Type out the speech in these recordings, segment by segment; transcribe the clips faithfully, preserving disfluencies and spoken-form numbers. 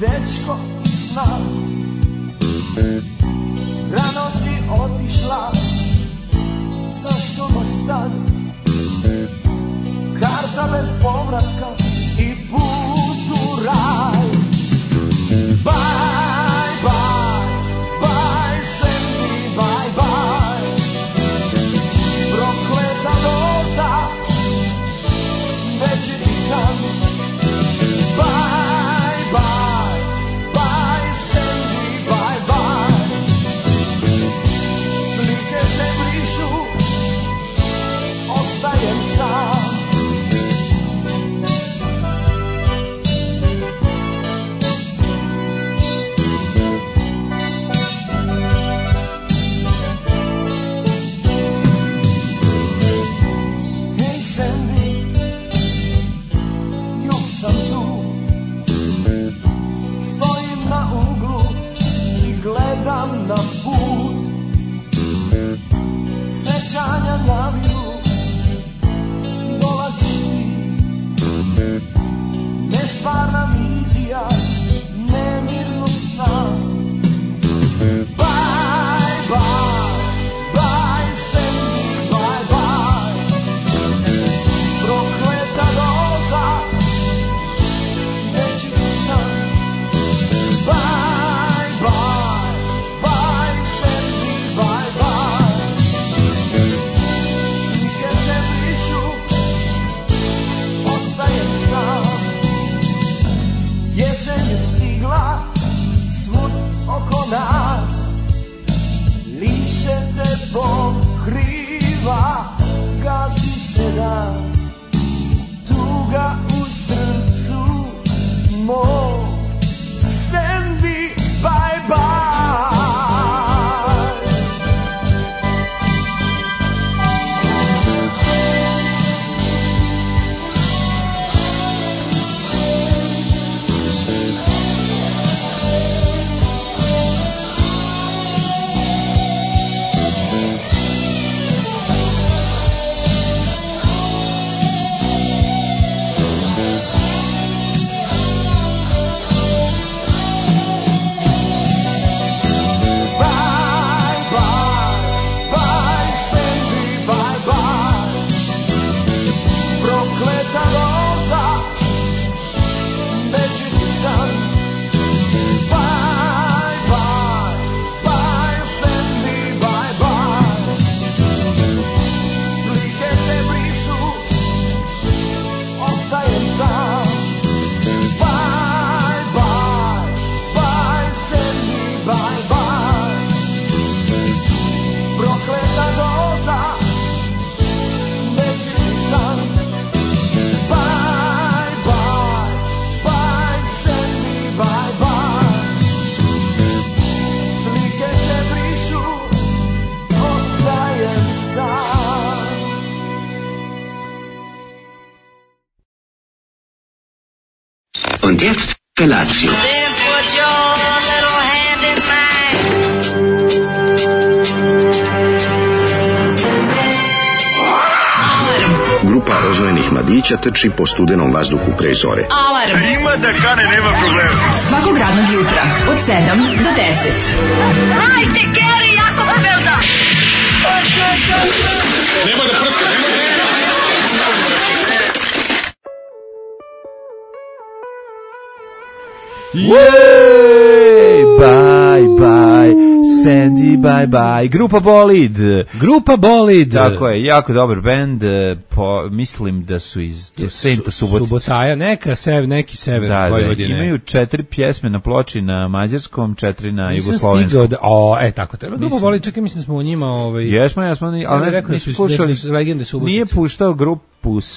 dečko iz sna. Rano si otišla, zašto baš sad? Karta bez povratka i put u raj. Bye, bye, bye, Sandy, bye, bye. Prokleta doza, večeri san. Bye, bye, bye, Sandy, bye, bye. Slike se brišu, ostajem sam. Gledam na put, sećanja naviru, dolaziš ti, nestvarna vizija, nemirno sna. Bye, bye, bye, Sandy, bye, bye. Prokleta doza, večeri san. Bye, bye. Oko nas liše te pokriva, gasi se dan, tuga u srcu mom. Sandy, bye bye. Und jetzt Felatio. Then put your little hand in mine. Grupa rozvojenih mladića trči po studenom vazduhu pre zore. Alarm. Ima da kane, nema problema. Svakog radnog jutra od sedam do deset. Hajde, Geri, jako se velda. Nema da prska, nema da prska. Jej, bye, bye, Sandy, bye, bye, Grupa Bolid. Grupa Bolid. Tako je, jako dobar bend, po, mislim da su iz Senta Subotica. Subotaja, neka sever, neki sever da, Vojvodine. Da, imaju četiri pjesme na ploči na mađarskom, četiri na Nisam jugoslovenskom. Da, o, e, tako treba. Grupa Bolid, čekaj, mislim da smo o njima... Ovaj, jesmo, jesmo, ali ne, rekao nisu da slušali, su legende Subotice. Nije puštao grupu,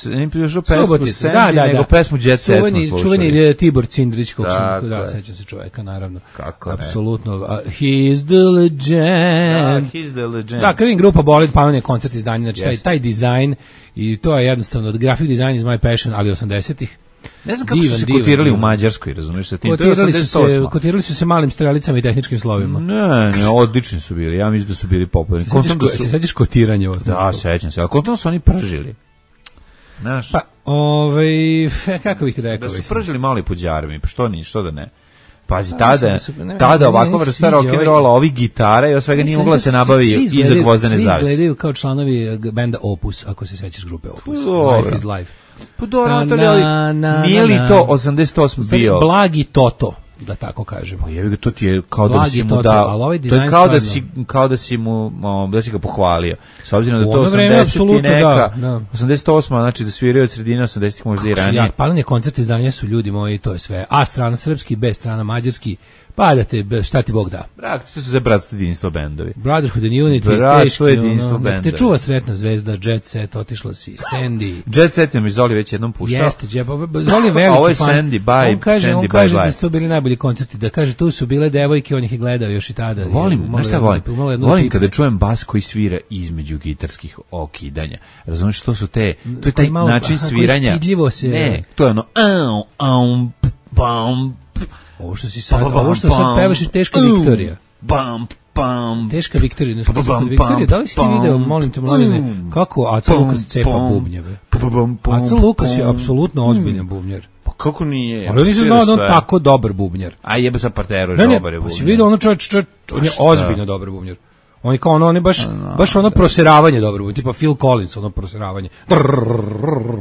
nije puštao pesmu Subotica, Sandy, da, da, nego da. pesmu Jet Set smo slušali. Čuveni Tibor Cindrić, kog sam, da, je. sećam se čoveka, naravno. Kako ne. Apsolutno. Uh, he's the legend. Da, he's the legend. Da, kad vidim Grupa Bolid, pa on je koncert izdanje, znači taj, taj dizajn, i to je jednostavno, od graphic design is my passion, ali osamdesetih. Ne znam kako divan, su se divan, kotirali divan. u Mađarskoj, razumiješ sa tim. Kotirali su, se, kotirali su se malim strelicama i tehničkim slovima. Ne, ne, odlični su bili. Ja mislim da su bili popularni. Sećaš, ko, su... se sećaš kotiranje ovo? Da, sećam se. Ali kontom su oni pržili. Znaš? Pa, ovaj, kako bih ti rekao? Da su pržili mali puđarmi, pa što ni, što da ne. Pazi, A, tada, mislim da su- ne, tada ne, ovakva ne, vrsta sviđa rock'n'rolla, ovaj- ovih gitara i od svega nije Mislim mogla da se svi- nabavi svi iza izgledaju- gvozdene Svi zavese. izgledaju kao članovi eh, benda Opus, ako se sećaš grupe Opus. Dobro. Life is life. Pa dobro, Na, Anatolij, ali na, na, nije li na. to osamdeset osmi bio? Blagi Toto, da tako kažemo. Pa jebi ga, to ti je kao da Blagi si mu Toto, dao, ali ovaj to je dizajn kao da si, stvarno- kao da si mu, o, da si ga pohvalio. S obzirom da U to ono vreme, osamdeset i apsolutno, neka, da, da. osamdeset osma, znači da sviraju od sredine osamdesetih možda i ranije. Ja, palanje koncert izdanja su ljudi moji, to je sve. A strana srpski, B strana mađarski, pa da te, šta ti Bog da. Brak, to su za bratstvo jedinstvo bendovi. Brotherhood and Unity, Bratstvo, teški, jedinstvo, ono, nek te bendovi. čuva sretna zvezda, Jet Set, otišla si, Sandy. Jet Set je mi Zoli već jednom puštao. Jeste, Džep, Zoli je veliki Ovo je fan. Sandy, bye, on kaže, Sandy, on kaže bye, bye. da su to bili najbolji koncerti, da kaže tu su bile devojke, on ih je gledao još i tada. Volim, Umalo znaš šta jedno- volim? umalo jedno Volim pitanje. kada čujem bas koji svira između gitarskih okidanja. Razumiješ, to su te, to je taj Koji malo- način aha, koji sviranja. stidljivo se- Ne, to je ono, au, au, bam, Ovo što si sad, ovo što sad pevaš je teška Viktorija. Bam, bam. Teška Viktorija, ne Pa, pa, kod pam, Viktorije, da li si ti pam, video, molim te, mladine, pam, kako Aca pam, Lukas cepa pam, bubnjeve? Pa, pa, bam, pam, Aca Lukas je pam. apsolutno ozbiljan bubnjar. Pa kako nije? Ali on nisam Svira znao da on sve. tako dobar bubnjar. A jebe sa parteru, Ne, ne, dobar je pa si bubnjar. vidio ono čovječ, čovječ, on je šta? ozbiljno dobar bubnjar. On je kao ono, on je baš, baš ono proseravanje dobro bubnjar, tipa Phil Collins, ono proseravanje.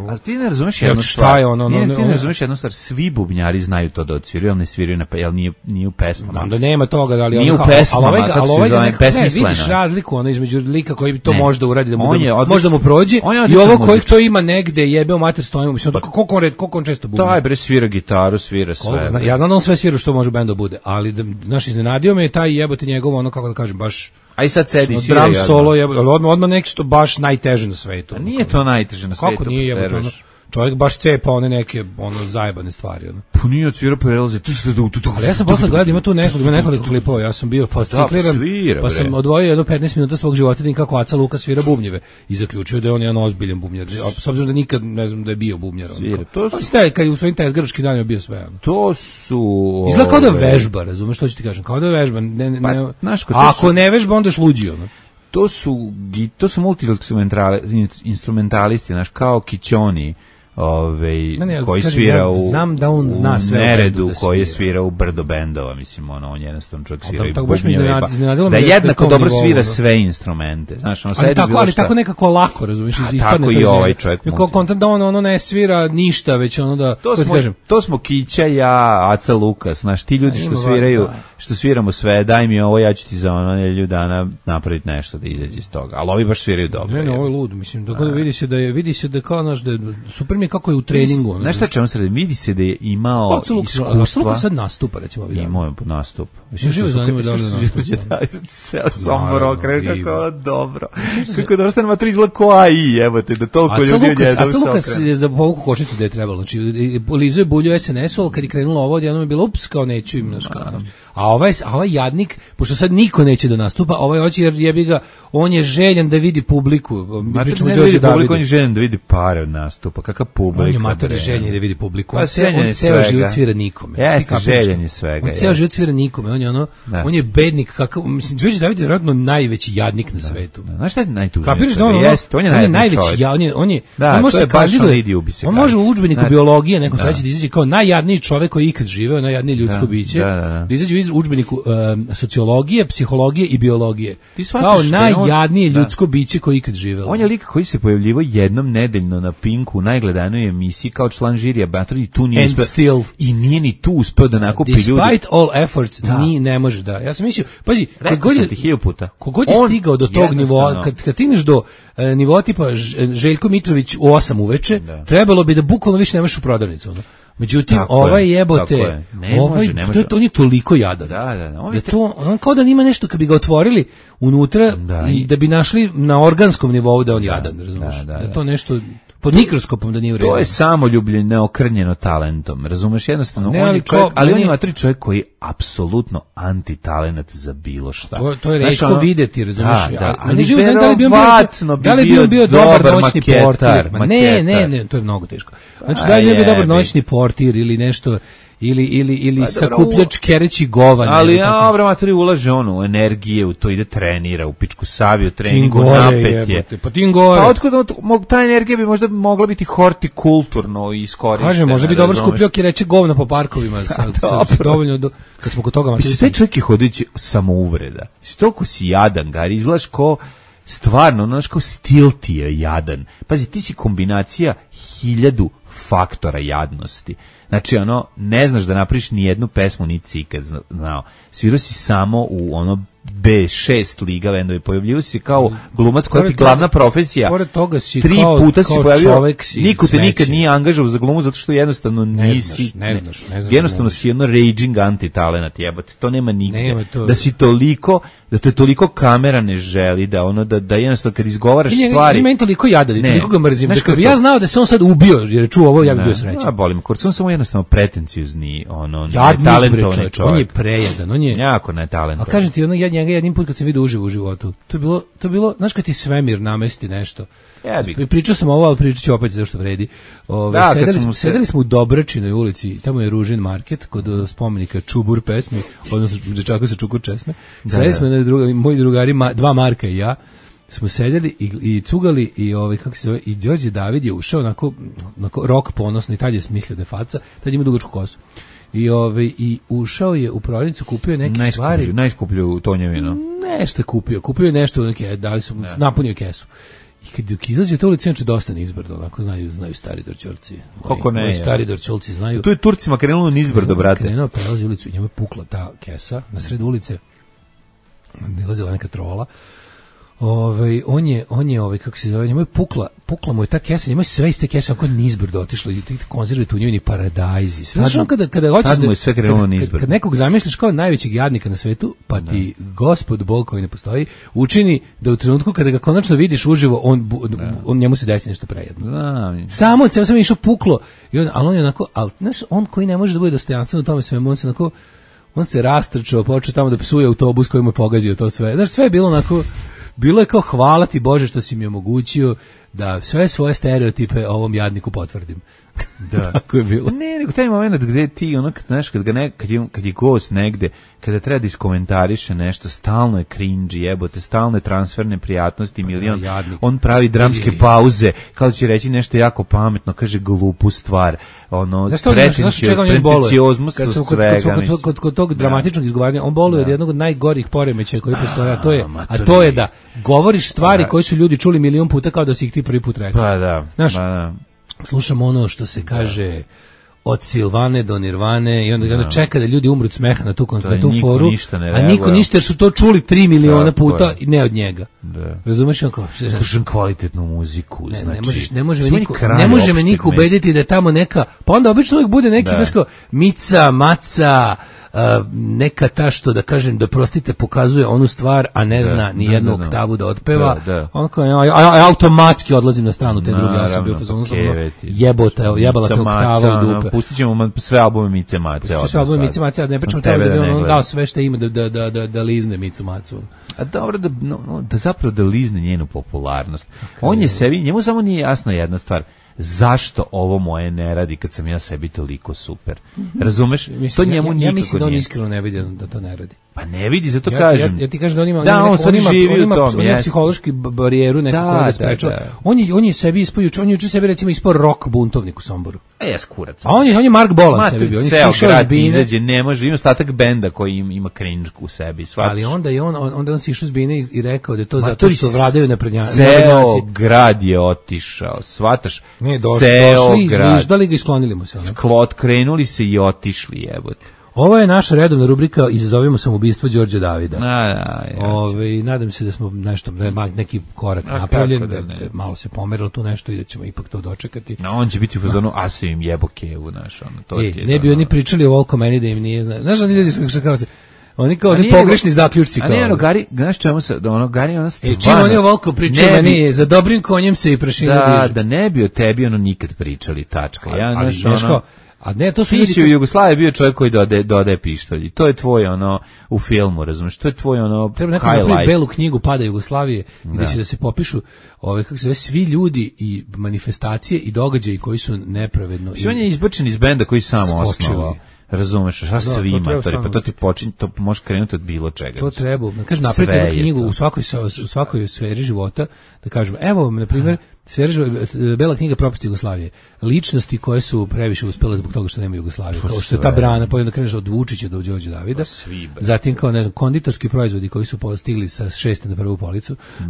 Ali ti ne razumeš Evo jednu šta stvar. je ono, ono, Nije, ti ono- ne razumeš jednu stvar. Svi bubnjari znaju to da odsviraju, ali ne sviraju, na, jel nije, nije u pesmama. Znam da nema toga, ali Nije ono u kao- pesmama, ali ovaj ga- kako ali se ovaj ga zove, nekako- ne, besmisleno vidiš je. razliku ono između lika koji bi to Ne. može da uradi da mu, On da, je mu- odličan- možda mu prođe on je i odličan ovo koji muzičar. to ima negde jebe u mater stojimo, mislim da koliko on red, koliko on često bubnja. Daj bre, svira gitaru, svira Koliko sve. zna- ja znam da on sve svira što može bendo bude, ali da, znaš, iznenadio me je taj jebote njegovo, ono, kako da kažem, baš A i sad sedi, ono, svira. drum i odmah. solo, jebote, ali odmah, odmah nešto baš najteže na svetu. A nije to najteže na svetu. Kako nije jebote, ono, preteruješ. čovjek baš cepa one neke, ono, zajebane stvari, ono. Pa nije odsvira prelaze. Tu tu tu tu tu. Ali ja sam posle gledao, ima tu nekoliko, ima nekoliko klipova, ja sam bio fascikliran, svira, pa bre. sam odvojio jedno petnaest minuta svog života da vidim kako Aca Luka svira bubnjeve i zaključio da je on jedan ozbiljan bubnjar, a s obzirom da nikad ne znam da je bio bubnjar. ono. Svira, to su- Pa ste, kad je u svojim tezgaračkim danima bio sve. Ono. To su... Izgleda kao da ove, vežba, razumeš što ću ti kažem, kao da vežba. Ne, ne, Pa, ne, znaš ko, to a ako su- ne vežba, onda je luđi, ono. To su, gi- to su multi-instrumentalisti, znaš, kao Kićoni, ovaj, Ne, ne, ja koji kažem, svira ja u, znam da on zna u sve o Neredu, bendu da koji je svira. svira u brdo bendova, mislim, ono, on jednostavno čovjek Ali svira i tako- tako baš me bubnjeve, iznenad- pa- iznenadilo da me da je jednako na tom dobro nivou, svira ono. sve instrumente, znaš, ono, Ali sedi tako, bilo ali šta. tako nekako lako, razumiješ, A ispadne tako to i iz njega. ovaj čovjek I kao multi. kontent da on ono ne svira ništa, već ono da, To kako ti smo, kažem, to smo Kića, ja, Aca Lukas, znaš, ti ljudi A, što ima sviraju, važno, što sviramo sve, daj mi ovo, ja ću ti za ono nedelju dana napraviti nešto da izađe iz toga. Ali ovi baš sviraju dobro. ne, ne, je. ovo je lud, mislim, da god vidi se da je, vidi se da kao, znaš, da je, super mi je kako je u treningu, ono. Znaš šta čemu se radi? Vidi se da je imao Aca Luka, Aca iskustva. Luka sad nastupa, recimo, ovih dana. Imao je nastup. Mislim, živo zanima da li da nastupa. Ceo Sombor Naravno, okrenu, ima. kako dobro. Kako dobro stane mater izgleda ko A I, evo te, da toliko Aca ljudi Lukas, odjednom Aca se Lukas okrenu. je za povuku kočnicu da je trebalo. Znači, Lizo je bulju S N S-u, ali kad je krenulo ovo, odjednom je bilo, ups, kao neću im, znaš, kao, a ovaj, a ovaj jadnik, pošto sad niko neće da nastupa, ovaj hoće jer jebi ga, on je željan da vidi publiku. Mi Mater pričamo o ne da Đorđu vidi publiku, Davidu. on je željen da vidi pare od nastupa. Kakav publika. On je mater bre. željen da vidi publiku. Pa On, ceo, željen on je ceo svega. život svira nikome. Jeste, Ti kapiraš željen to? je svega, On ceo jeste. život svira nikome. On je ono, Da. on je bednik kakav, mislim, Đorđe David je vjerojatno najveći jadnik na svetu. Znaš šta je najtužnije? Kapiraš da on, ono, Jeste, on je najveći najveći, čovjek. ja, on je, on je, Da, on može to se je baš kandiduje, on idi ubi se on kaže. može u udžbeniku Znači, biologije nekom da. sledeći da izađe kao najjadniji čovjek koji je ikad živeo, najjadnije ljudsko Da, biće, da, da, da. da izađe u udžbeniku um, sociologije, psihologije i biologije. Ti shvataš Kao da je on- najjadnije da. ljudsko biće koji je ikad živelo. On je lik koji se pojavljivao jednom nedeljno na Pinku u najgledanoj emisiji kao član žirija Battle i tu nije And uspeo. still. I nije ni tu uspeo da nakupi ljudi. Despite all efforts, Da. ni ne može da. Ja sam mislio, pazi, Rekao kad god sam je, ti hiljadu puta. kogod je On stigao do tog jednostavno- nivoa, kad, kad stigneš do e, nivoa tipa Ž- Željko Mitrović u osam uveče, Da. trebalo bi da bukvalno više nemaš u prodavnicu. Ono. Međutim, Tako ovaj je, jebote, tako je. Ne ovaj, može, ne to može. je- on je toliko jadan. Da, da, da. On Da je to, on kao da nima nešto kad bi ga otvorili unutra Da, i i- da bi našli na organskom nivou da je on jadan, razumiješ? da, da, Da je da. to nešto pod mikroskopom da nije u redu. To je samoljublje neokrnjeno talentom. Razumeš, jednostavno Ne, on ali je čovjek, ko- ali on meni- ima tri čovjek koji je apsolutno antitalenat za bilo šta. To, to je Znaš, retko ono- videti, razumiješ? Da, da, ali, ali ali živo znam da li bi on bio, verovatno bi da li bi on bio bio dobar dobar noćni maketar, portir. Ma ne, ne, maketar. ne, to je mnogo teško. Znači A, da li bi on bio dobar jebi. noćni portir ili nešto, ili ili ili pa, sakupljač kereći govan. Ali ja obramatory ulaže ono energije u to, ide trenira u pičku saviju treningu napet je. Pa tim gore. Pa otkud ta energija bi možda mogla biti hortikulturno iskorištena. Kaže, možda bi dobro skupljao kereće govna po parkovima sa, sa, sa dovoljno do, kad smo kod toga amaterizma. Sve čovjek je hodajući samouvreda. Si toliko si jadan, Gari, izgledaš ko stvarno, znaš, kao stil ti je jadan. Pazi, ti si kombinacija hiljadu faktora jadnosti. Znači, ono, ne znaš da napriš ni jednu pesmu, ni cikad, znao. Svirao si samo u ono be šest liga vendovi, pojavljivo si kao glumac koja ti glavna profesija. Pored toga si tri kao, puta si kao pojavio, čovek si niko te smeći. nikad nije angažovao za glumu zato što jednostavno ne nisi, znaš, ne znaš, ne znaš jednostavno si jedno raging anti-talenat, jebate, to nema nigde. Nema to. Da si toliko, da te toliko kamera ne želi, da ono, da, da jednostavno kad izgovaraš I njega, stvari... I meni toliko jadan, ne, toliko ga mrzim, da kad bi to? ja znao da se on sad ubio, jer je čuo ovo, ja bih bio srećan. Ja bolim, kurc, on samo jednostavno pretenciozni, ono, jadnik, netalentovani čovjek. On je prejadan, on je... Jako netalentovan. A kažem ti, ono, ja njega jednim put kad sam vidio uživo u životu, to je bilo, to je bilo, znaš kad ti svemir namesti nešto. Ja bih. Pričao sam ovo, ali pričat ću opet zašto vredi. Ove, da, sedeli, smo, se... sedeli smo u Dobračinoj ulici, tamo je Ružin market, kod spomenika Čubur pesmi, odnosno dečaka sa Čukur česme. Sedeli smo na druga, moji drugari, ma, dva Marka i ja, smo sedeli i, i cugali i ovaj kako se zove, i Đorđe David je ušao onako, onako rok ponosno i tad je smislio da je faca, tad ima dugačku kosu. I ovaj i ušao je u prodavnicu, kupio je neke najskuplju, stvari, najskuplju tonjevinu. Nešto je kupio, kupio je nešto, neke, dali su, ne. napunio kesu. I kad dok izađe to ulica, znači dosta nizbrdo, onako znaju, znaju stari Dorćolci. Kako ne? Moji stari Dorćolci znaju. Tu je Turcima krenulo nizbrdo, brate. Krenuo, prelazi ulicu i njemu je pukla ta kesa na sred ulice. Nalazila neka trola. Ovaj on je on je ovaj kako se zove, njemu je pukla, pukla mu je ta kesa, njemu je sve iz te kese onako nizbrdo otišlo i ti konzerve tu njuni paradajzi. Sve znači kada kada hoćeš da sve krenulo nizbrdo. Kad nekog zamisliš kao najvećeg jadnika na svetu, pa da. Ti Gospod Bog koji ne postoji učini da u trenutku kada ga konačno vidiš uživo, on da. on njemu se desi nešto prejedno. Znam. Samo od sebe sam išao puklo i on, al on je onako, al znaš, on koji ne može da bude dostojanstven u tome svemu, on se onako on se rastrčao, počeo tamo da psuje autobus koji mu je pogazio to sve. Znaš, sve je bilo onako. Bilo je kao hvala ti Bože što si mi omogućio da sve svoje stereotipe ovom jadniku potvrdim. Da. Tako je bilo. Ne, nego taj moment gde ti, ono, kad, znaš, kad, ga ne, kad, je, kad je gost negde, kada treba da iskomentariše nešto, stalno je cringe, jebote, stalno je transferne prijatnosti, milion, da, on pravi dramske je, pauze, kao će reći nešto jako pametno, kaže glupu stvar, ono, pretenciozmus kad su kod, svega. Kod, kod, kod, kod tog dramatičnog da. izgovaranja, on boluje od jednog od najgorih poremećaja koji postoje, a to je, a to je da govoriš stvari da. koje su ljudi čuli milion puta kao da si ih ti prvi put rekao. Pa da, znaš, pa da. Slušamo ono što se kaže od Silvane do Nirvane i onda, onda čeka da ljudi umru od smeha na tu, na tu foru, a niko ništa jer su to čuli tri miliona puta i ne od njega. Da. Razumeš onako? Slušam kvalitetnu muziku. Ne, znači, ne, možeš, ne može me niko, ne može me niko ubediti da je tamo neka, pa onda obično uvijek bude neki, znaš kao, Mica, Maca, Uh, neka ta što da kažem da prostite pokazuje onu stvar a ne da, zna ni jednu da, da, oktavu da otpeva da, da. On kao, ja, ja, ja automatski odlazim na stranu te druge, ja sam bio fazonu jebota, jebala te oktava u dupe. Pustit ćemo sve albume Mice Mace. Sve albume Mice Mace, a ne pričamo tamo da bi on dao sve što ima da, da, da, da, da lizne Micu Macu. A dobro, da, no, da zapravo da lizne njenu popularnost. On je sebi, njemu samo nije jasna jedna stvar. Zašto ovo moje ne radi kad sam ja sebi toliko super? Razumeš? Mislim, to njemu ja, nikako ja mislim da on nije. iskreno ne vidi da to ne radi. Pa ne vidi, zato ja, kažem. Ja, ja ti kažem da on ima, da, on, on, on ima, živi on ima, u tom, on ima psihološki barijeru nekako da, da sprečava. Da, da. On je on je sebi ispoju, on je juče sebi recimo ispao rock buntovnik u Somboru. E, ja skurac. A on je on je Mark Bolan sebi bio. On je ceo grad izađe, ne može, ima ostatak benda koji im, ima cringe u sebi, svaš. Ali onda je on onda on se išao s bine i, i rekao da je to zato što vladaju naprednjaci. Ceo grad je otišao, shvataš? Ne, došli, izviždali ga i sklonili mu se. Sklot, krenuli se i otišli, jebote. Ovo je naša redovna rubrika Izazovimo samoubistvo Đorđa Davida. A, da, ja. Ove, nadam se da smo nešto, da je neki korak A, napravljen, da, da malo se pomerilo tu nešto i da ćemo ipak to dočekati. No, on će biti u fazonu, a se im jebo kevu, znaš, ono, to e, ti ne bi oni pričali o Volko meni da im nije, znaš, znaš, oni ljudi što kao se, oni kao oni pogrešni zaključci kao. A nije, ono, Gari, znaš čemu se, da ono, Gari, ono, stvarno. E, čim oni o Volko pričaju, meni za dobrim konjem se i prašina da, diže. Da ne bi o tebi, ono, nikad pričali, tačka. Ja, ali, znaš, ono, a ne, to su ti si u Jugoslaviji bio čovjek koji dodaje, dodaje pištolj. To je tvoj ono u filmu, razumiješ? To je tvoj ono treba neko napraviti belu knjigu Pada Jugoslavije gdje će da se popišu ove kako se zove svi ljudi i manifestacije i događaji koji su nepravedno. Sve on je izbačen iz benda koji sam osnovao. Razumeš, šta svi to matori, pa to ti počinje, to može krenuti od bilo čega. To treba, kažem, napraviti jednu knjigu u svakoj, u svakoj sferi života, da kažemo, evo, na primjer, Bela knjiga propasti Jugoslavije. Ličnosti koje su previše uspele zbog toga što nema Jugoslavije. Kao što je ta brana, pa onda kreneš od Vučića do Đorđe Davida. Zatim kao ne znam, konditorski proizvodi koji su postigli sa šeste na prvu policu. Mm.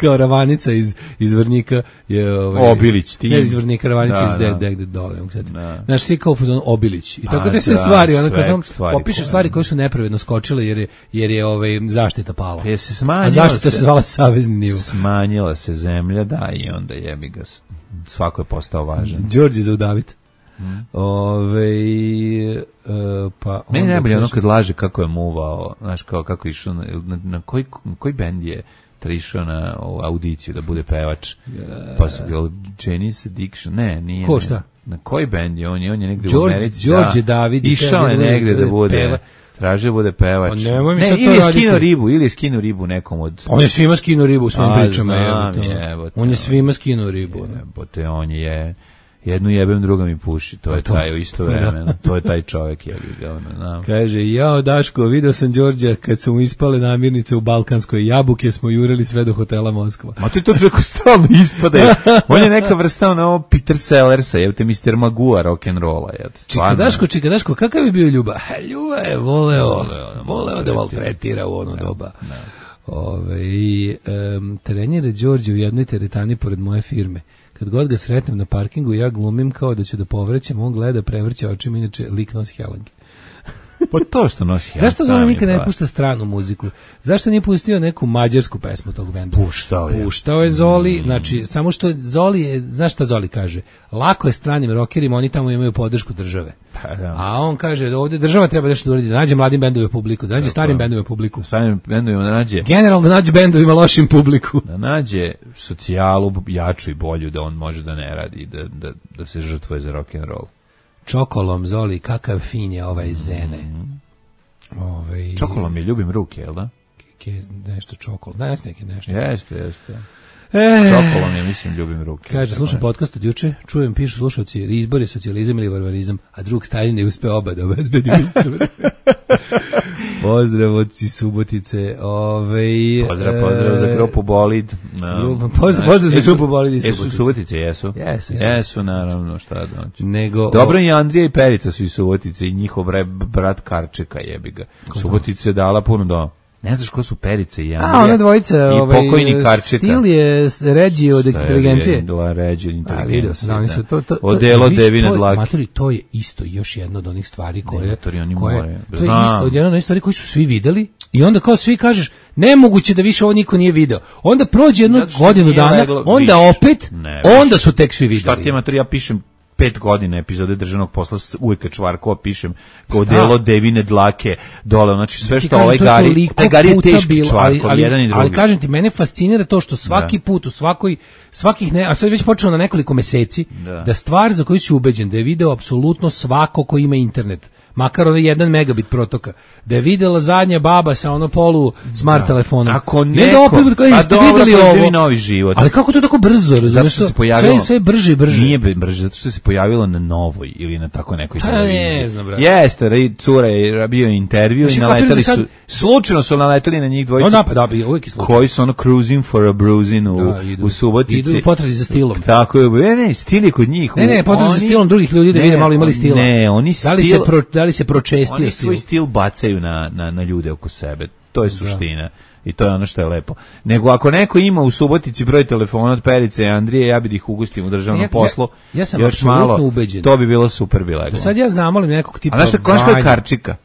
kao Ravanica iz iz Vrnjika je ovaj Obilić ti. Ne iz Vrnjika, Ravanica da, iz da. Deg deg dole, znaš, svi kao fuzon Obilić. I tako te sve da, stvari, onda kao popiše stvari koje su nepravedno skočile jer je jer je ovaj zaštita pala. Je se smanjila. A zaštita se zvala savezni nivo. Smanjila se zemlja, da, i onda jebi ga, svako je postao važan. Đorđe Zaudavit. Hmm. Ove, e, pa meni najbolje ono kad laže kako je muvao, znaš, kao kako išao, na, na, na koji, koji bend je išao na ovu audiciju da bude pevač, yeah. Pa su ga Janis Addiction, ne, nije. Ko šta? Ne, na koji bend je on, je on je negde George, u Americi, Đorđe da, David, išao je negde da bude peva. Traže bude pevač. Ne, ne ili je skino ribu, ili je skino ribu nekom od... On je svima skino ribu u svojim A, pričama. Znam, jebote, on je svima skino ribu. Jebote, on je... Jednu jebem, druga mi puši. To je to. Taj u isto vremena. To je taj čovjek, jebi ga, ono, znam. Kaže, jao Daško, video sam Đorđa kad su mu ispale namirnice u Balkanskoj jabuke, smo jurili sve do hotela Moskva. Ma to je to čovjek stalno ispada. On je neka vrsta ono Peter Sellersa, jebate, mister Magua rock'n'rolla. Čika Daško, čika Daško, kakav je bio Ljuba? Ljuba je voleo, voleo, voleo da maltretira u ono doba. Ove, um, trenjere Đorđe u jednoj teretani pored moje firme. Kad god ga sretnem na parkingu, ja glumim kao da ću da povraćam, on gleda, prevrće očima, inače lik nosi helange. Pa to što nosi helange. Zašto Zoli nikad ne pušta stranu muziku? Zašto nije pustio neku mađarsku pesmu tog benda? Puštao je. Puštao je Zoli, znači, samo što Zoli je, znaš šta Zoli kaže? Lako je stranim rokerima, oni tamo imaju podršku države. Pa da. A on kaže, ovdje država treba nešto da uradi, da nađe mladim bendovima publiku, da nađe starim bendovima publiku. Starim bendovima da nađe... Generalno da nađe bendovima lošim publiku. Da nađe socijalu jaču i bolju, da on može da ne radi, da, da, da se žrtvuje za rock'n'roll. Čokolom, Zoli, kakav fin je ovaj Zene. Mm. Ovaj... Čokolom je ljubim ruke, jel da? Ke, nešto čokol, da, jeste neki nešto. Jeste, jeste. E, Čokolom je, mislim, ljubim ruke. Kaže, slušam podcast od juče, čujem, pišu slušalci, izbor je socijalizam ili varvarizam, a drug Stalin je uspeo oba da obezbedi istor. Pozdrav od Subotice. Ovaj, pozdrav, pozdrav za grupu Bolid. Um, pozdrav, pozdrav za grupu Bolid i Subotice. Jesu Subotice, jesu? Jesu, jesu naravno, šta da znači. Nego, dobro, i Andrija i Perica su iz Subotice i njihov brat Karčeka, jebi ga. Subotice je dala puno do... Ne znaš ko su Perice i Andrija. A, ona dvojica, i ovaj, pokojni Karčeka. Stil je ređi od inteligencije. Stil je ređi od inteligencije. Vidio sam, oni su to... to, to Odelo devine dlake. Matori, to je isto još jedna od onih stvari koje... Matori, oni koje, more. To je isto od jedna od onih stvari koji su svi videli i onda kao svi kažeš, nemoguće da više ovo niko nije video. Onda prođe jednu znači, godinu dana, leglo, onda viš, opet, ne, onda su tek svi videli. Šta ti je, Matori, ja pišem pet godina epizode državnog posla uvijek kad Čvarkova pišem odelo devine dlake dole, znači sve što ovaj Gari, taj Gari je teški Čvarkov, ali, jedan i drugi. Ali kažem ti, mene fascinira to što svaki da. put u svakoj, svakih ne, a sad već počelo na nekoliko meseci, da. da stvar za koju si ubeđen, da je video apsolutno svako ko ima internet, makar ono jedan megabit protoka, da je videla zadnja baba sa ono polu smart da. telefonom. Ako neko, ne da opet, kao, a dobro, živi novi život. Ali kako to tako brzo, razumiješ? Zato se pojavilo, sve, sve brže i brže. Nije brže, zato što se pojavilo na Novoj ili na tako nekoj pa, televiziji. Ne znam, brate. Jeste, cura je bio intervju znači, i naletali sad... su, slučajno su naletali na njih dvojicu, no, da, da, bi, uvijek je koji su ono cruising for a bruising u, da, idu, u Subotici. Idu u potrazi za stilom. Tako je, ne, ne, stil je kod njih. Ne, ne, potrazi za stilom drugih ljudi da vide malo imali stila. Ne, oni stil... Da li se, pro, da li se pročestio oni svoj stil bacaju na, na, na ljude oko sebe. To je suština. Da. I to je ono što je lepo. Nego ako neko ima u Subotici broj telefona od Perice i Andrije, ja bih ih ugustim u državnom ja, poslu. Ja, ja sam još malo, ubeđen. To bi bilo super bilego. Da sad ja zamolim nekog tipa... A znaš što konško je Karčika?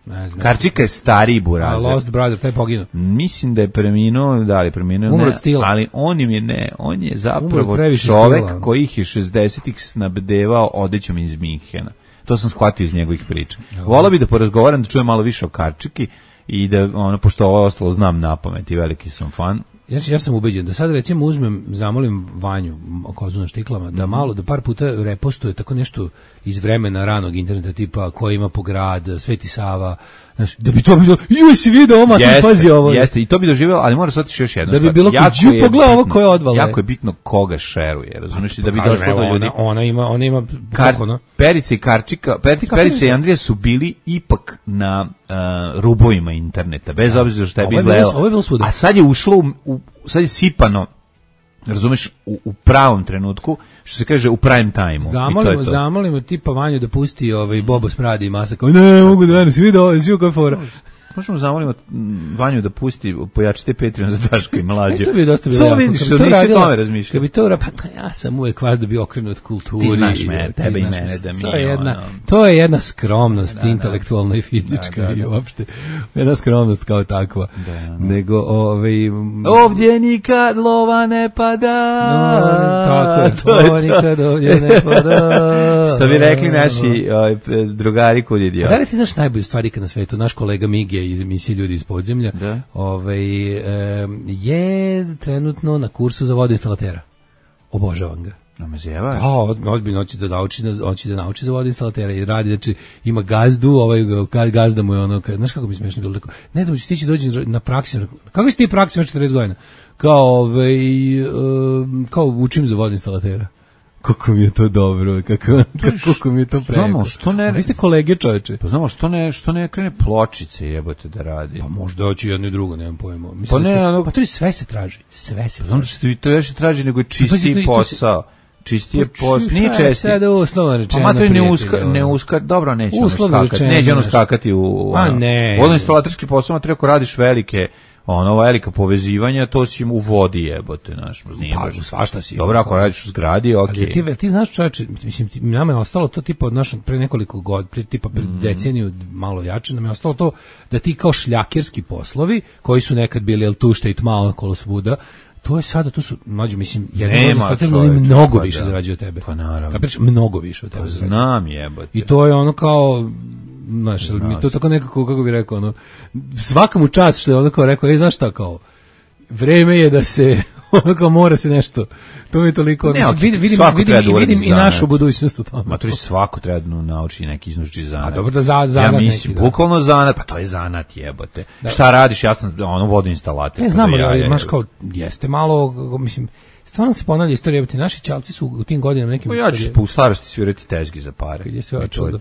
Ne znam. Karčika je stariji burazer. A Lost Brother, taj poginuo. Mislim da je preminuo, da li je preminuo, umro od stila. Ali on im je ne, on je zapravo čovek koji ih je šezdesetih snabdevao odećom iz Minhena. To sam shvatio iz njegovih priča. Volao bi da porazgovaram, da čujem malo više o Karčiki i da, ono, pošto ovo ostalo znam napamet i veliki sam fan. Ja, ja sam ubeđen da sad recimo uzmem, zamolim Vanju Kozu na štiklama, da malo, da par puta repostuje tako nešto iz vremena ranog interneta, tipa ko ima po grad, Sveti Sava, Znaš, da bi to bilo, ju si video ovo, ti pazi ovo. Jeste, i to bi doživjelo, ali mora shvatiti još jedno. Da bi bilo kao đu pogledaj ovo koje odvala. Jako je bitno koga šeruje, razumiješ, da bi došlo do ljudi. Ona, ona ima, ona ima Kar, kako, no? Perica i Karčika, Perica, Perica i Andrija su bili ipak na uh, rubovima interneta, bez ja. obzira što je bi izgledalo. Ovo je bilo svuda. A sad je ušlo, u, u, sad je sipano, razumeš, u, u pravom trenutku, što se kaže u prime time-u. Zamolimo, zamolimo tipa Vanju da pusti ovaj Bobo Smradi i Masa kao, ne, mogu da vedem, si vidio ovo, si vidio koja fora. Možemo zamolimo Vanju da pusti, pojačite Patreon za Daška i Mlađe. E, to bi dosta bilo jako. Samo vidiš, što nisi o tome razmišljao. Kad bi to ura, pa ja sam uvek vas da bi okrenut kulturi. Ti znaš me, tebe i mene da mi to je jedna, to je jedna skromnost, da, intelektualna da, i fizička da, da, da. i uopšte. Jedna skromnost kao takva. Da, da. Nego, ovaj... Ovdje nikad lova ne pada. No, tako je, to, to nikad ovdje ne pada. Što bi rekli naši ovaj, drugari kod idiota. Da li ti znaš najbolju stvar ikad na svetu? Naš kolega Mige iz emisije Ljudi iz podzemlja, da. Ovaj, e, je trenutno na kursu za vodoinstalatera. Obožavam ga. No me zjeva. Da, ozbiljno hoće da nauči, hoće da nauči za vodoinstalatera i radi, znači ima gazdu, ovaj gazda mu je ono, znaš kako mi smešno bilo, rekao, ne znam, će ti će doći na praksi, kako si ti praksi već četrdeset godina? Kao, ovaj, um, kao učim za vodoinstalatera. Kako mi je to dobro, kako, kako mi je to preko. Znamo, što ne... Vi ste kolege, čoveče. Pa znamo, što ne, što ne krene pločice jebote da radi. Pa možda hoće jedno i drugo, nemam pojma. Mislim, pa ne, to, ono... Pa to je sve se traži, sve se traži. Znam da se to više traži nego je čistiji pa, posao. Čistije pa, posao, nije česti. Sada uslovno rečeno. Pa mater ne uska, ne uska, dobro, neće ono skakati. Neće ono skakati u... A ne. Vodoinstalaterski posao, treba ako radiš velike... ono velika povezivanja, to si u vodi jebote, znaš, nije pa, baš svašta si. Dobro, ako radiš u zgradi, okej. Okay. Ali ti, ti znaš, čoveče, mislim, ti, nama je ostalo to tipa od našeg pre nekoliko godina, pre tipa pre mm. deceniju, malo jače, nam je ostalo to da ti kao šljakerski poslovi, koji su nekad bili el tušta i tma okolo svuda, to je sada, to su, mlađe, mislim, jedan od mnogo više zarađuje od tebe. Pa naravno. Kapiš, mnogo više od tebe. Pa znam jebote. I to je ono kao... Znaš, mi to tako nekako, kako bih rekao, ono, svakamu čast što je ono kao rekao, ej, znaš šta, kao, vreme je da se, ono kao mora se nešto, to mi je toliko, ne, okay, vidim, vidim, vidim, vidim i našu budućnost u tome. Ma to je svako treba da nauči neki iznučiti zanat. A dobro da za, zanat ja mislim, neki, bukvalno zanat, pa to je zanat jebote. Da. Šta radiš, ja sam ono vodoinstalater. Ne znam, ali ja, imaš kao, jeste malo, mislim, stvarno se ponavlja istorija, jebote, naši čalci su u tim godinama nekim... Pa ja ću po starosti svirati tezgi za pare. Kad je sve očudo,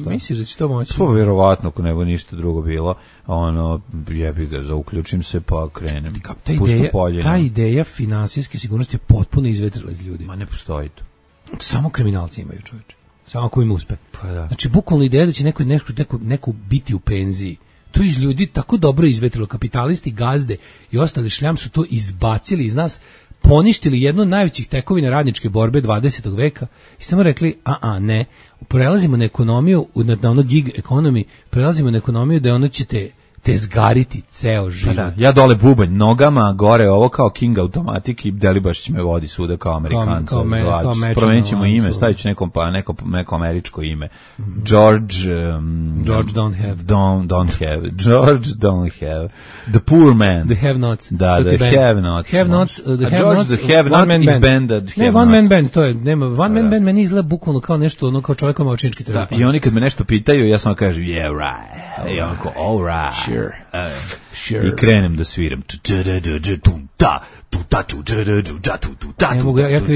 misliš da će to moći? Pa verovatno, ako nego ništa drugo bilo, ono, jebi ga, zauključim se pa krenem. Ta ideja, ta ideja finansijske sigurnosti je potpuno izvetrila iz ljudi. Ma ne postoji to. Samo kriminalci imaju, čoveče. Samo ako im uspe. Pa da. Znači, bukvalno ideja da će neko, neko, neko, neko biti u penziji. To iz ljudi tako dobro izvetrilo. Kapitalisti, gazde i ostali šljam su to izbacili iz nas, poništili jednu od najvećih tekovina radničke borbe dvadesetog veka i samo rekli, a a ne, prelazimo na ekonomiju, na, na ono gig economy, prelazimo na ekonomiju da ono ćete te zgariti ceo život. Pa da, ja dole bubanj nogama, gore ovo kao King Automatic i Delibaš će me vodi svuda kao Amerikanca. Kao, kao, kao promenit ćemo ime, stavit ću neko, pa, neko, neko američko ime. Mm -hmm. George... Um, George don't have. Don't, don't have. George don't have. The poor man. The have nots. Da, the band. have nots. Have nots, uh, the A have George nots, the have not is band. Ne, one man band, to je, nema, one man band meni izgleda bukvalno kao nešto, ono kao čovjek ima očinički telefon. Da, i oni kad me nešto pitaju, ja samo kažem, yeah, right. I onako, all right. Sure. Uh, Sure. I krenem da sviram. Ne mogu, ja kad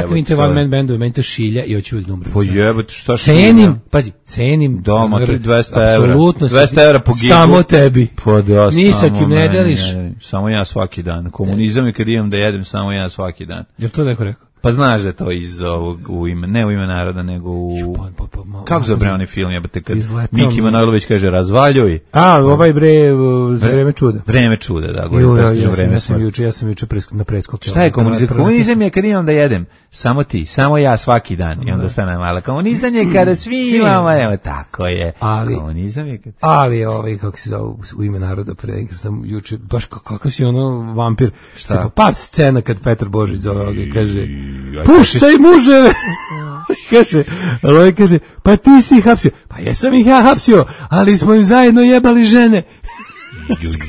vidim te one man bandove, meni to šilja i hoću uvijek numru. Po jebate, šta šilja? Cenim, pazi, cenim. Doma, to je dvesta evra. Apsolutno. dvesta evra po gigu. Samo tebi. Pa da, ni sa kim ne deliš. Samo ja svaki dan. Komunizam je kad imam da jedem, samo ja svaki dan. Jel to neko rekao? Pa znaš da je to iz ovog, u ime, ne u ime naroda, nego u... Pa, pa, pa, kako zove bre onaj film, jebate, kad Miki Manojlović kaže razvaljuj. A, ovaj bre, za vreme čuda. Vreme čuda, da, govorim, ja, ja, vreme ja sam juče, ja sam juče na preskoku. Šta je komunizam? Komunizam je kad imam da jedem, samo ti, samo ja svaki dan, i onda stane mala. Komunizam je kada svi imamo, evo, tako je. Ali, komunizam je kad... Ali, ovaj, kako se zove, u ime naroda, pre, sam juče, baš kakav si ono vampir. Šta? Pa, scena kad Petar Božić zove ovoga, kaže... Puštaj muževe! Kaže, ali kaže, pa ti si ih hapsio. Pa jesam ih ja hapsio, ali smo im zajedno jebali žene.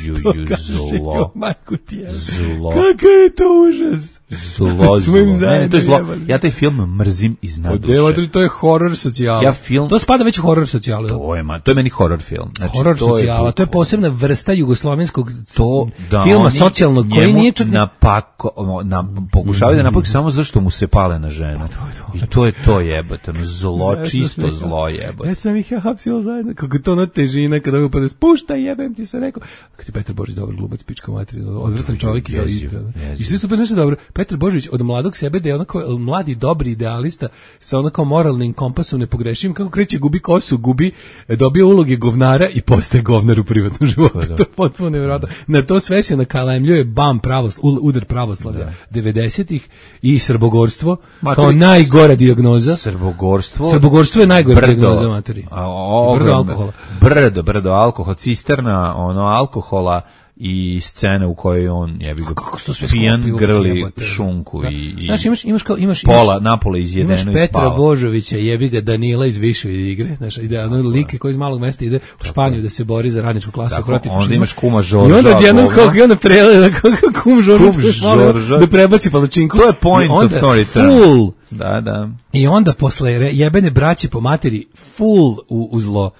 Ju, ju, ju, zlo. Majku ti je. Zlo. Kakav je to užas. Zlo, Smo im zlo. Ne, to je zlo. zajedno Ja taj film mrzim iz naduše. Devo, to je horor socijala. Ja film... To spada već u horor socijala. To je, man, to je meni horor film. Znači, horor to socijala, je, to je posebna vrsta jugoslovenskog to da filma oni socijalnog koji nije čak... napako, na, pokušavaju da napak samo zašto mu se pale na ženu. I to je to jebote, no, zlo, čisto zlo jebote. Ja sam ih ja hapsio zajedno, kako to ona težina kada ga pa spušta, jebem ti se rekao. Kad ti Petar Božić dobar glumac, pička materija, odvratan čovjek i i sve super nešto dobro. Petar Božić od mladog sebe da je onako mladi dobri idealista sa onako moralnim kompasom nepogrešivim, kako kreće gubi kosu, gubi, dobio uloge govnara i postaje govnar u privatnom životu. To je potpuno nevjerojatno. Na to sve se nakalemljuje bam pravos, udar pravoslavlja devedesetih i srbogorstvo kao najgora dijagnoza. Srbogorstvo. Srbogorstvo je najgora dijagnoza materi. Brdo alkohola. Brdo, brdo alkohol, cisterna, ono alkohola i scene u kojoj on jebi ga pijan grli šunku da. i, i znaš, imaš, imaš kao, imaš, pola napola izjedeno i spava. Imaš Petra Božovića, jebi ga Danila iz Više igre, znaš, ide ono like koji iz malog mesta ide u Španiju da se bori za radničku klasu tako, protiv onda imaš kuma Žorža i onda jednom kao i onda prele kako kum Žorža da prebaci palačinku, to je point of no return. Da, da. I onda posle jebene braće po materi full u, u zlo.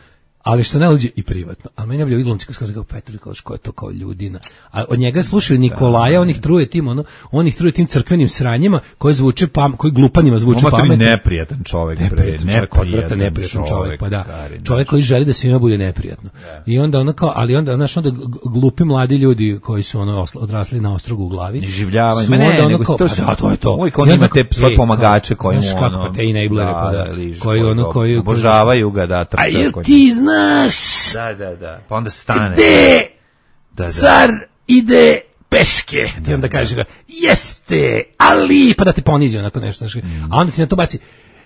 Ali što ne uđe i privatno. A meni je bio glumci koji kaže kao Petar, kao što je to kao ljudina. A od njega slušaju Nikolaja, on ih truje tim, ono, on ih truje tim crkvenim sranjima koji zvuče pam, koji glupanima zvuče pametno. Neprijatan čovjek, neprijatan čovjek, odvratan neprijatan čovjek, pa da. Čovjek koji želi da svima bude neprijatno. I onda ono kao, ali onda znaš, onda glupi mladi ljudi koji su ono odrasli na ostrogu u glavi. Življavanje, ma ne, nego to su, to je to. Uvijek on ima te svoje pomagače koji mu ono, te enablere, pa da, koji ono, koji obožavaju ga da trče. Znaš, da, da, da. Pa onda stane. Gde da, da. Car ide peške. Ti da, onda kaže ga, jeste, ali, pa da te ponizi onako nešto. Znaš, mm. A onda ti na to baci,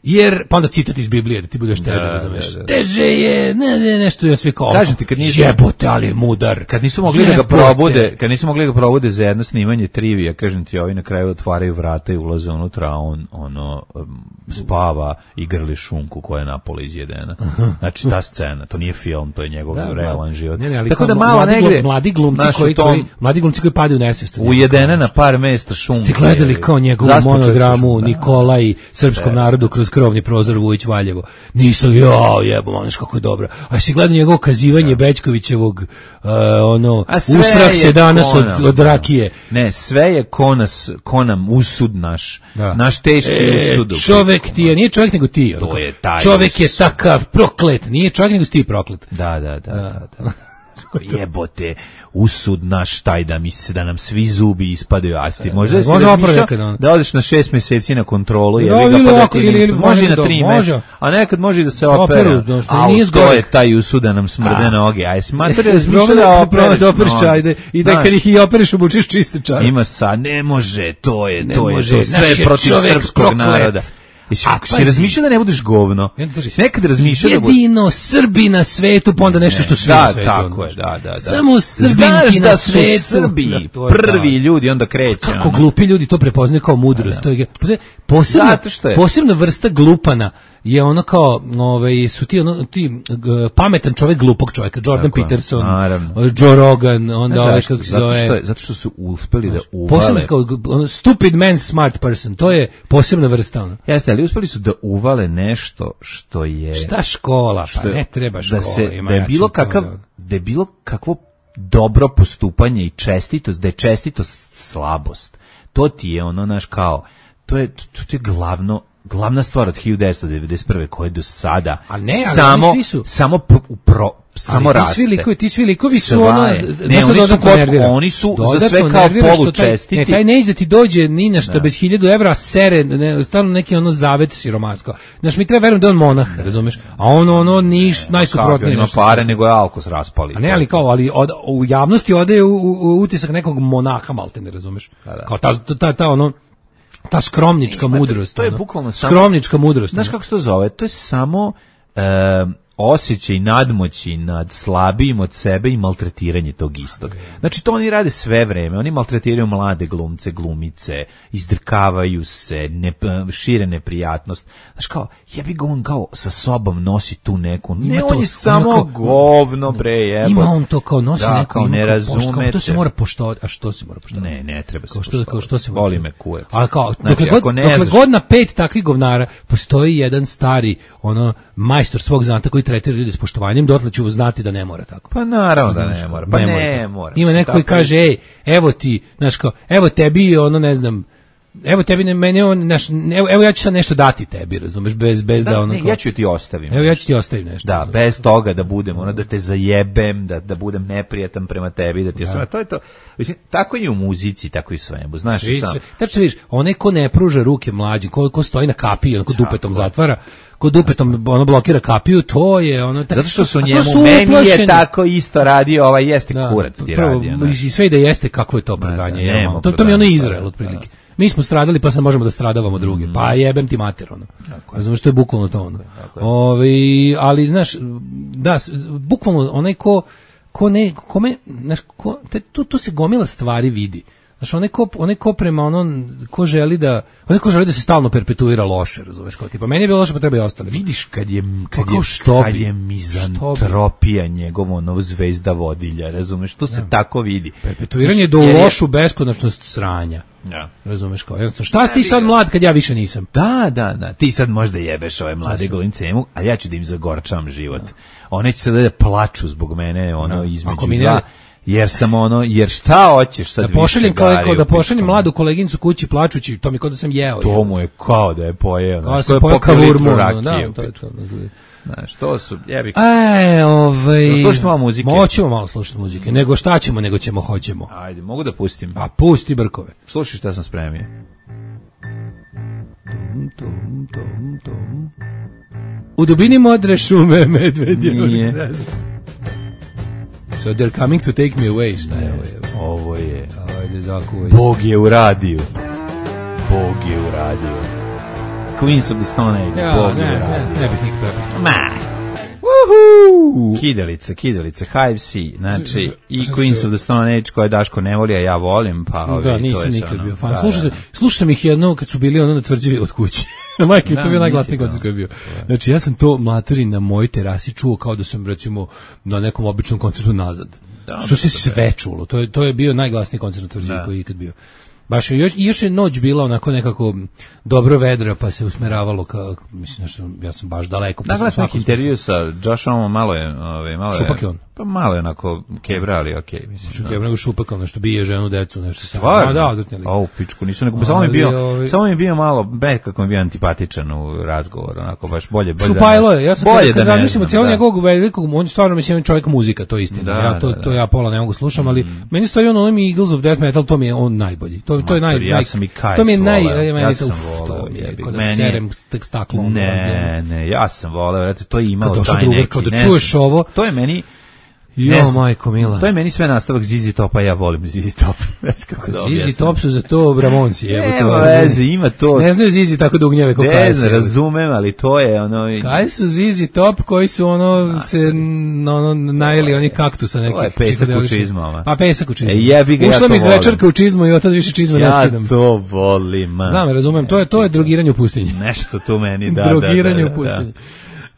jer, pa onda citat iz Biblije, da ti budeš teže, da, razumeš. Da, da. Teže je, ne, ne, nešto je svi kao, kažem ti, kad nisu, jebote, ali je mudar. Kad nisu mogli jebote. da ga probude, kad nisu mogli da ga probude za jedno snimanje trivija, kažem ti, ovi na kraju otvaraju vrata i ulaze unutra, a on, ono, um, spava i grli šunku koja je napola izjedena. Znači, ta scena, to nije film, to je njegov da, realan život. Ne, ne, ali tako da malo mladi, negde, mladi glumci koji, tom, koji, mladi glumci koji padaju u nesvest. Ujedene na par mesta šunke. Ste gledali kao njegovu monodramu Nikolaj srpskom narodu kroz krovni prozor Vujić Valjevo. Nisam, jao, jebo, znaš kako je dobro. A si gledao njegovo kazivanje Bećkovićevog, uh, ono, usrak se danas od, od rakije. Ne, sve je konas, konam, usud naš. Da. Naš teški e, usud. Čovek ti je, nije čovjek nego ti. To je taj čovek usud. je takav proklet, nije čovjek nego si ti proklet. Da, da, da, da. da. Jebote, usud naš taj da mi se da nam svi zubi ispadaju asti. Može se da, da odeš na šest mjeseci na kontrolu, je no, ga pa da ili, ili, može i na tri mjeseca. A nekad može da se opera. A to je taj usud da nam smrde noge. Aj smatraj razmišlja da operiš, da operiš čajde i da kad ih i operiš obučiš čiste čarape. Ima sad, ne može, to je, to je, to sve protiv srpskog naroda. Jesi si razmišljao da ne budeš govno? Jesi nekad razmišljao da budeš... Jedino Srbi na svetu, pa onda nešto što svi da, na svetu. Tako je, da, da, da. Samo Srbinki na svetu. Znaš da su Srbi prvi ljudi, onda kreće. Kako glupi ljudi to prepoznaju kao mudrost. To je posebna, posebna vrsta glupana je ono kao, ovaj, su ti, ono, ti uh, pametan čovjek glupog čovjeka, Jordan tako, Peterson, naravno. Joe Rogan, onda ovaj kako se zove. Zato što, zato što su uspeli da uvale. Posebno kao ono, stupid man smart person, to je posebna vrsta. Ono. Jeste, ali uspeli su da uvale nešto što je... Šta škola, što, pa ne treba škola. Da, se, da je bilo kakav, da je bilo kakvo dobro postupanje i čestitost, da je čestitost slabost. To ti je ono, naš kao, to je, to, to je glavno, glavna stvar od hiljadu devetsto devedeset prve koje do sada a ne, ali samo svi su samo pro, pro, samo ali raste. Ti svi likovi, ti svi likovi su ono, ne, oni su, kod, oni su dodatno za sve kao polučestiti. Taj, ne, taj ne iza ti dođe ni na što da. Bez hiljadu evra sere, ne, stvarno neki ono zavet siromatsko. Znaš, mi treba verujem da on monah, razumeš? A ono, ono, niš, najsuprotnije. Ima pare, nego je alkos raspali. A ne, ali kao, ali od, u javnosti ode u, u, u utisak nekog monaha, malte ne razumeš? Da, da. Kao ta, ta, ta, ono, ta skromnička mudrost. To je bukvalno samo skromnička mudrost. Znaš kako se to zove? To je samo uh, osjećaj nadmoći nad slabijim od sebe i maltretiranje tog istog. Znači to oni rade sve vreme, oni maltretiraju mlade glumce, glumice, izdrkavaju se, ne, šire neprijatnost. Znaš kao, jebi ga on kao sa sobom nosi tu neku, ne, Ima on to, je samo kao, govno, bre, jebo. Ima on to kao nosi da, neku, kao ne razumete. To se mora poštovati, a što se mora poštovati? Ne, ne treba se kao što, poštovati. kao što se mora Voli me kurac. A kao, Znači, dokle, ako god, ne dokle znaš- god na pet takvih govnara postoji jedan stari ono majstor svog zanata koji tretira ljude s poštovanjem, dotle ću znati da ne mora tako. Pa naravno da Znaš, ne mora. Pa ne ne, mora. mora. Ima Se neko koji tako- kaže, ej, evo ti, znaš kao, evo tebi, ono, ne znam, evo tebi, ne, meni, on, znaš, evo, evo ja ću sad nešto dati tebi, razumeš, bez, bez da, Da, ono, ne, kao- ja ću ti ostavim. evo ja ću ti ostavim nešto. Da, razumeš. bez toga da budem, ono da te zajebem, da, da budem neprijatan prema tebi, da ti da. to je to. Mislim, tako i u muzici, tako i u svemu, znaš i Svi sam. se- Tačno vidiš, onaj ko ne pruža ruke mlađim, ko, ko stoji na kapiji, ono ko dupetom zatvara, ko dupetom ono blokira kapiju, to je ono... Zato što su a to njemu, su meni je uplašeni. tako isto radio, ovaj jeste Da, kurac ti prvo, radio. znaš. I sve i da jeste, kako je to preganje. da, je, nema ono, to, to mi je ono preganja, Izrael, da, otprilike. Mi smo stradali, pa sad možemo da stradavamo druge. Pa jebem ti mater, ono. Razumeš, to je bukvalno to, ono. Ovi, ali, znaš, da, s- bukvalno onaj ko, ko ne, kome, znaš, ko, te, tu, tu se gomila stvari vidi. Znaš, onaj ko, onaj ko prema ono, ko želi da, onaj ko želi da se stalno perpetuira loše, razumeš, kao tipa, meni je bilo loše, pa treba i ostali. Vidiš kad je kad Pa kao je što kad bi? je mizantropija njegovo ono zvezda vodilja, razumeš? To se tako vidi. Perpetuiranje do Jer je- lošu beskonačnost sranja. Da. Razumeš, kao, jednostavno, šta si ti sad mlad kad ja više nisam? Da, da, da. Ti sad možda jebeš ove mlade golince, ali ja ću da im zagorčavam život. One će sad da plaču zbog mene, ono, između Ako mi ne- dva, jer sam ono, jer šta hoćeš sad Da pošaljem više kao, gari kao u da pošaljem pičku? mladu koleginicu kući plačući, to mi kao da sam jeo. To mu je kao da je pojeo. Kao Znaš, se to je pojeo popio litru kavurmu, ono, rakije da, u to je pičku. to. Znaš, to su, jebi. E, ovaj... Da slušamo malo muzike. Moćemo malo slušati muzike. Nego šta ćemo, nego ćemo, hoćemo. Ajde, mogu da pustim. A pusti brkove. Slušaj šta sam spremio. Tom, tom, tom. U dubini modre šume medvedje. Nije. So they're coming to take me away. Šta je ovo? je? Ovo je... Ajde, zakuvaj. Bog je u radiju. Bog je u radiju. Queens of the Stone Age. Ja, Bog ne, je u ne, radiju. ne bih nikad prepao. Ma. Woohoo! Kidalice, kidalice, Hive C, znači i Queens of the Stone Age koje Daško ne voli, a ja volim, pa ovi, Da, to nisam je nikad ono, bio fan. da, Slušao da, sam, slušao sam ih jedno kad su bili ono na tvrđavi od kuće. Majke, Da, to je bio najglasniji niti to. koncert koji je bio. Znači, ja sam to materi na mojoj terasi čuo kao da sam, recimo, na nekom običnom koncertu nazad. Da, Što se da, sve čulo. To je, to je bio najglasniji koncert na tvrđavi Da. koji je ikad bio. Baš je, još, i još je noć bila onako nekako dobro vedra, pa se usmeravalo ka, mislim, nešto, ja sam baš daleko. pa sam Naglas u neki svakom intervju sa Joshom, malo je, ovaj, malo je, Šupak je on. pa malo je onako kebra, ali okej, mislim. Što da. je nego šupak, ono što bije ženu, decu, nešto se. Stvarno? Da, odvrtnjali. A u pičku, nisu nego, samo mi je Ali, bio, ovaj- samo mi je bio malo, be, kako mi je bio antipatičan u razgovoru, onako, baš bolje, bolje Šupajlo da je, ne, ja sam bolje kada da ne razmišljam o znam, cijelom da. njegovog velikog, on je stvarno mislim čovjek muzika, to je istina. Da, ja to da, da. to ja pola ne mogu slušam, ali meni stvari ono mi Eagles of Death Metal, to mi je on najbolji. To to je naj, Mater, ja naj sam i Kajs to mi je naj, voleo, ja, meni ja to- sam uf, voleo, to mi je jebi, kao da meni je- serem tek staklo. ono, Ne, ne, ja sam voleo, vrati, to je imalo Kad došao taj drugar, neki, kao da ne čuješ znam, ovo- to je meni, ne Jo, znam, majko mila. to je meni sve nastavak Zizi Topa, ja volim Zizi Top. Ne znam kako da Zizi objasnim. Top su za to Bramonci, evo to. Nema veze, ima to. Ne znaju Zizi tako da ugnjeve kao Ne Kajs. znam, razumem, ali to je ono... Kaj su Zizi Top koji su ono se n- ono najeli oni kaktusa nekih. To je pesak u psihedeličnih. čizmama. Pa pesak u čizmama. E, jebi ga, ja Ušla to mi iz volim. večerka u čizmu i od tada više čizme ne Ja skidam. to volim, man. Znam, razumem, to je to je drogiranje u pustinji. Nešto tu meni, da, da, drogiranje da, da, u pustinji. da.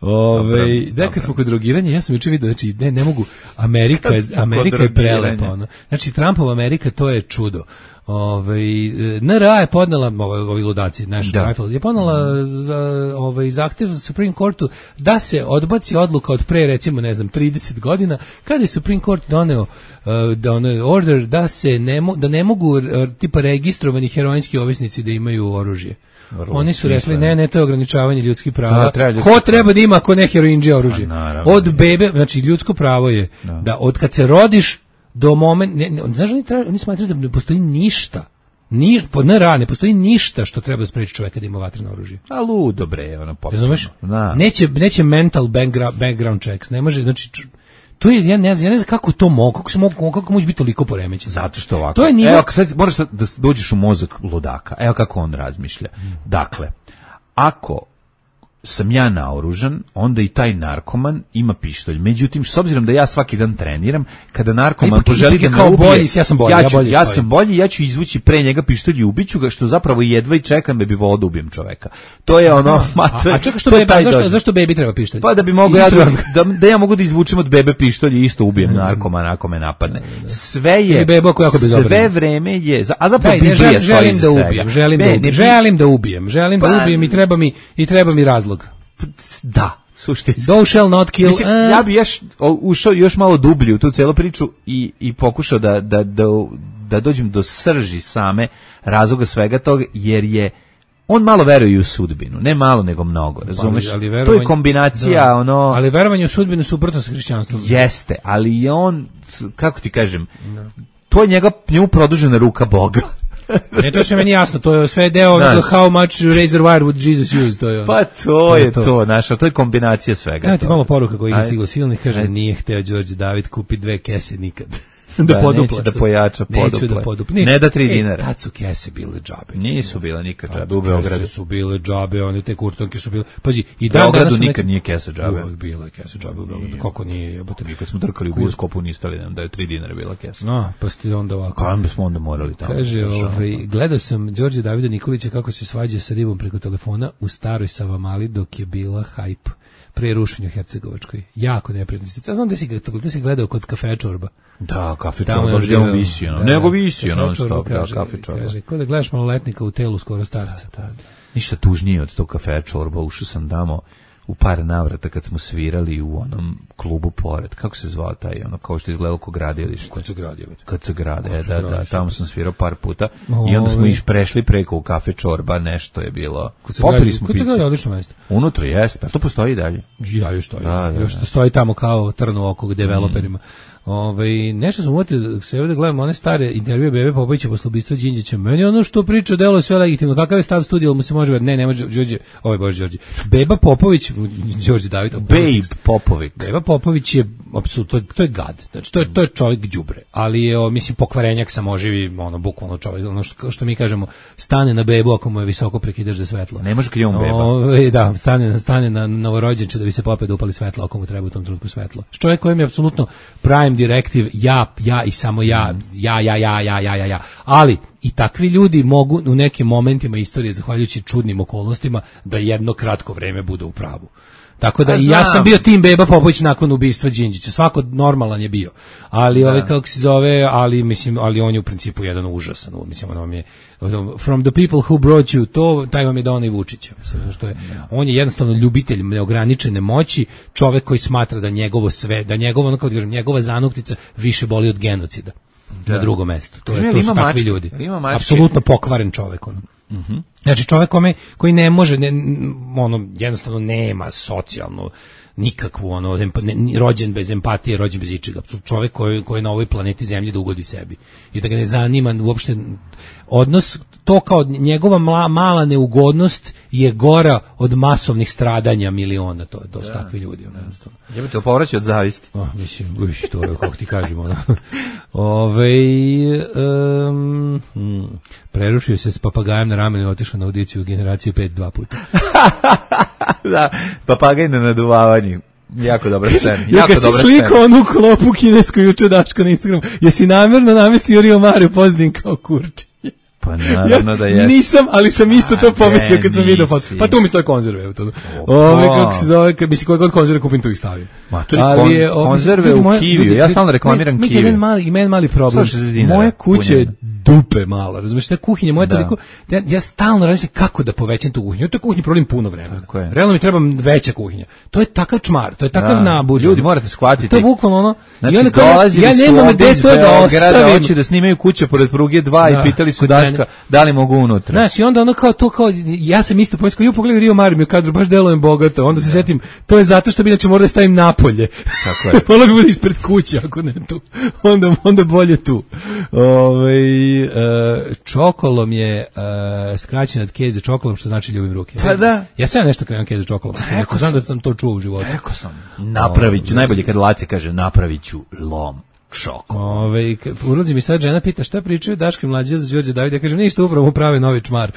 Ove, Dobro, da, kad smo kod drogiranja, ja sam juče vidio, znači, ne, ne mogu, Amerika, je, Kad smo kod Amerika je drogiranja. prelepa, ono. Znači, Trumpova Amerika, to je čudo. Ove, N R A je podnela, ovaj, ovi ludaci, naš Da. Rifle, je podnela za, ovaj, zahtev Supreme Courtu da se odbaci odluka od pre, recimo, ne znam, trideset godina, kada je Supreme Court doneo uh, da ono, order da se ne, mo, da ne mogu uh, tipa registrovani heroinski ovisnici da imaju oružje. Vrlo Oni su rekli, smisleno. ne, ne, to je ograničavanje ljudskih prava. Da, treba ljudsko Ko treba da ima ako ne heroinđe oružje? Pa, naravno. Od bebe, znači ljudsko pravo je da, od kad se rodiš do moment, ne, ne, znaš, oni, treba, oni smatraju da ne postoji ništa, ni, po N R A ne postoji ništa što treba spreči čoveka da ima vatreno oružje. A ludo bre, ono potpuno. Razumeš? Da. Neće, neće mental background, background checks, ne može, znači, č- to je, ja ne znam, ja ne znam kako to mogu, kako se mogu, kako može biti toliko poremećeno. Zato što ovako. To je nivo- Evo, sad moraš sad da dođeš u mozak ludaka. Evo kako on razmišlja. Dakle, ako sam ja naoružan, onda i taj narkoman ima pištolj. Međutim, s obzirom da ja svaki dan treniram, kada narkoman poželi da me ubije, bolji, ja sam bolji, ja, ja, ću, bolji ja sam bolji, ja ću izvući pre njega pištolj i ubiću ga, što zapravo jedva i čekam da bi volao da ubijem čoveka. To je ono, a, mater, a čekaj, što to je beba, taj zašto, dođe. zašto bebi treba pištolj? Pa da bi mogu ja da, da, da ja mogu da izvučem od bebe pištolj i isto ubijem narkomana ako me napadne. Sve je, bebo ako sve vreme je, a zapravo Daj, ne, Biblija želim, stoji želim za da ubijem, svega. želim, Ne, da ne, ubijem, želim da ubijem, želim Pa- da ubijem i treba mi, i treba mi razlog. Da, suštinski. Thou shall not kill. Mislim, a- ja bi još o, ušao još malo dublje u tu celu priču i, i pokušao da, da, da, da dođem do srži same razloga svega toga, jer je on malo veruje u sudbinu, ne malo nego mnogo, razumeš? ali To verovanje- je kombinacija, da. ono... Ali verovanje u sudbinu suprotno sa hrišćanstvom. Jeste, ali je on, kako ti kažem, to je njega, njemu produžena ruka Boga. Ne, to je sve meni jasno, to je sve deo Znaš. onoga how much razor wire would Jesus use, to je ono. Pa to je to, znaš, a to je kombinacija svega. Evo ti toga. malo poruka koja je Ajde. stigla silnih, kaže, Ajde. nije hteo Đorđe David kupi dve kese nikad. Da, podupla, neće da što- pojača Neću poduple. da podupla. Ne da tri E, dinara. Tad su kese bile džabe. Nisu bila nikad džabe Tad u Beogradu. Kese su bile džabe, one te kurtonke su bile. Pazi, i U dan Beogradu danas su nikad neke- nije kesa džabe. Uvek bila je kesa džabe u Beogradu. Kako nije, jebote. Mi kad smo drkali u bioskopu niste li nam da je tri dinara bila kesa. No, pa ste onda ovako. Kam bismo onda morali tamo? Kaže, Znaš, ovaj, ono. gledao sam Đorđe Davida Nikolića kako se svađa sa ribom preko telefona u staroj Savamali dok je bila hajp pre rušenja u Hercegovačkoj. Jako neprijatno. Ja znam da si, ga- da si gledao kod Kafe Čorba. Da, kafe Tamo čorba, je gdje on živeo. visio, no. Da, Nego da. visio Kafe non Čorba stop, da, kaže- kafe čorba. Kaže, ko da gledaš maloletnika u telu skoro starca. Ništa tužnije od tog kafe čorba, ušao sam tamo u par navrata kad smo svirali u onom klubu pored. Kako se zvao taj, ono, kao što je izgledalo ko gradilište? Kod su gradio. Kad se grade, Kad se da, grade, da, super. tamo sam svirao par puta i onda smo Ove. iš prešli preko u kafe čorba, nešto je bilo. Kod se Popili gradi- smo kod se piće. gradi odlično mesto. Unutra jeste, a to postoji i dalje. Ja još stoji. Da, da, još da. stoji tamo kao trn u oko developerima. Ovaj nešto sam uvatio da se ovdje gledamo one stare intervjue Bebe Popovića posle ubistva Đinđića. Meni ono što priča delo je sve legitimno. Kakav je stav studija, mu se može ver- ne, ne može Đorđe, ovaj Bože Đorđe. Beba Popović, Đorđe David, Babe Popović. Beba Popović je apsolutno, to je, to je gad. Znači to je to je čovjek đubre, ali je o, mislim pokvarenjak samoživi, ono bukvalno čovjek, ono što, što mi kažemo, stane na bebu ako mu je visoko prekidaš za svetlo. Ne može kad je on beba. Ove, da, stane, stane na novorođenče da bi se popet da upali svetlo ako mu treba u tom trenutku svetlo. Čovjek kojem je apsolutno prime directive ja, ja i samo ja, ja, ja, ja, ja, ja, ja, ja. Ali i takvi ljudi mogu u nekim momentima istorije, zahvaljujući čudnim okolnostima, da jedno kratko vreme bude u pravu. Tako da A i ja znam. sam bio tim Beba Popović nakon ubistva Đinđića. Svako normalan je bio. Ali ovaj kako se zove, ali mislim, ali on je u principu jedan užasan. Mislim, on vam je from the people who brought you, to taj vam je Dona i Vučić. Mislim, zato što je on je jednostavno ljubitelj neograničene moći, čovjek koji smatra da njegovo sve, da njegovo, ono kako da kažem, njegova zanuktica više boli od genocida. Na drugom mestu. To, je, Ima to su takvi mačke, ljudi. ima mačke. Apsolutno pokvaren čovjek. Ono. Znači čovjek kome, koji ne može, ne, ono, jednostavno nema socijalno nikakvu, ono, empa, ne, ni- rođen bez empatije, rođen bez ičega. Čovjek koji, koji je na ovoj planeti Zemlji da ugodi sebi. I da ga ne zanima uopšte odnos, to kao njegova mala, mala neugodnost je gora od masovnih stradanja miliona, to, to su takvi ljudi. Ono, jednostavno. Jebate, opovrać od zavisti. Oh, mislim, uš, to je, kako ti kažemo. Ono. Ove, um, hmm, prerušio se s papagajem na ramenu i otišao na audiciju generacije pet dva puta. Da, papagaj na naduvavanju. Jako dobra scena. Ja Jako kad si dobra slikao scena. onu klopu kinesku juče Daško na Instagramu, jesi namjerno namestio Rio Mario Pozadin kao kurčinje? Pa naravno da Ja jeste. nisam, ali sam isto to A, pomislio ne, kad sam vidio nisi. foto. Pa tu mi stoje konzerve. Evo to. Opa. Ove, kako se zove, kad mislim koje god konzerve kupim, tu ih stavim. Ma, to je kon- o, konzerve ljudi, u moja- Kiviju. ljudi, Ja ljudi, stalno reklamiram mi- mi Kiviju. jedan mali, ima jedan mali problem. sto šezdeset dinara Moja kuća je punjena. dupe mala, razumiješ, ta kuhinja moja Da. toliko, ja, ja stalno razmišljam kako da povećam tu kuhinju. U toj kuhinji provodim puno vremena. Tako je. Realno mi treba veća kuhinja. To je takav čmar, to je takav Da. nabuđ. Ljudi, morate shvatiti. To je bukvalno ono. Znači, i onda kao ja, dolazili ja su nemam ovde gde iz to da Beograda, ostavim. hoće da snimaju kuće pored pruge dva Da, i pitali su kod Daška mene. da li mogu unutra. Znaš, i onda ono kao to, kao, ja sam isto pomislio, ju pogledaj Rio Mario, mi u kadru, baš delujem bogato, onda se setim, to je zato što bi inače morao da stavim napolje. Tako je. Volio bi bude ispred kuće, ako ne tu. Onda, onda bolje tu. Ove, e, čokolom je e, skraćen od keze čokolom, što znači ljubim ruke. Pa da. Ja sam nešto krenuo keze čokolom. Rekao Znam sam. da sam to čuo u životu. Rekao sam. Napravit ću, najbolje kad Laci kaže napravit ću lom čoko. Ove, k- ulazi mi sad žena, pita šta pričaju Daško i Mlađa za Đorđe Davida, ja kažem ništa, upravo mu prave novi čmar.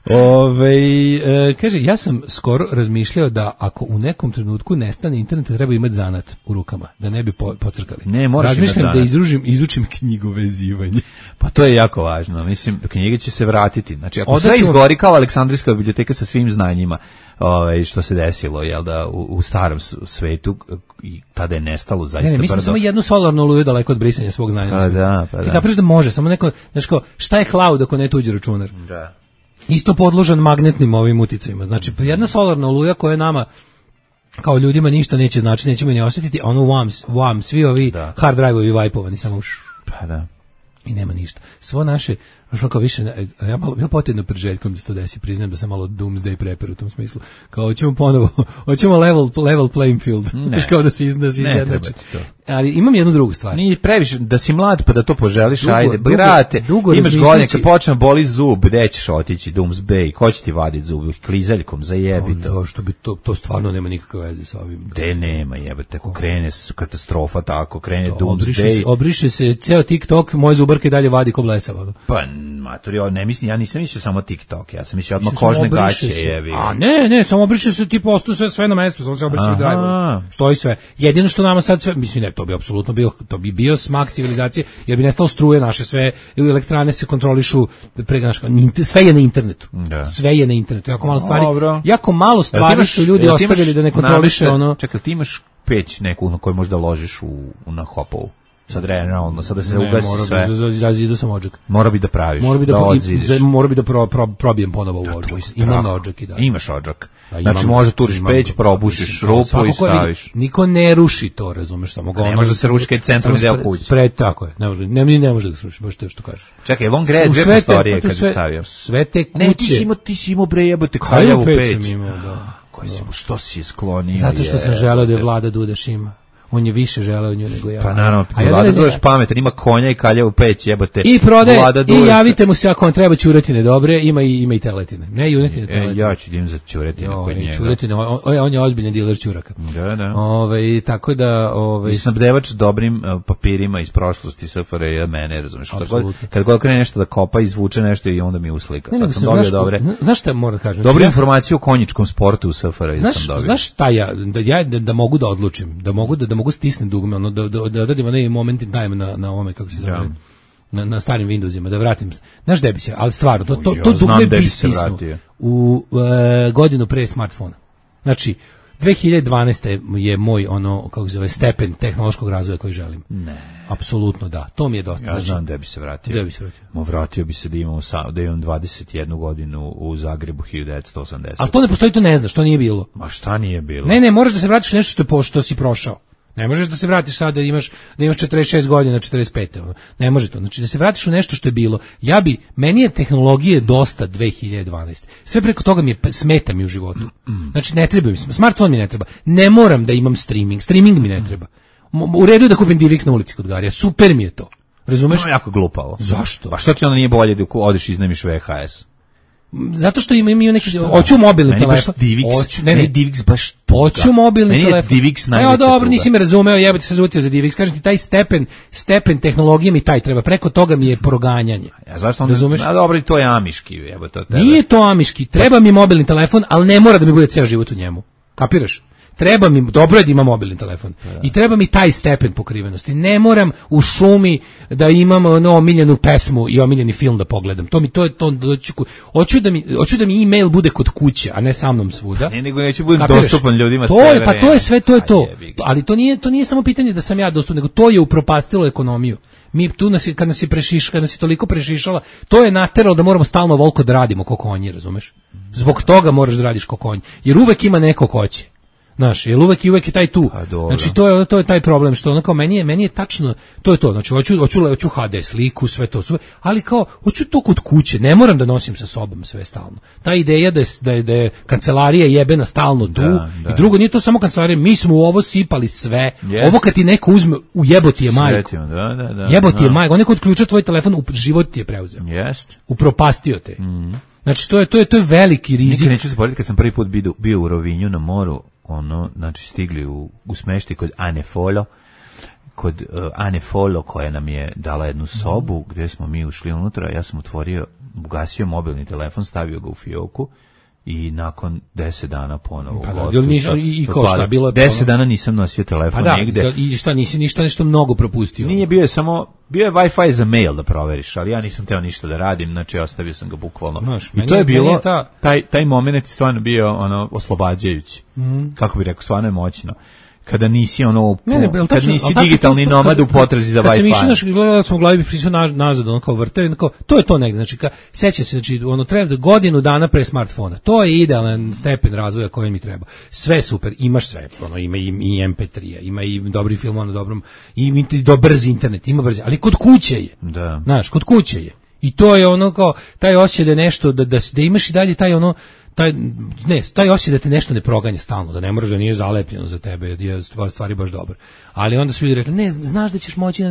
Ove, e, kaže, ja sam skoro razmišljao da ako u nekom trenutku nestane interneta, treba imati zanat u rukama, da ne bi po, pocrkali. Ne, moraš imati Razmišljam zanat. da izružim, izučim knjigovezivanje. Pa to je jako važno. Mislim, knjige će se vratiti. Znači, ako Onda sve ćemo- izgori kao Aleksandrijska biblioteka sa svim znanjima, ovaj, što se desilo, jel da, u, u starom s- svetu, i tada je nestalo zaista Ne, ne, mi smo brdo. samo jednu solarnu oluju daleko od brisanja svog znanja. na Pa svijetu. da, pa Ti da. kapiraš da može, samo neko, znaš kao, šta je cloud ako ne tuđi računar? Da. Isto podložan magnetnim ovim uticajima. Znači, jedna solarna oluja koja nama kao ljudima ništa neće znači, nećemo ni osjetiti, a ono wham, wham, svi ovi Da. hard drive-ovi vajpovani, samo š, Pa da. i nema ništa. Svo naše, što kao više, ne- ja malo bilo potjedno pred željkom da se to desi, priznajem da sam malo doomsday prepper u tom smislu. Kao, hoćemo ponovo, hoćemo level, level playing field. Ne. Znaš, kao da se iz- da se Ne izjednači. treba ti to. Ali imam jednu drugu stvar. Nije previše, da si mlad pa da to poželiš, Dugo- ajde, dugo- brate, dugo imaš razmišljajući- godine, kad počne boli zub, gde ćeš otići, Doomsday, ko će ti vaditi zub, klizaljkom, zajebi to. Da, što bi to, to stvarno nema nikakve veze sa ovim. Gde nema, jebate, ako krene s- katastrofa tako, krene Obriše se, Doomsday, obriše se ceo TikTok, moje zubarke dalje vadi ko blesava. ono. pa maturi, o, ne mislim, ja nisam mislio samo TikTok, ja sam mislio odmah Samo kožne obriše gaće, se. jebi. A ne, ne, samo obriše se tipa ostao sve sve na mestu, samo se obriše Aha. drive. Stoji sve. Jedino što nama sad sve, mislim ne, to bi apsolutno bio, to bi bio smak civilizacije, jer bi nestalo struje naše sve, elektrane se kontrolišu prega naš, sve je na internetu. Da. Sve je na internetu. Jako malo stvari. Dobro. Jako malo Jel ti stvari imaš- su ljudi jel ti ostavili imaš da ne kontroliše nameštaj- ono. Čekaj, ti imaš peć neku na koju možda ložiš u, u na hopovu. Sad realno, sad da se Ne, ugasi mora sve. bi za, za zidu sam odžak. Mora bi da praviš, Mora bi da, da pro- odzidiš. za- mora bi da pro, pro, probijem ponovo u odžak. Tvoj Imam strah. odžak i da. Imaš odžak. Da, imam- Znači može turiš imam- peć, probušiš mislim, rupu svako i ko vidi, staviš. Niko ne ruši to, razumeš, samo ga Ne ono- može da se ruši kad je centralni samo deo spre- kuće. Spred, tako je, ne može, ne, ne može da se ruši, baš to što kažeš. Čekaj, on greje U dve sve te- prostorije pa to kad sve- je stavio. Sve te kuće. Ne, ti si imao, ti si imao bre jebote Kaljavu kaljavu peć peć. sam imao, da. Koji si, što si je sklonio? Zato što sam jebote. želeo da je Vlada Dudaš ima. On je više želeo nju nego ja. Pa naravno, A ja Vlada ne- Dudaš pametan, ima konja i kaljavu peć, jebote. I prodaje, Vlada i Dudaš- javite mu se ako vam treba ćuretine dobre, ima i, ima i teletine. Ne junetine, E, teletine. ja ću da idem za ćuretine kod Joj, njega. ćuretine, on, on, on je ozbiljan diler ćuraka. Da, da. Ove, tako da, ove, I snabdevač dobrim uh, papirima iz prošlosti S F R J mene, razumeš? Kad god, Apsolutno. kad god krene nešto da kopa, izvuče nešto i onda mi uslika. Ne, nego Sad sam sam, dobio znaš, dobre, znaš šta moram da kažem? dobru Znači, ja- informaciju o konjičkom sportu u S F R J Znaš, sam dobio. znaš šta ja, da ja da, da mogu da odlučim, da mogu da, da mogu stisnem dugme, ono, da, da, da odradim onaj moment in time na, na ovome, kako se zove, Ja. na, na starim Windowsima, da vratim. Znaš gde bi se, ali stvarno, to, to, Ja to znam dugme gde bi bi se stisnuo vratio. u e, godinu pre smartfona. Znači, dve hiljade dvanaeste je moj ono kako se zove stepen tehnološkog razvoja koji želim. Ne. Apsolutno da. To mi je dosta. Ja Znači, znam gde bi se vratio. gde bi se vratio? Mo vratio bi se da imam, sa- da imam dvadeset jednu godinu u Zagrebu hiljadu devetsto osamdeset. Ali to ne postoji, to ne znaš, to nije bilo. Ma šta nije bilo? Ne, ne, moraš da se vratiš nešto što, je po, što si prošao. Ne možeš da se vratiš sad da imaš da imaš četrdeset šest godina, četrdeset pet. Ono. Ne može to. Znači da se vratiš u nešto što je bilo. Ja bi meni je tehnologije dosta dve hiljade dvanaeste. Sve preko toga mi je smeta mi u životu. Znači ne treba mi smartfon mi ne treba. Ne moram da imam streaming. Streaming mi ne treba. Mo- U redu je da kupim D V X na ulici kod Garija. Super mi je to. Razumeš? No, jako glupavo. Zašto? Pa što ti onda nije bolje da ku- odeš i iznemiš V H S? Zato što ima imaju neki hoću mobilni Meni baš telefon. D V X, Hoću, ne, meni ne, D V X baš tuga. Hoću mobilni Meni je telefon. D V X Evo najveća dobro, tuga. nisi me razumeo, jebote se zutio za D V X. Kažem ti, taj stepen, stepen tehnologije mi taj treba. Preko toga mi je proganjanje. Ja, zašto onda? Razumeš? A dobro, i to je amiški, jebo to tebe. Nije to amiški, treba mi mobilni telefon, ali ne mora da mi bude ceo život u njemu. Kapiraš? Treba mi, dobro je da ima mobilni telefon. I treba mi taj stepen pokrivenosti. Ne moram u šumi da imam ono omiljenu pesmu i omiljeni film da pogledam. To mi to je to hoću, hoću da mi hoću da mi e-mail bude kod kuće, a ne sa mnom svuda. Ne, nego neće bude Kapiraš? dostupan ljudima to sve je, pa to je sve, to je A to. jebi ga. Ali to nije to nije samo pitanje da sam ja dostupan, nego to je upropastilo ekonomiju. Mi tu nas je, kad nas je prešiš, kad nas je toliko prešišala, to je nateralo da moramo stalno volko da radimo ko konji, razumeš? Zbog toga moraš da radiš ko konj, jer uvek ima neko ko će. Znaš, jer uvek i uvek je taj tu. Pa, dobro. Znači to je to je taj problem što onako meni je meni je tačno to je to. Znači hoću hoću hoću H D sliku, sve to sve, ali kao hoću to kod kuće, ne moram da nosim sa sobom sve stalno. Ta ideja da je da je, da je kancelarija jebena stalno tu Da, da. i drugo nije to samo kancelarija, mi smo u ovo sipali sve. Jeste. Ovo kad ti neko uzme u jeboti je majku. Sretimo, da, da, da. Jeboti je da. majku, on neko odključa tvoj telefon, u život ti je preuzeo. Jest. Upropastio te. Znači to je to je to je veliki rizik. Nikad neću zaboraviti kad sam prvi put bio, bio u Rovinju na moru, ono, znači stigli u, u smeštaj kod Ane Folo, kod uh, Ane Folo koja nam je dala jednu sobu gdje smo mi ušli unutra, ja sam otvorio ugasio mobilni telefon, stavio ga u fioku i nakon deset dana ponovo. Pa da, nisam, i, i ko šta, bilo je deset dana nisam nosio telefon pa da, nigde. I šta, nisi ništa nešto mnogo propustio? Nije, bio je samo, bio je Wi-Fi za mail da proveriš, ali ja nisam teo ništa da radim, znači ostavio sam ga bukvalno. Znaš, i to je bilo, je ta... taj, taj moment je stvarno bio ono, oslobađajući. Mm. Kako bih rekao, stvarno je moćno. Kada nisi ono ne, ne, kad tačno, nisi digitalni nomad u potrazi za Wi-Fi. Kad se mišljeno naš gledali smo u glavi prisio nazad ono kao vrte, kao to je to negde, znači ka seća se, znači ono treba da godinu dana pre smartfona. To je idealan stepen razvoja koji mi treba. Sve super, imaš sve, ono ima i, i em pe tri, ima i dobri film na dobrom, i do brzi internet, ima brzi, ali kod kuće je. Da. Znaš, kod kuće je. I to je ono kao taj osjećaj da je nešto da da da imaš i dalje taj ono taj ne, taj osjećaj da te nešto ne proganja stalno, da ne moraš da nije zalepljeno za tebe, je stvari baš dobro. Ali onda su ljudi rekli, ne, znaš da ćeš moći,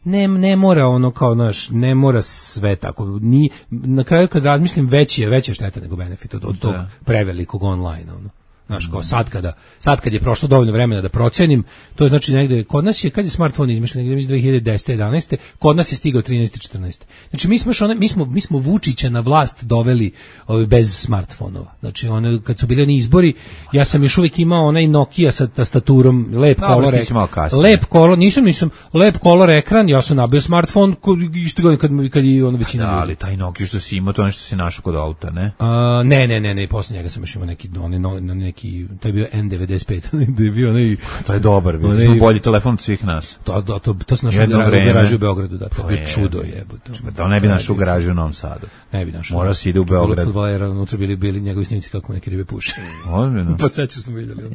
ne, ne mora ono kao, znaš, ne mora sve tako. Ni, na kraju kad razmislim, veći je, veća šteta nego benefit od, od tog prevelikog online, ono. Znaš, kao sad kada, sad kad je prošlo dovoljno vremena da procenim, to je znači negde, kod nas je, kad je smartfon izmišljen, negde iz dve hiljade desete jedanaeste kod nas je stigao trinaeste četrnaeste Znači, mi smo, one, mi smo, mi smo Vučića na vlast doveli ovaj, bez smartfonova. Znači, one, kad su bili oni izbori, ja sam još uvijek imao onaj Nokia sa tastaturom, lep no, kolor ekran. Lep kolor, nisam, nisam, lep kolor ekran, ja sam nabio smartfon isto godine kad, kad je ono većina da, ljudi. Ali taj Nokia što si imao, to nešto si našao kod auta, ne? A, ne, ne, ne, ne, posle njega sam još imao neki, one, no, neki neki, to je bio en devedeset pet da je bio onaj, to je dobar, bio onaj, bolji telefon od svih nas. To, to, to, to sam našao u garaži u Beogradu, da, to je bio čudo jebote. To ne bi našao u garaži u Novom Sadu. Ne bi našao. Mora se ide u Beograd. Fudbalera, unutra bili, bili njegovi snimci kako neke ribe puše. Ozbiljno. Pa sećam smo vidjeli. Je,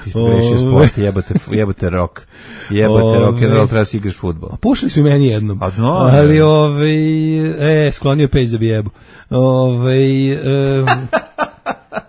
ti si prešio sport, jebote, jebote rock. Jebote rock, jer treba si igraš fudbal. Pušli su meni jednom. A no, ali ovaj, e, sklonio peć da bi jebo. Ovaj, um,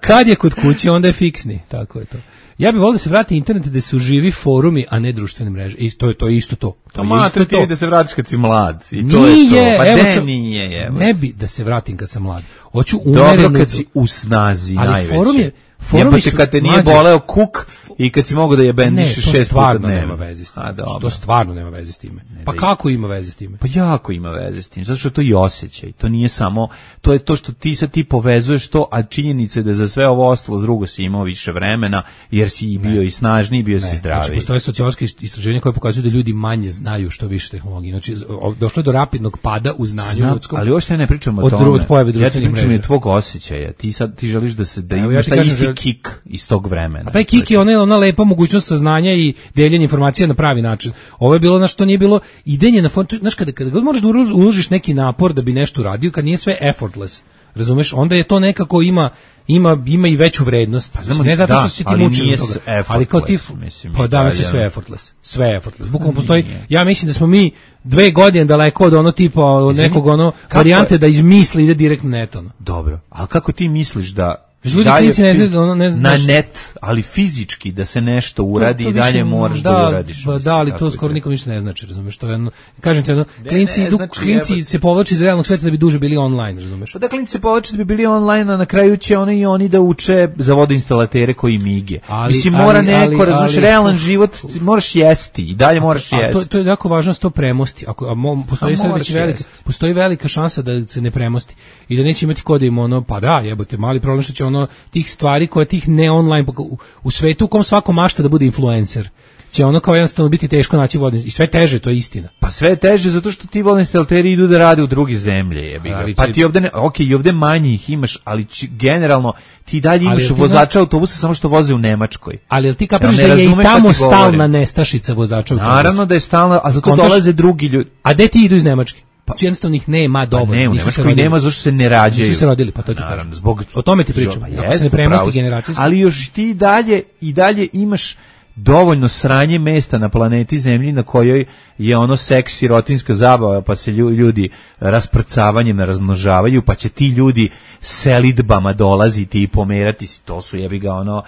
kad je kod kuće, onda je fiksni, tako je to. Ja bih volio da se vrati internet da su živi forumi, a ne društvene mreže. I to je to isto to. To je isto to. Da se vratiš kad si mlad. I to nije, je to. Pa evo, de, nije, evo. Ne bi da se vratim kad sam mlad. Hoću umereno. Dobro kad si u snazi ali najveće. Forum je, forumi su kad te nije mlađe, boleo kuk i kad si mogo da jebendiš šest puta dnevno. Ne, to stvarno nema veze s time. To stvarno nema veze s time. Pa kako ima veze s time? Pa jako ima veze s tim. Zato što je to i osjećaj. To nije samo, to je to što ti sad ti povezuješ to, a činjenica je da za sve ovo ostalo drugo si imao više vremena, jer si bio ne. i snažniji, bio ne. si zdraviji. Znači, postoje sociološke istraživanja koje pokazuju da ljudi manje znaju što više tehnologije. Znači, došlo je do rapidnog pada u znanju Znam, ljudskom. Ali uopšte ne pričamo o tome. Od pojave društvenih mreža. Ja ti pričam tvog osjećaja. Ti sad ti želiš da se da Evo, imaš ja taj isti žel... kik iz tog vremena. A taj kik je ona, ona lepa mogućnost saznanja i deljenja informacija na pravi način. Ovo je bilo na što nije bilo idenje na fond, znaš kada kada god možeš da uložiš neki napor da bi nešto uradio, kad nije sve effortless. Razumeš? Onda je to nekako ima ima ima i veću vrednost. Pa, znam, ne zato što da, si ti mučen od toga, ali kao ti mislim, pa da mislim sve effortless. Sve effortless. Bukvalno postoji. Ja mislim da smo mi dve godine daleko od ono tipa od nekog ono varijante da izmisli ide direktno net ono. Dobro. Al kako ti misliš da ljudi klinici ne znaju, ono ne znaš, na net, ali fizički da se nešto uradi to, to i dalje više, moraš da, da uradiš. Ba, da, ali to skoro nikom ništa ne znači, razumeš, to je jedno, kažem ti jedno, klinci, ne, znači, klinci jeba... se povlači iz realnog sveta da bi duže bili online, razumeš. Pa da klinci se povlači da bi bili online, a na kraju će oni i oni da uče za vodoinstalatere koji mige. Ali, Mislim, mora ali, neko, ali, razumeš, ali, realan ali, život, moraš jesti i dalje moraš jesti. To, to je jako važno sto premosti. Ako a mo, postoji a velika, velika, postoji velika šansa da se ne premosti i da neće imati ko da im ono, pa da, jebote, mali problem što će ono tih stvari koje tih ne online u, u svetu u kom svako mašta da bude influencer će ono kao jednostavno biti teško naći vodne i sve teže, to je istina. Pa sve teže zato što ti vodoinstalateri idu da rade u druge zemlje, jebi ga. Pa ti ovde ne, okej, i ovde manje ih imaš, ali či, generalno ti dalje imaš vozača zna... autobusa samo što voze u Nemačkoj. Ali jel ti kapiraš ja da je i tamo stalna nestašica vozača autobusa? Naravno da je stalna, a zato dolaze drugi ljudi. A gde ti idu iz Nemačke? Pa jednostavno ih nema dovoljno. Pa ne, u Nemačkoj nema zašto se ne rađaju. Nisu se rodili, pa to ti kažem. Zbog o tome ti pričam. Ako se ne premosti generacijski. Ali još ti dalje i dalje imaš dovoljno sranje mesta na planeti Zemlji na kojoj je ono seks sirotinska zabava, pa se ljudi rasprcavanjem razmnožavaju, pa će ti ljudi selidbama dolaziti i pomerati si, to su jebi ga ono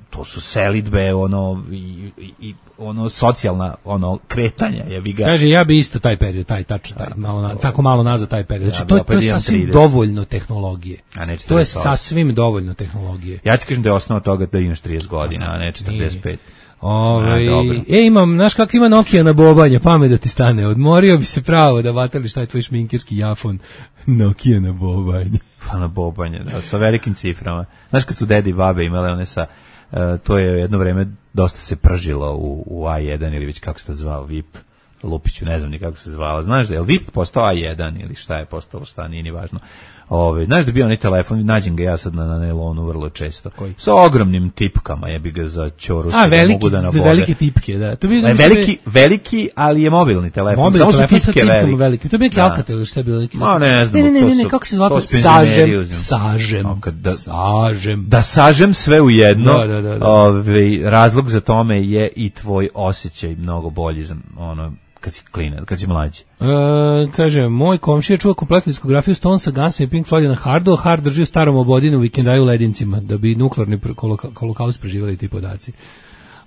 to su selidbe, ono i, i, i ono socijalna ono kretanja, je vi ga. Kaže ja bi isto taj period, taj tačno taj malo na, tako malo nazad taj period. Znači ja, to je opet to je imam sasvim trideset. dovoljno tehnologije. A ne To je četrdeset osam. sasvim dovoljno tehnologije. Ja ti kažem da je osnova toga da imaš trideset godina, a ne četrdeset pet. Ovaj A, dobro. e imam, znaš kako ima Nokia na bobanje, pamet da ti stane. Odmorio bi se pravo da vatali šta je tvoj šminkerski jafon. Nokia na bobanje. Pa na bobanje, da, sa velikim ciframa. Znaš kad su dedi i babe imale one sa, uh, to je jedno vreme dosta se pržilo u, u A jedan ili već kako se to zvao, V I P, Lupiću, ne znam ni kako se zvala. Znaš da je V I P postao A jedan ili šta je postalo, šta nije ni važno. Ove, znaš da bi onaj telefon, nađem ga ja sad na, na nailonu vrlo često. Koji? Sa ogromnim tipkama, jebi ga za ćoru. A, da veliki, mogu da za nabode. velike tipke, da. To bi, E, veliki, veliki, ali je mobilni telefon. mobilni Samo su telefon sa tipke tipkama velike. velike. To bi neki Da. Alcatel ili šta je bilo neki. Ma, ne znam, Ne, ne, to ne, ne, su- kako se zvao? to su Sažem, penzioneri uzimaju. sažem, A, kad da- sažem. Da sažem sve u jedno, Da, da, da, da. ovaj, razlog za tome je i tvoj osjećaj mnogo bolji za ono, kad si klinac, kad si mlađi. E, kaže, moj komšija čuva kompletnu diskografiju Stonesa, Gunsa i Pink Floyda na hardu, a hard drži u starom obodinu u vikendaju u Ledincima, da bi nuklearni pr- koloka- holokaust preživali ti podaci.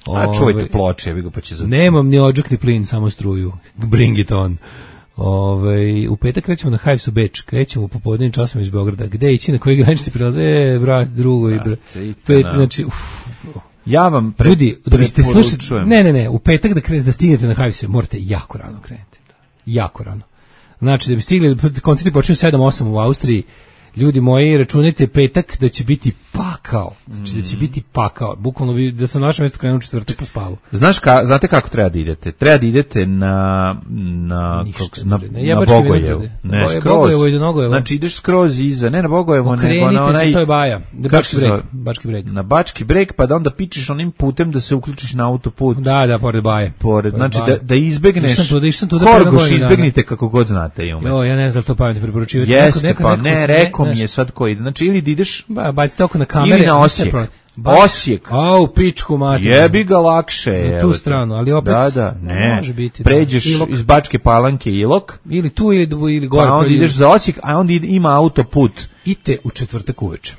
A čuvajte Ove, ploče, ja bih ga pa će za... Nemam ni odžak ni plin, samo struju. Bring it on. Ove, u petak krećemo na Hives u Beč, krećemo u popodnevnim časima iz Beograda. Gde ići, na koji granični prilaze? E, brat, drugo i brat. Brate, i Pet, kana. znači, uf, Ja vam pre, ljudi, da biste slušali, preporučujem. ne, ne, ne, u petak da krenete da stignete na Hivese, morate jako rano krenuti. Jako rano. Znači, da bi stigli, koncerti počinju sedam osam u Austriji, ljudi moji, računajte petak da će biti pakao. Znači, da će biti pakao. Bukvalno bi, da sam na našem mjestu krenuo u četvrtak po spavu. Znaš ka, znate kako treba da idete? Treba da idete na na Ništa kako, se- ne na, ide. Ne, na Jebački Bogojevu. vinograde. Ne, Boje- skroz. Bogojevo iza Nogojeva. Znači ideš skroz iza, ne na Bogojevo, nego na Okrenite onaj se, to je Baja. Da, kako Bački se breg. zove? Bački breg. Na Bački breg, pa da onda pičeš onim putem da se uključiš na autoput. Da, da, pored Baje. Pored, znači Baje. da, da izbegneš Išao sam tu, išao sam tu da pre Horgoš godinu dana. izbegnite kako god znate i umete. Jo, ja ne znam da li to pametno preporučivati. Jeste, Neko- neko- pa neko ne, se- rekao mi znaš, je sad ko ide. Znači ili da ideš Ba, bacite oko na kamere. ili na ništa Osijek. problem. Bac- Osijek. A, u pičku mati. Jebi ga lakše. Na tu evo te. stranu, ali opet Da, da, ne. može biti, da. Pređeš Ilok. iz Bačke Palanke Ilok, Ili tu, ili, ili gore. pa onda koji- ideš za Osijek, a onda ide- ima autoput Idite u četvrtak uveče.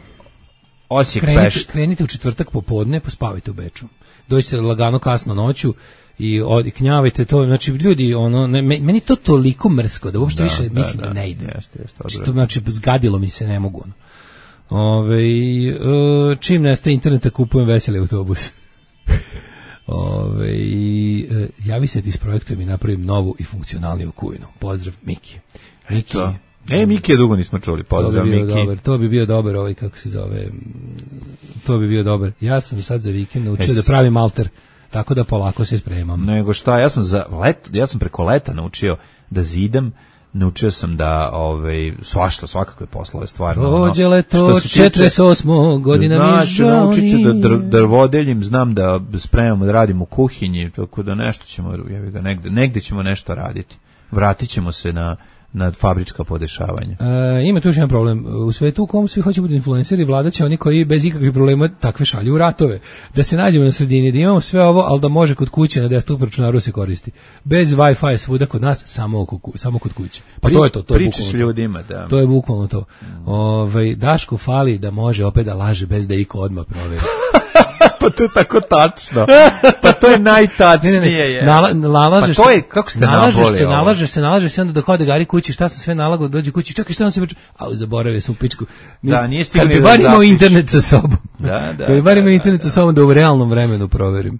Osijek Krenite, Pešt. krenite u četvrtak popodne, pospavajte u Beču. Dođite lagano kasno noću i od, knjavajte to. Znači, ljudi, ono, ne, me- meni to toliko mrsko da uopšte više mislim da, ne ide. Jeste, jeste, Znači, to, odvratno. znači, zgadilo mi se, ne mogu. Ono. Ove, e, čim nestaje interneta, kupujem veseli autobus. Ove, e, javi se ti s projektom i napravim novu i funkcionalniju kujnu. Pozdrav, Miki. Miki. To. E, Miki je dugo nismo čuli. To bi Pozdrav, bio Miki. dobar, to bi bio dobar ovaj, kako se zove, mm, to bi bio dobar. Ja sam sad za vikend naučio Es- da pravim alter, tako da polako se spremam. Nego šta, ja sam za let, ja sam preko leta naučio da zidam, naučio sam da ovaj svašta, svakakve poslove stvarno. ono, Dođe leto, što se tiče- četrdeset osam godina mi Znači, žao naučit ću da dr, nije. drvodeljim, znam da spremamo, da radim u kuhinji, tako da nešto ćemo, jebi ga, negde, negde ćemo nešto raditi. Vratit ćemo se na, na fabrička podešavanja. E, ima tu još jedan problem. U svetu u kom svi hoće biti influenceri, vladat će oni koji bez ikakvih problema takve šalju u ratove. Da se nađemo na sredini, da imamo sve ovo, ali da može kod kuće na desktop računaru se koristi. Bez Wi-Fi svuda kod nas, samo, oko, ku- samo kod kuće. Pa to je to, to je Priče bukvalno s to. ljudima, da. To je bukvalno to. Ovaj Daško fali da može opet da laže bez da iko odmah proveri. Pa to je tako tačno. Pa to je najtačnije. Ne, ne, ne. je. Nala, nalažeš Pa to je, se- kako ste nalažeš naboli se, ovo? nalažeš se, nalažeš se, onda dok ode Gari kući, šta sam sve nalagao, dođe kući, čekaj, šta on se priča, au, zaboravio sam u pičku. Da, nije stigao Kad ni bi da bar imao zapiše. internet sa sobom. Da, da, Kad bi bar da, imao da, internet sa sobom da u realnom vremenu proverim.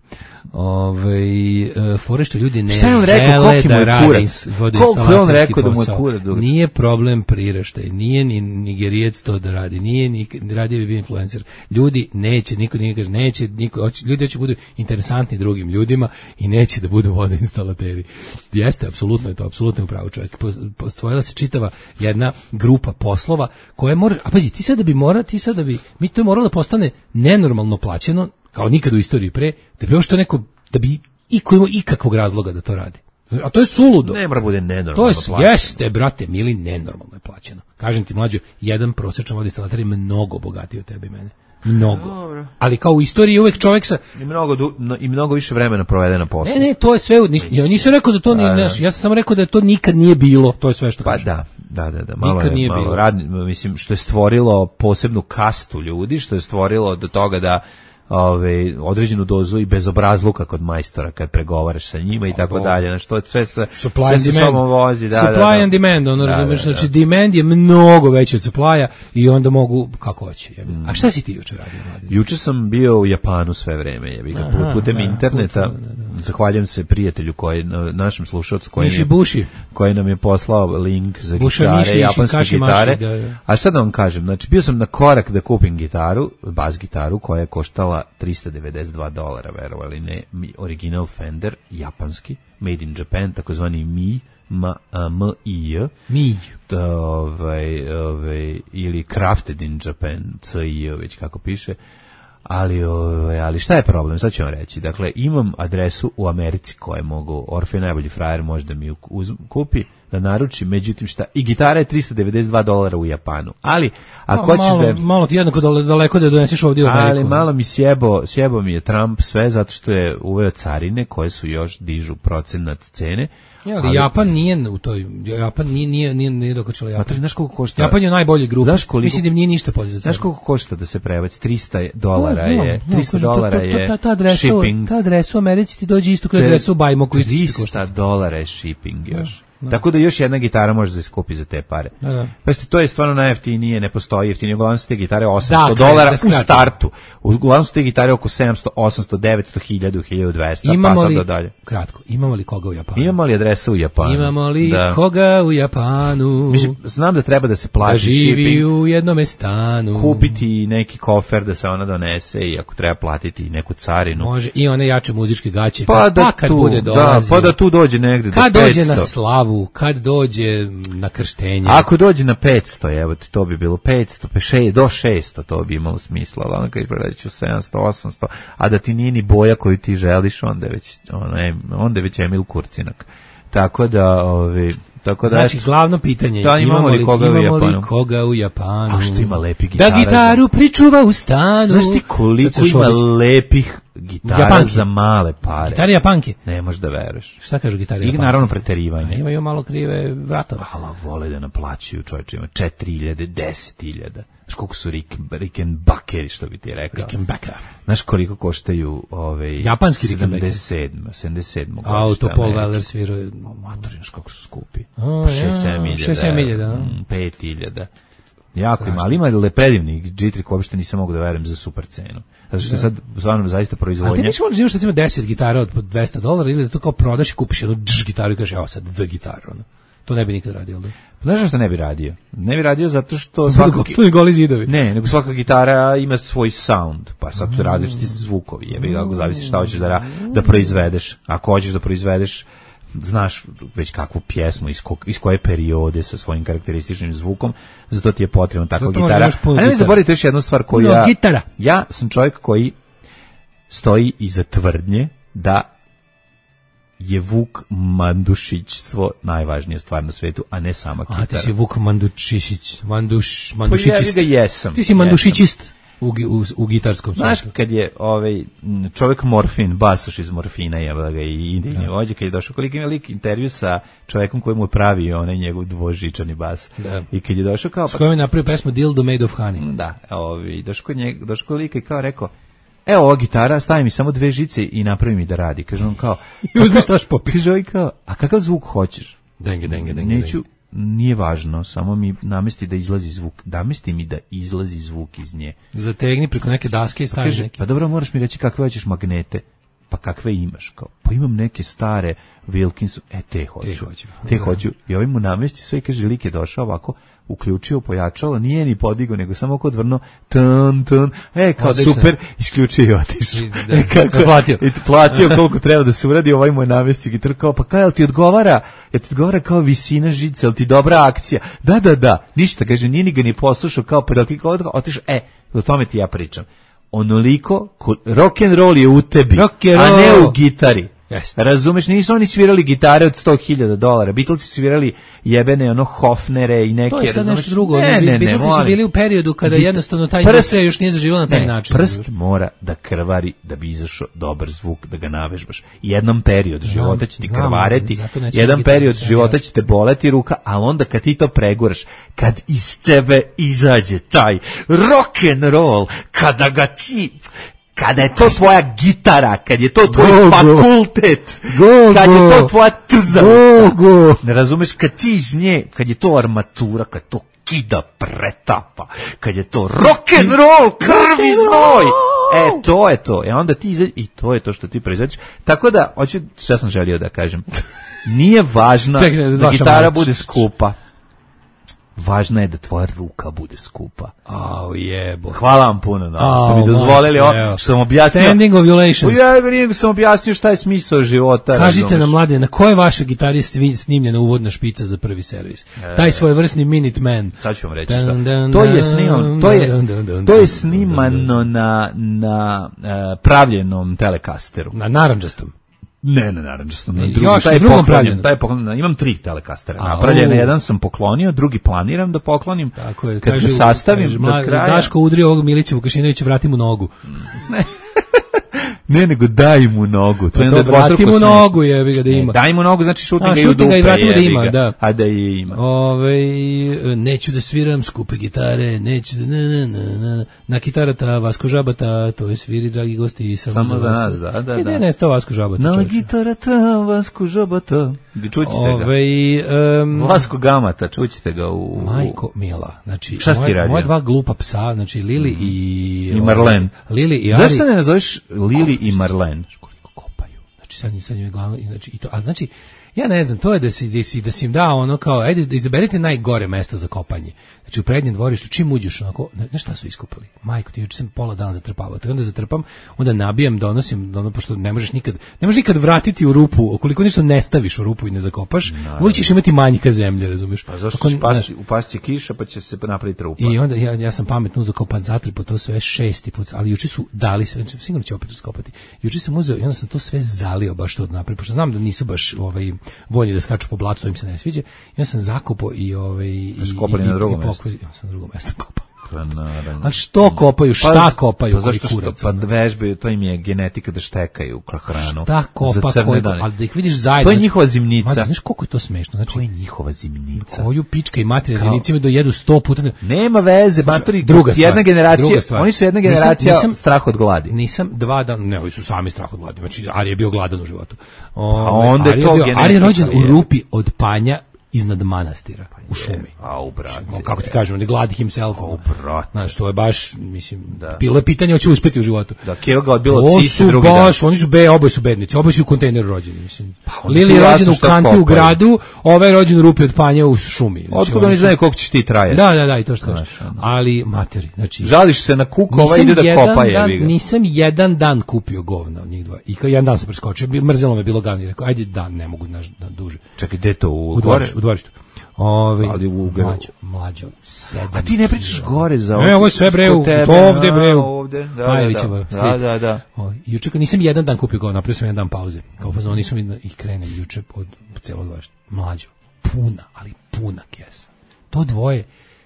Ove, e, fore što ljudi ne Šta je on rekao, žele koliki mu da je rade kurac? ins- Koliko je on vodoinstalaterski rekao da mu je posao. kurac dugačak? Nije problem priraštaj, nije ni Nigerijec to da radi, nije ni radio bi bio influencer. Ljudi neće, niko nije kaže, neće, niko, hoće, ljudi hoće budu interesantni drugim ljudima i neće da budu vodoinstalateri. Jeste, apsolutno je to, apsolutno je upravo čovjek. Postojala se čitava jedna grupa poslova koje mora, a pazi, ti sad da bi mora, ti sad da bi, mi to je moralo da postane nenormalno plaćeno, kao nikad u istoriji pre, da bi ovo što neko, da bi iko imao ikakvog razloga da to radi. A to je suludo. Ne mora bude nenormalno To je, plaćeno. jeste, brate, mili, nenormalno je plaćeno. Kažem ti, mlađo, jedan prosječan vodoinstalater je mnogo bogatiji od tebe i mene. Mnogo. Ali kao u istoriji uvek čovjek sa... I mnogo, du, no, i mnogo više vremena provede na poslu. Ne, ne, to je sve... Nis, ja nisam rekao da to nije... Da, da. Znaš, ja sam samo rekao da to nikad nije bilo. To je sve što Pa kažem. da, da, da, da. Malo Nikad je, nije malo bilo. rad, mislim, što je stvorilo posebnu kastu ljudi, što je stvorilo do toga da ove, određenu dozu i bezobrazluka kod majstora kad pregovaraš sa njima i tako dalje. Znači, to sve se supply and demand. Vozi, da, supply da, da. and demand, ono Da, razumeš, da, da. znači demand je mnogo veći od supply-a i onda mogu, kako hoće. Mm. A šta si ti juče radio, Mladen? Juče sam bio u Japanu sve vreme, jebi ga, Aha, putem da, interneta. putem, da, da. Zahvaljujem se prijatelju koji, našem slušalcu koji, Miši nam- Buši. koji nam je poslao link za Buša gitare, Miši, japanske Kaši Maši, gitare. da, da. A šta da vam kažem, znači bio sam na korak da kupim gitaru, bas gitaru koja je koštala trista devedeset dva dolara, verovali ne, mi- original Fender, japanski, made in Japan, takozvani Mi, M, a, M I J, Mi. to, ovaj, ovaj, ili Crafted in Japan, C I J, već kako piše. Ali, ovaj, ali šta je problem, sad ću vam reći. Dakle, imam adresu u Americi koje mogu, Orfej najbolji frajer može da mi ju uz- kupi, da naruči, međutim šta, i gitara je trista devedeset dva dolara u Japanu. Ali, ako hoćeš malo, da... malo ti jednako dole- daleko da je doneseš ovdje u Ameriku. Ali malo mi sjebo, sjebo mi je Trump sve zato što je uveo carine koje su još dižu procenat cene. Ja, ali Japan nije u toj, Japan nije, nije, nije, nije dokačila Pa Japan. to je, znaš koliko košta? Japan je najbolji grup. Znaš koliko- Mislim da im nije ništa podizati. Znaš koliko košta da se prebaci? trista dolara No, no, je, no, trista kažem, dolara to- to- je ta, ta adresa, shipping. Ta adresa u Americi ti dođe isto kao adresa u Bajmo koji isto ti košta. trista dolara je shipping još. Tako da još jedna gitara može da se kupi za te pare. Da, da. Pa ste, to je stvarno najjeftinije, ne postoji jeftinije. Uglavnom su te gitare osamsto Da, kad- dolara da u skratim. startu. Uglavnom su te gitare oko sedamsto, osamsto, devetsto, hiljadu, hiljadu dvesta, pa Imamo sad li, do dalje. kratko, imamo li koga u Japanu? Imamo li adresa u Japanu? Imamo li Da. koga u Japanu? Mislim, znam da treba da se Da plati živi shipping, u jednome stanu. kupiti neki kofer da se ona donese i ako treba platiti neku carinu. Može i one jače muzičke gaće. Pa da kad tu, bude da, dolazio. pa da tu dođe negde do Kad dođe petsto. na slavu, kad dođe na krštenje. Ako dođe na petsto, evo ti, to bi bilo petsto, pa še, do šesto, to bi imalo smisla, ali ono kad pređeš u sedamsto, osamsto, a da ti nije ni boja koju ti želiš, onda je već, ono, em- onda je već Emil Kurcinak. Tako da, ovi, tako da, Znači, eto, glavno pitanje je, Da, imamo li koga u imamo li Japanu? koga u Japanu? A što ima lepih Da gitara gitaru pričuva u stanu. znaš ti koliko Kad se ima šodić. lepih gitara Japanki. za male pare? Gitare Japanke. Ne možeš da veruješ. Šta kažu gitare I Japanke? naravno A preterivanje. imaju malo krive vratove. Hvala, vole da naplaćuju, čovječe, ima četiri hiljade, deset hiljada. Znaš koliko su Rick, Rickenbackeri, što bi ti rekao. Rickenbacker. Znaš koliko koštaju ove Japanski Rickenbacker. sedamdeset sedam, sedamdeset sedam Auto Paul Weller svirao. Matori, znaš kako su skupi. A, šest ja, sedam hiljada. šest sedam hiljada, a? mm, pet hiljada. Jako ima, ali ima le predivnih džitrik, uopšte nisam mogu da verujem za super cenu. Zato što je sad stvarno zaista A ti proizvodnja. misliš možda imaš recimo deset gitara od po dvesta dolara ili da to kao prodaš i kupiš jednu dž gitaru i kažeš evo sad dve gitare. Ono. To ne bi nikad radio, da? Znaš što ne bi radio? Ne bi radio zato što Svaka svaka goli zidovi. Ne, nego svaka gitara ima svoj sound, pa sad tu različiti zvukovi, jebi ga, ako zavisi šta hoćeš da, ra- da proizvedeš. Ako hoćeš da proizvedeš, znaš već kakvu pjesmu, iz, ko, iz koje periode sa svojim karakterističnim zvukom, zato ti je potrebna takva Zato možda gitara. imaš puno A ne mi gitara. zaboravite još jednu stvar koju Puno ja... gitara. Ja sam čovjek koji stoji iza tvrdnje da je Vuk Mandušićstvo najvažnija stvar na svetu, a ne sama kitara. A ti si Vuk Mandušišić, Manduš, Pa Mandušićist. ja ga jesam. Ti si Mandušićist u, gi- u, u gitarskom Znaš, svijetu. kad je ovaj m, čovjek Morfin, basoš iz Morfina, je ga i idejni vođa, kad je došao, koliko ima lik intervju sa čovjekom koji mu je pravio onaj njegov dvožičani bas. Da. I kad je došao kao... S kojom je napravio pesmu Dildo Made of Honey. Da, ovaj, došao kod njega, došao kod lika i kao rekao, evo ova gitara, stavi mi samo dve žice i napravi mi da radi. Kaže on kao... I uzmi staš popis. Kaže ovaj kao, a kakav zvuk hoćeš? Denge, denge, denge. Neću, nije važno, samo mi namesti da izlazi zvuk. Namesti mi da izlazi zvuk iz nje. Zategni preko neke daske i stavi Kaže, neke. pa dobro, moraš mi reći kakve hoćeš magnete. Pa kakve imaš? Kao, pa imam neke stare Wilkinson, e te hoću. Te hoću. Te Da. hoću. I ovaj mu namesti sve i kaže, lik je došao ovako, uključio, pojačalo, nije ni podigao, nego samo oko odvrno, tun, tun, e, kao Odlično. super, isključio i otišao. I da, E, kako, platio. I platio koliko treba da se uradi, ovaj mu je namestio gitaru, kao, pa kaj, jel ti odgovara, jel ti odgovara kao visina žice, jel ti dobra akcija? Da, da, da, ništa, kaže, nije ni ga ni poslušao, kao, pa jel ti kao otišao, e, o tome ti ja pričam. Onoliko, ko- rock and roll je u tebi, Rock and a ne roll. u gitari. Jeste. Razumeš, nisu oni svirali gitare od sto hiljada dolara. Beatlesi su svirali jebene ono Hofnere i neke. To je sad razumeš? nešto drugo. Ne, ne, ne, Beatlesi su molim. bili u periodu kada Git- jednostavno ta prst- industrija još nije zaživjela na taj ne, način. Prst mora da krvari da bi izašao dobar zvuk, da ga navežbaš. Jednom period života će ti znam, krvareti, zato neću jedan gitaru, period sve života jasno. će te boleti ruka, ali onda kad ti to preguraš, kad iz tebe izađe taj rock and roll, kada ga ti Kada je to tvoja gitara, kad je to tvoj Go, go. fakultet, Go, kad je go. to tvoja trzavca, Go, go. ne razumeš, kad ti iz nje, kad je to armatura, kad to kida pretapa, kad je to rock and roll, krv i znoj, e, to je to, e onda ti izađe, i to je to što ti proizvodiš, tako da, hoću, šta sam želio da kažem, nije važno Čekaj, da vaša gitara mać. bude skupa, važno je da tvoja ruka bude skupa. Au jebo. Hvala vam puno na Au, što mi dozvolili, o, evo. što sam objasnio. Standing ovulations. Ja ga nije sam objasnio šta je smisao života. Kažite razumeš? nam, mlade, na kojoj vašoj gitari je svi- snimljena uvodna špica za prvi servis? Taj svojevrsni Minuteman. Sad ću vam reći Dun, šta. dun, To je dun, snimano, to je, dun, dun, dun, to je dun, snimano na, na uh, pravljenom telekasteru. Na narandžastom. Ne, na narandžastom, na Ne, drugom. još Taj na je drugom poklonjen, pravljen. taj je poklonjen, imam tri telekastera A, napravljene, u. jedan sam poklonio, drugi planiram da poklonim. Tako je, Kad kaže, ga sastavim kaže, do mla- kraja. Daško udri ovog Milića Vukašinovića, vrati mu nogu. Ne, nego daj mu nogu. To je To onda dvostruko vrati mu smešno. nogu, jebi ga da Ne, ima. daj mu nogu, znači šutni A, ga i u šutni ga dupe, i vrati mu da jebi ima, ga. da. A da je ima. Ove, neću da sviram skupe gitare, neću da... Na, na, na, na, na kitarata Vasko Žabata, to je sviri, dragi gosti, samo, Samo za vas. nas, da, da, I da. ne, nestao Vasko Žabata. Na čovječe. gitarata Vasko Žabata. Čućete ga. Ove, um, Vasko Gamata, čućete ga u... Majko Mila, znači Šta si ti moje, radio? moje dva glupa psa, znači Lili i I Marlen. Lili i Ari. Zašto ne nazoveš Lili i Marlen? Znaš koliko kopaju. Znači sad nisam njoj glavno, i znači i to, a znači ja ne znam, to je da si da si da si im dao ono kao ajde da izaberite najgore mesto za kopanje. Znači u prednjem dvorištu čim uđeš onako, ne, znaš šta su iskopali? Majko, ti juče sam pola dana zatrpavao. To onda zatrpam, onda nabijam, donosim, ono pošto ne možeš nikad, ne možeš nikad vratiti u rupu, ukoliko ništa ne staviš u rupu i ne zakopaš, uvijek ćeš imati manjka zemlje, razumeš? Pa zašto Ako- će znaš, pasti, upasti kiša pa će se napraviti rupa? I onda ja, ja sam pametno uzeo kao pan zatripo to sve šesti put, ali juče su dali sve, sigurno će opet raskopati. Juče sam uzeo i onda sam to sve zalio baš to od napred, pošto znam da nisu baš ovaj voljni da skaču po blatu, to im se ne sviđa. I onda sam zakopao i ovaj i Skopali i, na i, drugom i mestu. pokvizio, sam na drugom mestu kopao. Pa naravno. A što kopaju, šta kopaju, Pa koji zašto što? kurac, Pa ono? vežbaju, to im je genetika da štekaju hranu. Šta kopa, za crne koji, dane. ali da ih vidiš zajedno. To je njihova zimnica. Mađo, znaš koliko je to smešno? Znači, To je njihova zimnica. koju pička i materija zimnicima dojedu sto puta. Nema veze, matori, druga stvar, jedna generacija, druga stvar. oni su jedna Nisam- generacija nisam- strah od gladi. Nisam dva dana, ne, ovi su sami strah od gladi. Znači, Ari je bio gladan u životu. Ove, Pa onda je Ari to bio- genetika, Ari je rođen u je. rupi od panja iznad manastira, u šumi. A u brate. On, kako ti kažem, on je glad himself. O, brate. Znaš, to je baš, mislim, Da. bilo je pitanje hoće uspeti u životu. Da, Keva ga odbila Ovo od sise su drugi dan. baš, oni su be, oboje su bednici, oboje su u kontejneru rođeni, mislim. onda Lili ti je rođen jasno u šta kanti u kopaju. gradu, ovaj je rođen u rupi od panja u šumi. Znači, Otkud oni su- znaju koliko će ti traje? Da, da, da, i to što kažeš. Znaš, ono. Ali, materi, znači... Žališ se na kuk, ovaj Nisam ide da jedan kopa dan- jebi ga. Nisam jedan dan kupio govna od njih dva. I kao jedan dan sam preskočio, bi- mrzelo me bilo gavni. Rekao, ajde dan, ne mogu naš, da duže. Čekaj, gde to u U gore? dvorištu, u dvorištu. Ove, Ali u Ugaru. mlađo, mlađo, sedam. A ti ne pričaš gore za Ne, ovo je sve bre, kod u- tebe, ovde bre, a, u ovde, da, Majevićeva da, da, street. da, da. O, juče kad nisam jedan dan kupio govna, napravio sam jedan dan pauze. Kao fazon, nisam i- i krenem juče od celog dvorišta. Mlađo, puna, ali puna kesa. To dvoje,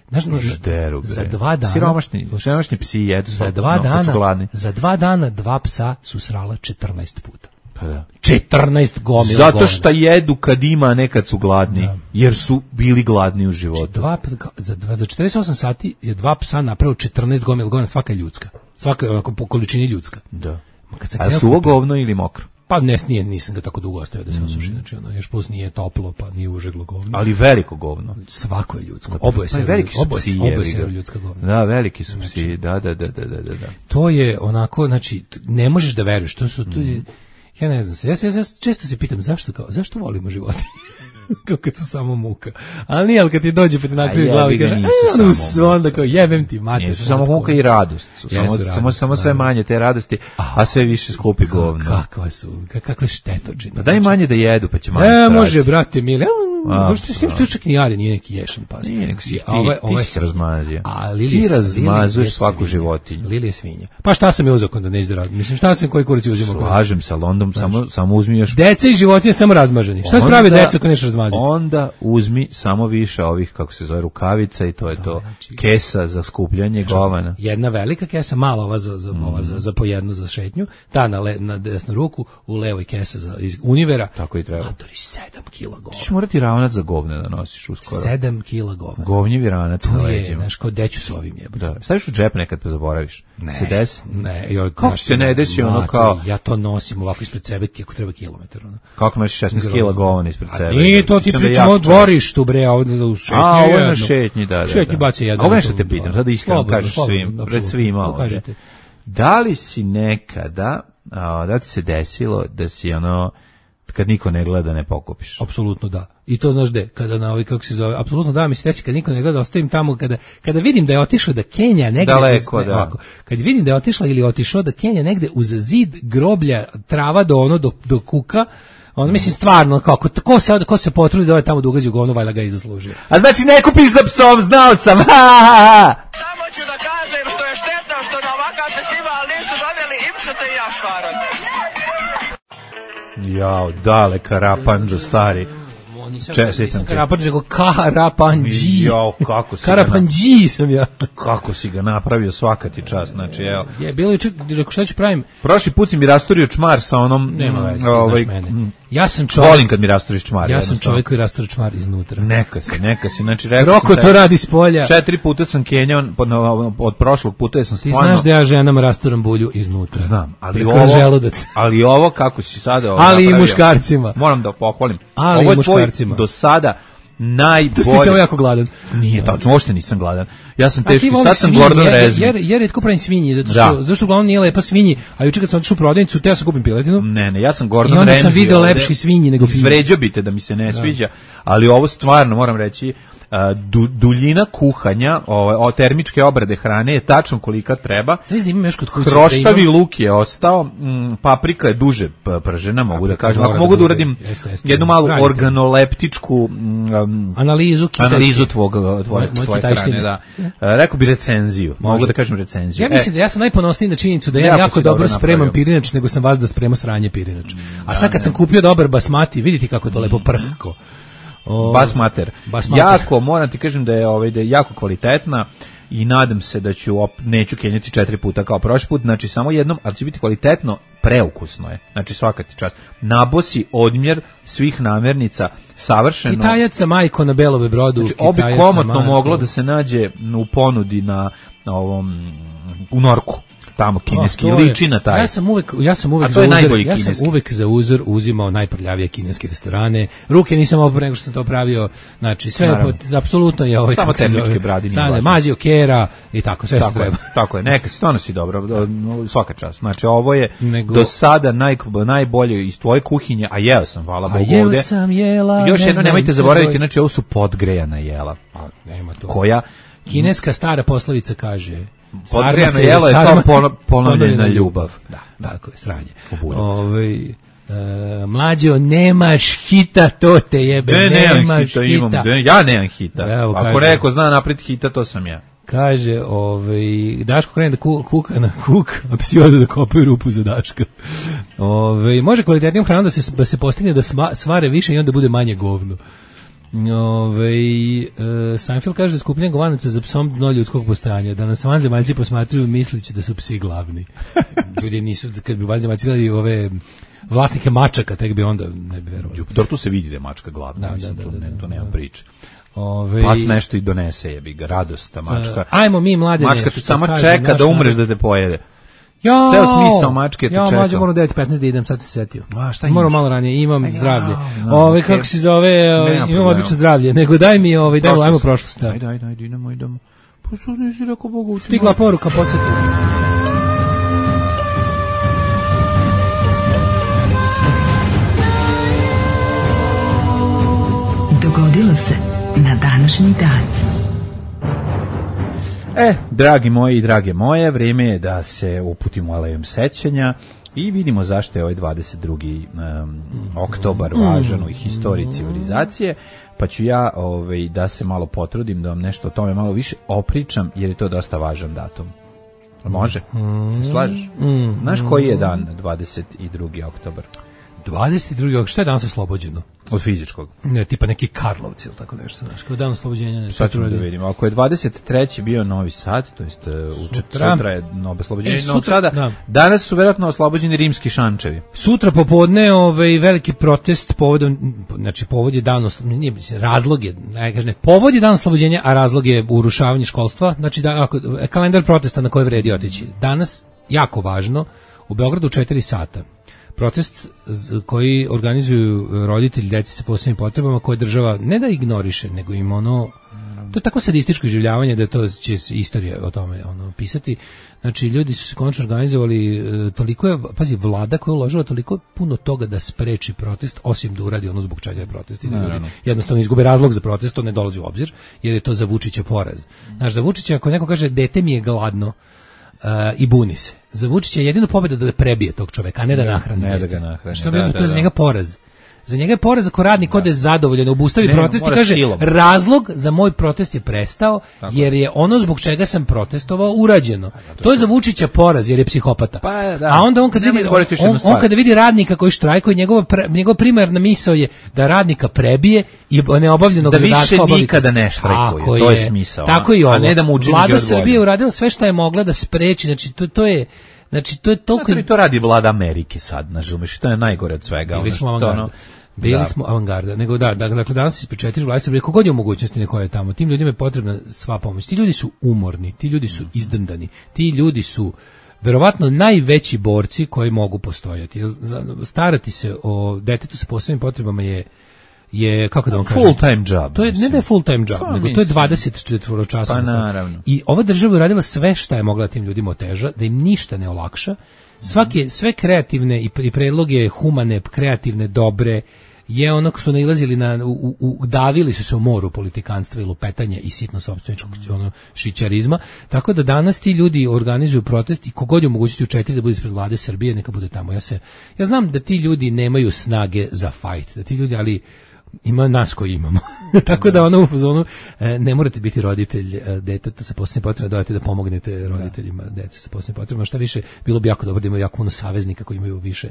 znaš, no, Žderu, bre. za dva dana, Siromašni, siromašni psi jedu za sad, dva no, kad su dana, gladni. za dva dana dva psa su srala četrnaest puta. Pa da. četrnaest gomila Zato govna. što jedu kad ima, a ne kad su gladni. Jer su bili gladni u životu. Dva, za, dva, za četrdeset osam sati je dva psa napravilo četrnaest gomila govna, svaka je ljudska. Svaka je onako po količini ljudska. Da. Ma kad sam A krenuo suvo kupiti- govno ili mokro? Pa ne, nije, nisam ga tako dugo ostavio da se Mhm. osuši, znači ono, još plus nije toplo, pa nije užeglo govno. Ali veliko govno. Svako je ljudsko, oboje Pa se, veliki su oboje, psi, oboje jebi se ga. ljudska govna. Da, veliki su psi, da, da, da, da, da, da. To je onako, znači, t- ne možeš da veruješ, to su, to Mhm. je, ja ne znam se, ja, se, ja se često se pitam zašto, kao, zašto volimo životinje? Kao kad su samo muka. Ali nije, ali kad ti dođe pa ti nakrije A glavi i jebi ga, kaže, nisu e, ono, samo onda kao, jebem ti, mate. Nisu samo muka i radost. Su samo, Jesu samo, radost, samo sve da. manje te radosti, a sve više skupi govno. Kakva su, ka- kakve štetočine. Pa daj manje da jedu, pa će manje Ne, srati. može, brate, mili. A, A, s tim što čak ni Ari nije neki ješan pas. Nije, nego si ti, A ovo je- ti ovo je si se razmazio. A Lili Ti je- razmazuješ Lili je svaku svinja. životinju. Lili je svinja. Pa šta sam je uzeo kada neću da radim? Mislim, šta sam koji kurac je uzimao? kada- Slažem sa Londom, samo, samo uzmi još... Deca i životinje samo razmaženi. Šta se pravi Onda- deca ako neš razmaziti? Onda uzmi samo više ovih, kako se zove, rukavica i to je to. znači- Kesa za skupljanje govana. Jedna velika kesa, mala ova za, za, ova za, za po jednu za šetnju, ta na, le, na desnu ruku, u levoj kesa za, iz univera. Tako i treba. Matori, sedam kila govna. Ti ćeš morati ravno ranac za govne da nosiš uskoro. sedam kila govna. Govnjevi ranac na To je, leđima. znaš, kao deću s ovim jebote. Da. Staviš u džep nekad pa zaboraviš. Ne, se desi? ne. Jo, Kako znaš, se ne desi ono mate, kao... Ja to nosim ovako ispred sebe kako treba kilometar. Ono. Kako nosiš šesnaest kila govna ispred A sebe? nije to ti Mislim da pričamo jako o dvorištu, bre, a ovdje u šetnji. A, ovo je na jedno. šetnji, da, da. Šetnji da. baci jedno. A ovo nešto te pitam, sada iskreno Slobodno, kažeš slobodno, svim, apsolutno. pred svima To ovdje. kažete. Da li si nekada, a, da ti se desilo da si ono, kad niko ne gleda ne pokupiš? Apsolutno da. I to znaš gde, kada na ovaj, kako se zove, apsolutno da, mi se desi kad niko ne gleda, ostavim tamo, kada, kada vidim da je otišao da Kenja negde... Daleko, uz, ne, da. ovako, kad vidim da je otišla ili otišao da Kenja negde uz zid groblja, trava do ono, do, do kuka, on mislim stvarno, kako, ko se, ko se potrudi da ode tamo da ugazi u govno, valjda ga i zaslužio. A znači ne kupiš za psom, znao sam, ha, ha, ha. Samo ću da kažem što je štetno što na ovakav festival nisu doveli Ipšete i Jašvaran. Jao, dale, Karapanđo, stari. Nisam, Čestitam nisam ti. Karapanđi, nego Karapanđi. Jao, kako si ga Karapanđi sam ja. Kako si ga napravio, svaka ti čast, znači, evo. Je, bilo je, rekao šta ću pravim? Prošli put si mi rasturio čmar sa onom... Nema veze, ovaj, znaš mene. mm, Ja sam čovjek, Volim kad mi rasturiš čmar. ja sam jednostavno. čovjek koji rastura čmar iznutra. Neka si, neka si, znači, rekao Roko sam to tebi, radi s polja. Četiri puta sam kenjao pod- na- od prošlog puta, jer sam Ti stvarno... znaš da ja ženama rasturam bulju iznutra. Znam, ali Kroz ovo, želudac. ali ovo kako si sada ovo Ali i napravio, muškarcima. Moram da pohvalim. Ali ovo i je tvoj muškarcima. do sada najbolje. Tu ti samo jako gladan. Nije tačno, uopšte nisam gladan. Ja sam A ti teški, voliš sad sam svinje, Gordon jer, Rezmi. jer, jer retko pravim svinji, zato što, Da. zato što uglavnom nije lepa svinji, a juče kad sam otišao u prodavnicu, teo sam kupim piletinu. Ne, ne, ja sam I Gordon onda Ramsay. sam video ovde. lepši svinji nego pivo. Izvređao bi te da mi se ne sviđa, ali ovo stvarno, moram reći, a, du, duljina kuhanja, ovaj, o, termičke obrade hrane je tačno kolika treba. Sve znam, imam još kod kuće. Hroštavi da imam- luk je ostao, m, paprika je duže p- pržena, mogu da Paprika kažem. mora Ako da mogu da bude, uradim jeste, jeste. jednu malu Radite. organoleptičku m, Analizu kitajske. analizu tvog, tvoje, Moje- moje tvoje kitajštine. hrane, da. E, rekao bi recenziju, mogu Može. da kažem recenziju. Ja mislim E, da ja sam najponosniji na činjenicu da ja Jako jako si dobro dobro spremam napravio. pirinač nego sam vas da spremao sranje pirinač. A sad kad sam kupio dobar basmati, vidite kako je to lepo prhko. O, Bas mater. Bas mater. Jako, moram ti kažem da je, ovaj, da je jako kvalitetna i nadam se da ću, op, neću kenjati četiri puta kao prošli put, znači samo jednom, ali će biti kvalitetno, preukusno je. Znači svaka ti čast. Nabosi odmjer svih namirnica, savršeno. Kitajac sa majko na Belove brodu. Znači, obi Kitajac sa komotno majko. moglo da se nađe u ponudi na, na ovom, u Norku. Tamo kineski, A, to je- liči na taj. Ja sam uvek, ja sam uvek A to za je uzor, najbolji ja sam kineski. uvek za uzor uzimao najprljavije kineske restorane. Ruke nisam oprao nego što sam to pravio. Znači sve Naravno. pod, apsolutno je ovaj Samo kako se termičke zove, bradi, nije stane, važno. mazio kera i tako sve što Tako je, treba. tako je, neka si, stvarno si dobro, do- svaka čast. Znači, ovo je Nego- do sada naj, najbolje iz tvoje kuhinje, a jeo sam, hvala A Bogu jeo ovde. sam jela. Još ne jedno, znam, nemojte sve zaboraviti, broj- znači, ovo su podgrejana jela, Pa, nema to. koja Kineska stara poslovica kaže Podgrejano sarma se- jelo je kao sarma- pono- ponovljena ponovljena ljubav. Da, tako je, sranje. bulju. Ovaj e, mlađo, nemaš hita, to te jebe, Ne, nemam nemaš hita, hita. imam, ne, ja nemam hita. Evo, Ako kaže. neko zna napred hita, to sam ja. Kaže, ovaj, Daško krene da ku, kuka na kuk, a psi odu da kopaju rupu za Daška. Ovaj, može kvalitetnijom hranom da se, da se postigne da sma, svare više i onda bude manje govno. Ove, e, Seinfeld kaže da skupljenje govanaca za psom dno ljudskog postojanja, da nas vanzemaljci posmatruju mislići da su psi glavni. Ljudi nisu, kad bi vanzemaljci gledali ove vlasnike mačaka, tek bi onda ne bi verovali. Dobro, tu se vidi da je mačka glavna, Da, mislim, da, tu, da, ne, da, tu nema da. priče. Ove, Pas nešto i donese, jebi ga, radost, ta mačka. e, ajmo mi mladene. Mačka ti što samo kaže čeka naš da umreš narod. da te pojede. Jo, Ceo smisao mačke je te ja, čekao. mlađe, moram u devet petnaest da idem, sad se setio. A, šta Moram imaš? malo ranije, imam A ja, zdravlje. no, Ove, okej. kako se zove, ove, Nema imam problema. odlično zdravlje. Nego daj mi, ovaj, daj, ajmo Prošlost. prošlost. Da. Ajde, ajde, ajde, idemo, idemo. Pa što nisi rekao Bogu? Stigla poruka, podsjetim. Dogodilo se na današnji dan. E, dragi moji i drage moje, vrijeme je da se uputimo alejom sećanja i vidimo zašto je ovaj dvadeset drugi Um, oktobar važan u historiji civilizacije, pa ću ja ovaj, da se malo potrudim da vam nešto o tome malo više opričam, jer je to dosta važan datum. Može? Slažeš? Znaš koji je dan dvadeset drugi oktobar? dvadeset drugi šta je danas oslobođeno? Od fizičkog. Ne, tipa neki Karlovci ili tako nešto, znaš, kao dan oslobođenja. Ne, sad ćemo da vidimo. Ako je dvadeset treći bio Novi Sad, to jest u sutra, sutra je novo oslobođenje e, Novog Sada, da. Danas su verovatno oslobođeni rimski šančevi. Sutra popodne ovaj veliki protest povodom, znači povod je dan oslobođenja, razlog je, ne kažem, povod je dan oslobođenja, a razlog je urušavanje školstva, znači da, ako, kalendar protesta na koji vredi otići. Danas, jako važno, u Beogradu u četiri sata. Protest koji organizuju roditelji dece sa posebnim potrebama koje država ne da ignoriše, nego im ono, to je tako sadističko iživljavanje da to će istorija o tome ono pisati. Znači ljudi su se konačno organizovali, toliko je, pazi, vlada koja je uložila toliko puno toga da spreči protest, osim da uradi ono zbog čega je protest. I da ljudi jednostavno izgube razlog za protest, to ne dolazi u obzir, jer je to za Vučića poraz. Znaš, za Vučića ako neko kaže dete mi je gladno, Uh, i buni se. Za Vučića je jedino pobjeda da prebije tog čoveka, a ne da nahrani. Ne da ga nahrani. Što bi, da, to je za njega poraz. Za njega je poraz ako radnik ode zadovoljan, obustavi protest i kaže silom. Razlog za moj protest je prestao tako. Jer je ono zbog čega sam protestovao urađeno. To, to je za Vučića poraz jer je psihopata. Pa, da. A onda on kad vidi on, on, on kada vidi radnika koji štrajkuje, njegova pre, njegova primarna misao je da radnika prebije i neobavljenog da zadatka više obavi. Nikada ne štrajkuje. To je smisao. Tako i ovo. A ne da mu učini Vlada Srbije uradila sve što je mogla da spreči, znači to, to je znači to je toliko to radi vlada Amerike sad, znači to je najgore od svega. Bili smo ono Bili da. smo avangarda, nego da, dakle danas ispred četiri vlade Srbije, kogod je u mogućnosti neko je tamo, tim ljudima je potrebna sva pomoć. Ti ljudi su umorni, ti ljudi su izdrndani, ti ljudi su verovatno najveći borci koji mogu postojati. Starati se o detetu sa posebnim potrebama je je kako da vam kažem, full time job. To je mislim. Ne da je full time job, pa, nego mislim. To je dvadeset četiri časova. Pa naravno. I ova država je radila sve šta je mogla tim ljudima oteža, da im ništa ne olakša. Svake sve kreativne i, i predloge humane, kreativne, dobre je ono što su nailazili na u, u, davili su se u moru politikanstva i lupetanja i sitno sopstveničkog ono šićarizma, tako da danas ti ljudi organizuju protest i kogod je u mogućnosti u četiri da bude ispred vlade Srbije neka bude tamo. Ja se ja znam da ti ljudi nemaju snage za fight, da ti ljudi ali ima nas koji imamo. Tako da ono u zonu ne morate biti roditelj deteta sa posebnim potrebama, dajte da pomognete roditeljima dece sa posebnim potrebama. Šta više, bilo bi jako dobro da imaju jako puno saveznika koji imaju više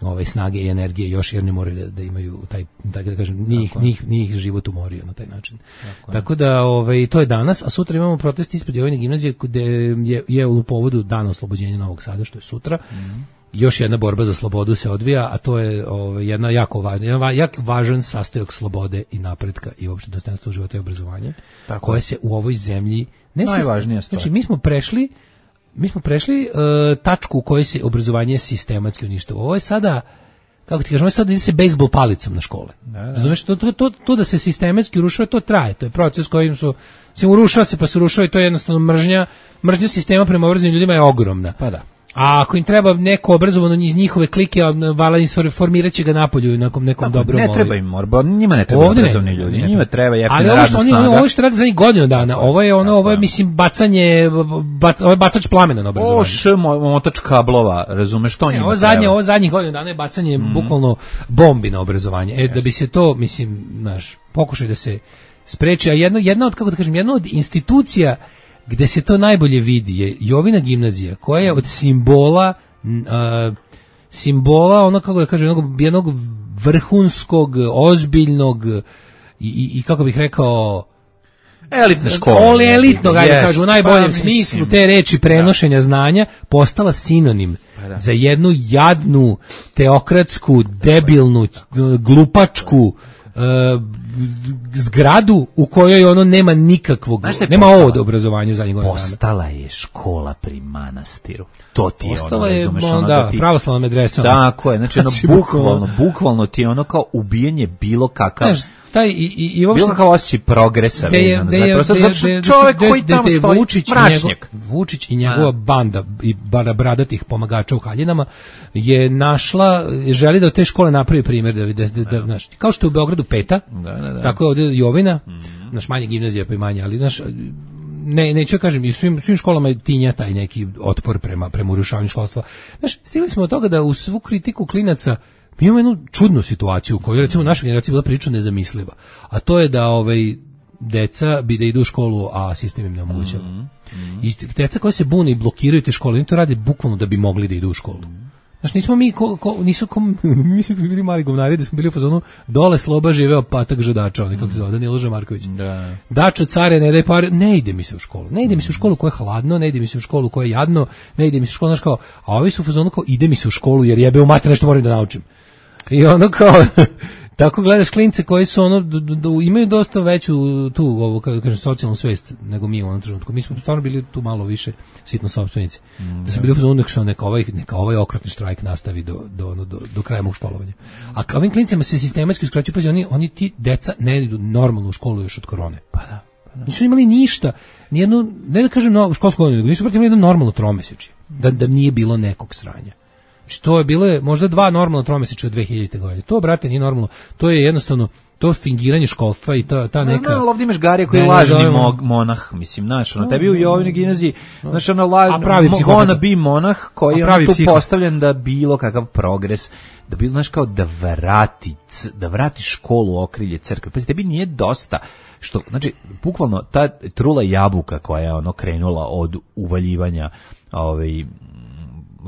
ovaj snage i energije još jer ne moraju da, da imaju taj da da kažem njih njih njih život umorio na taj način. Tako, Tako da ovaj to je danas, a sutra imamo protest ispred Jovine gimnazije gde je je u povodu dana oslobođenja Novog Sada što je sutra. Mm. Još jedna borba za slobodu se odvija, a to je ovaj, jedna jako važna, jedan jak važan sastojak slobode i napretka i uopšte dostojanstva života i obrazovanja, tako koje se u ovoj zemlji ne najvažnija stvar. Znači mi smo prešli mi smo prešli uh, tačku u kojoj se obrazovanje sistematski uništava. Ovo je sada kako ti kažemo, ovo je sada ide se bejsbol palicom na škole. Znači to, to, to, to da se sistematski urušava, to traje, to je proces kojim su se urušava se pa se urušava i to je jednostavno mržnja, mržnja sistema prema obrazovanim ljudima je ogromna. Pa da. A ako im treba neko obrazovano iz njihove klike, vala im formirat će ga napolju nekom nekom dobrom. Ne treba im morba, njima ne treba obrazovni ljudi, ne, njima treba jeftina radna snaga. Ali ovo što oni, ovo što radi za njih godinu dana, ovo je ono, ovo je mislim bacanje, bac, ovo je bacač plamena na obrazovanje. Ovo š motač kablova, razumeš što njima ovo treba. Zadnje, ovo zadnjih godinu dana je bacanje mm. bukvalno bombi na obrazovanje. E, da bi se to, mislim, znaš, pokušaj da se spreči, a jedna, jedna od, kako da kažem, jedna od institucija gde se to najbolje vidi je Jovina gimnazija, koja je od simbola uh, simbola, ono kako da kažem, jednog, jednog vrhunskog, ozbiljnog i, i, i kako bih rekao elitna škola. Ole elitnog, ajde yes, kažu, u najboljem pa, smislu mislim, te reči prenošenja da. znanja, postala sinonim pa, da. za jednu jadnu, teokratsku, debilnu, glupačku Uh, zgradu u kojoj ono nema nikakvog, nema ovog obrazovanja za njegove dana. Postala je škola pri manastiru. To ti je ono, je, razumeš, ono, ono da, da ti... pravoslavna medresa. Tako je, znači ono, bukvalno, bukvalno ti je ono kao ubijanje bilo kakav... Znaš, taj, i, i, i bilo kakav osjećaj progresa vezan. Zato što čovjek koji tamo stoji, Vučić mračnjak. Vučić i njegova A. banda i bradatih pomagača u haljinama je našla, želi da od te škole napravi primjer, da, da, da, da, znaš, kao što je u Beogradu Peta, da, da, da. tako je ovdje Jovina, mm. naš manje gimnazija pa i manje, ali naš... Ne, neću kažem, i svim, svim školama je tinja taj neki otpor prema, prema urušavanju školstva. Znaš, stigli smo od toga da u svu kritiku klinaca mi imamo jednu čudnu situaciju u kojoj recimo naša generacija bila prilično nezamisliva. A to je da ovaj, deca bi da idu u školu, a sistem im ne omogućava. Mm -hmm. I deca koja se bune i blokiraju te škole, oni to rade bukvalno da bi mogli da idu u školu. Znaš, nismo mi, ko, ko, nisu kom, mi smo bili mali govnari, da smo bili u fazonu, dole Sloba živeo patak žedača, onaj kako se zove, Danilo Žamarković. Da. Dačo, care, ne daj pare, ne ide mi se u školu. Ne ide mi se u školu koja je hladno, ne ide mi se u školu koja je jadno, ne ide mi se u školu, znaš kao, a ovi su u fazonu kao, ide mi se u školu jer jebe u mater nešto moram da naučim. I ono kao, tako gledaš klince koji su ono, d, d, d, imaju dosta veću tu, ovo, kako kažem, socijalnu svest nego mi u onom trenutku. Mi smo stvarno bili tu malo više sitno sopstvenici. Mm, da su bili u fazonu što neka ovaj, neka ovaj okrutni štrajk nastavi do, do, ono, do, do kraja mog školovanja. A kao ovim klincima se sistematski uskraćuju, pazi, oni, oni ti deca ne idu normalno u školu još od korone. Pa da. Pa da. Nisu imali ništa, nijednu, ne da kažem no, školsku godinu, nego nisu imali jedno normalno tromesečje. Da, da nije bilo nekog sranja. Što je bilo možda dva normalno tromesečja od dve hiljadite godine. To, brate, nije normalno. To je jednostavno to fingiranje školstva i ta, ta neka... No, ovdje imaš Garija koji je lažni zovemo... monah, mislim, znaš, ono, tebi u Jovine gimnaziji, znaš, ono, lažni, ona bi monah koji je ono tu psiho. Postavljen da bilo kakav progres, da bilo, znaš, kao da vrati, da vrati školu u okrilje crkve. Pa tebi nije dosta, što, znači, bukvalno, ta trula jabuka koja je ono krenula od uvaljivanja, ovaj,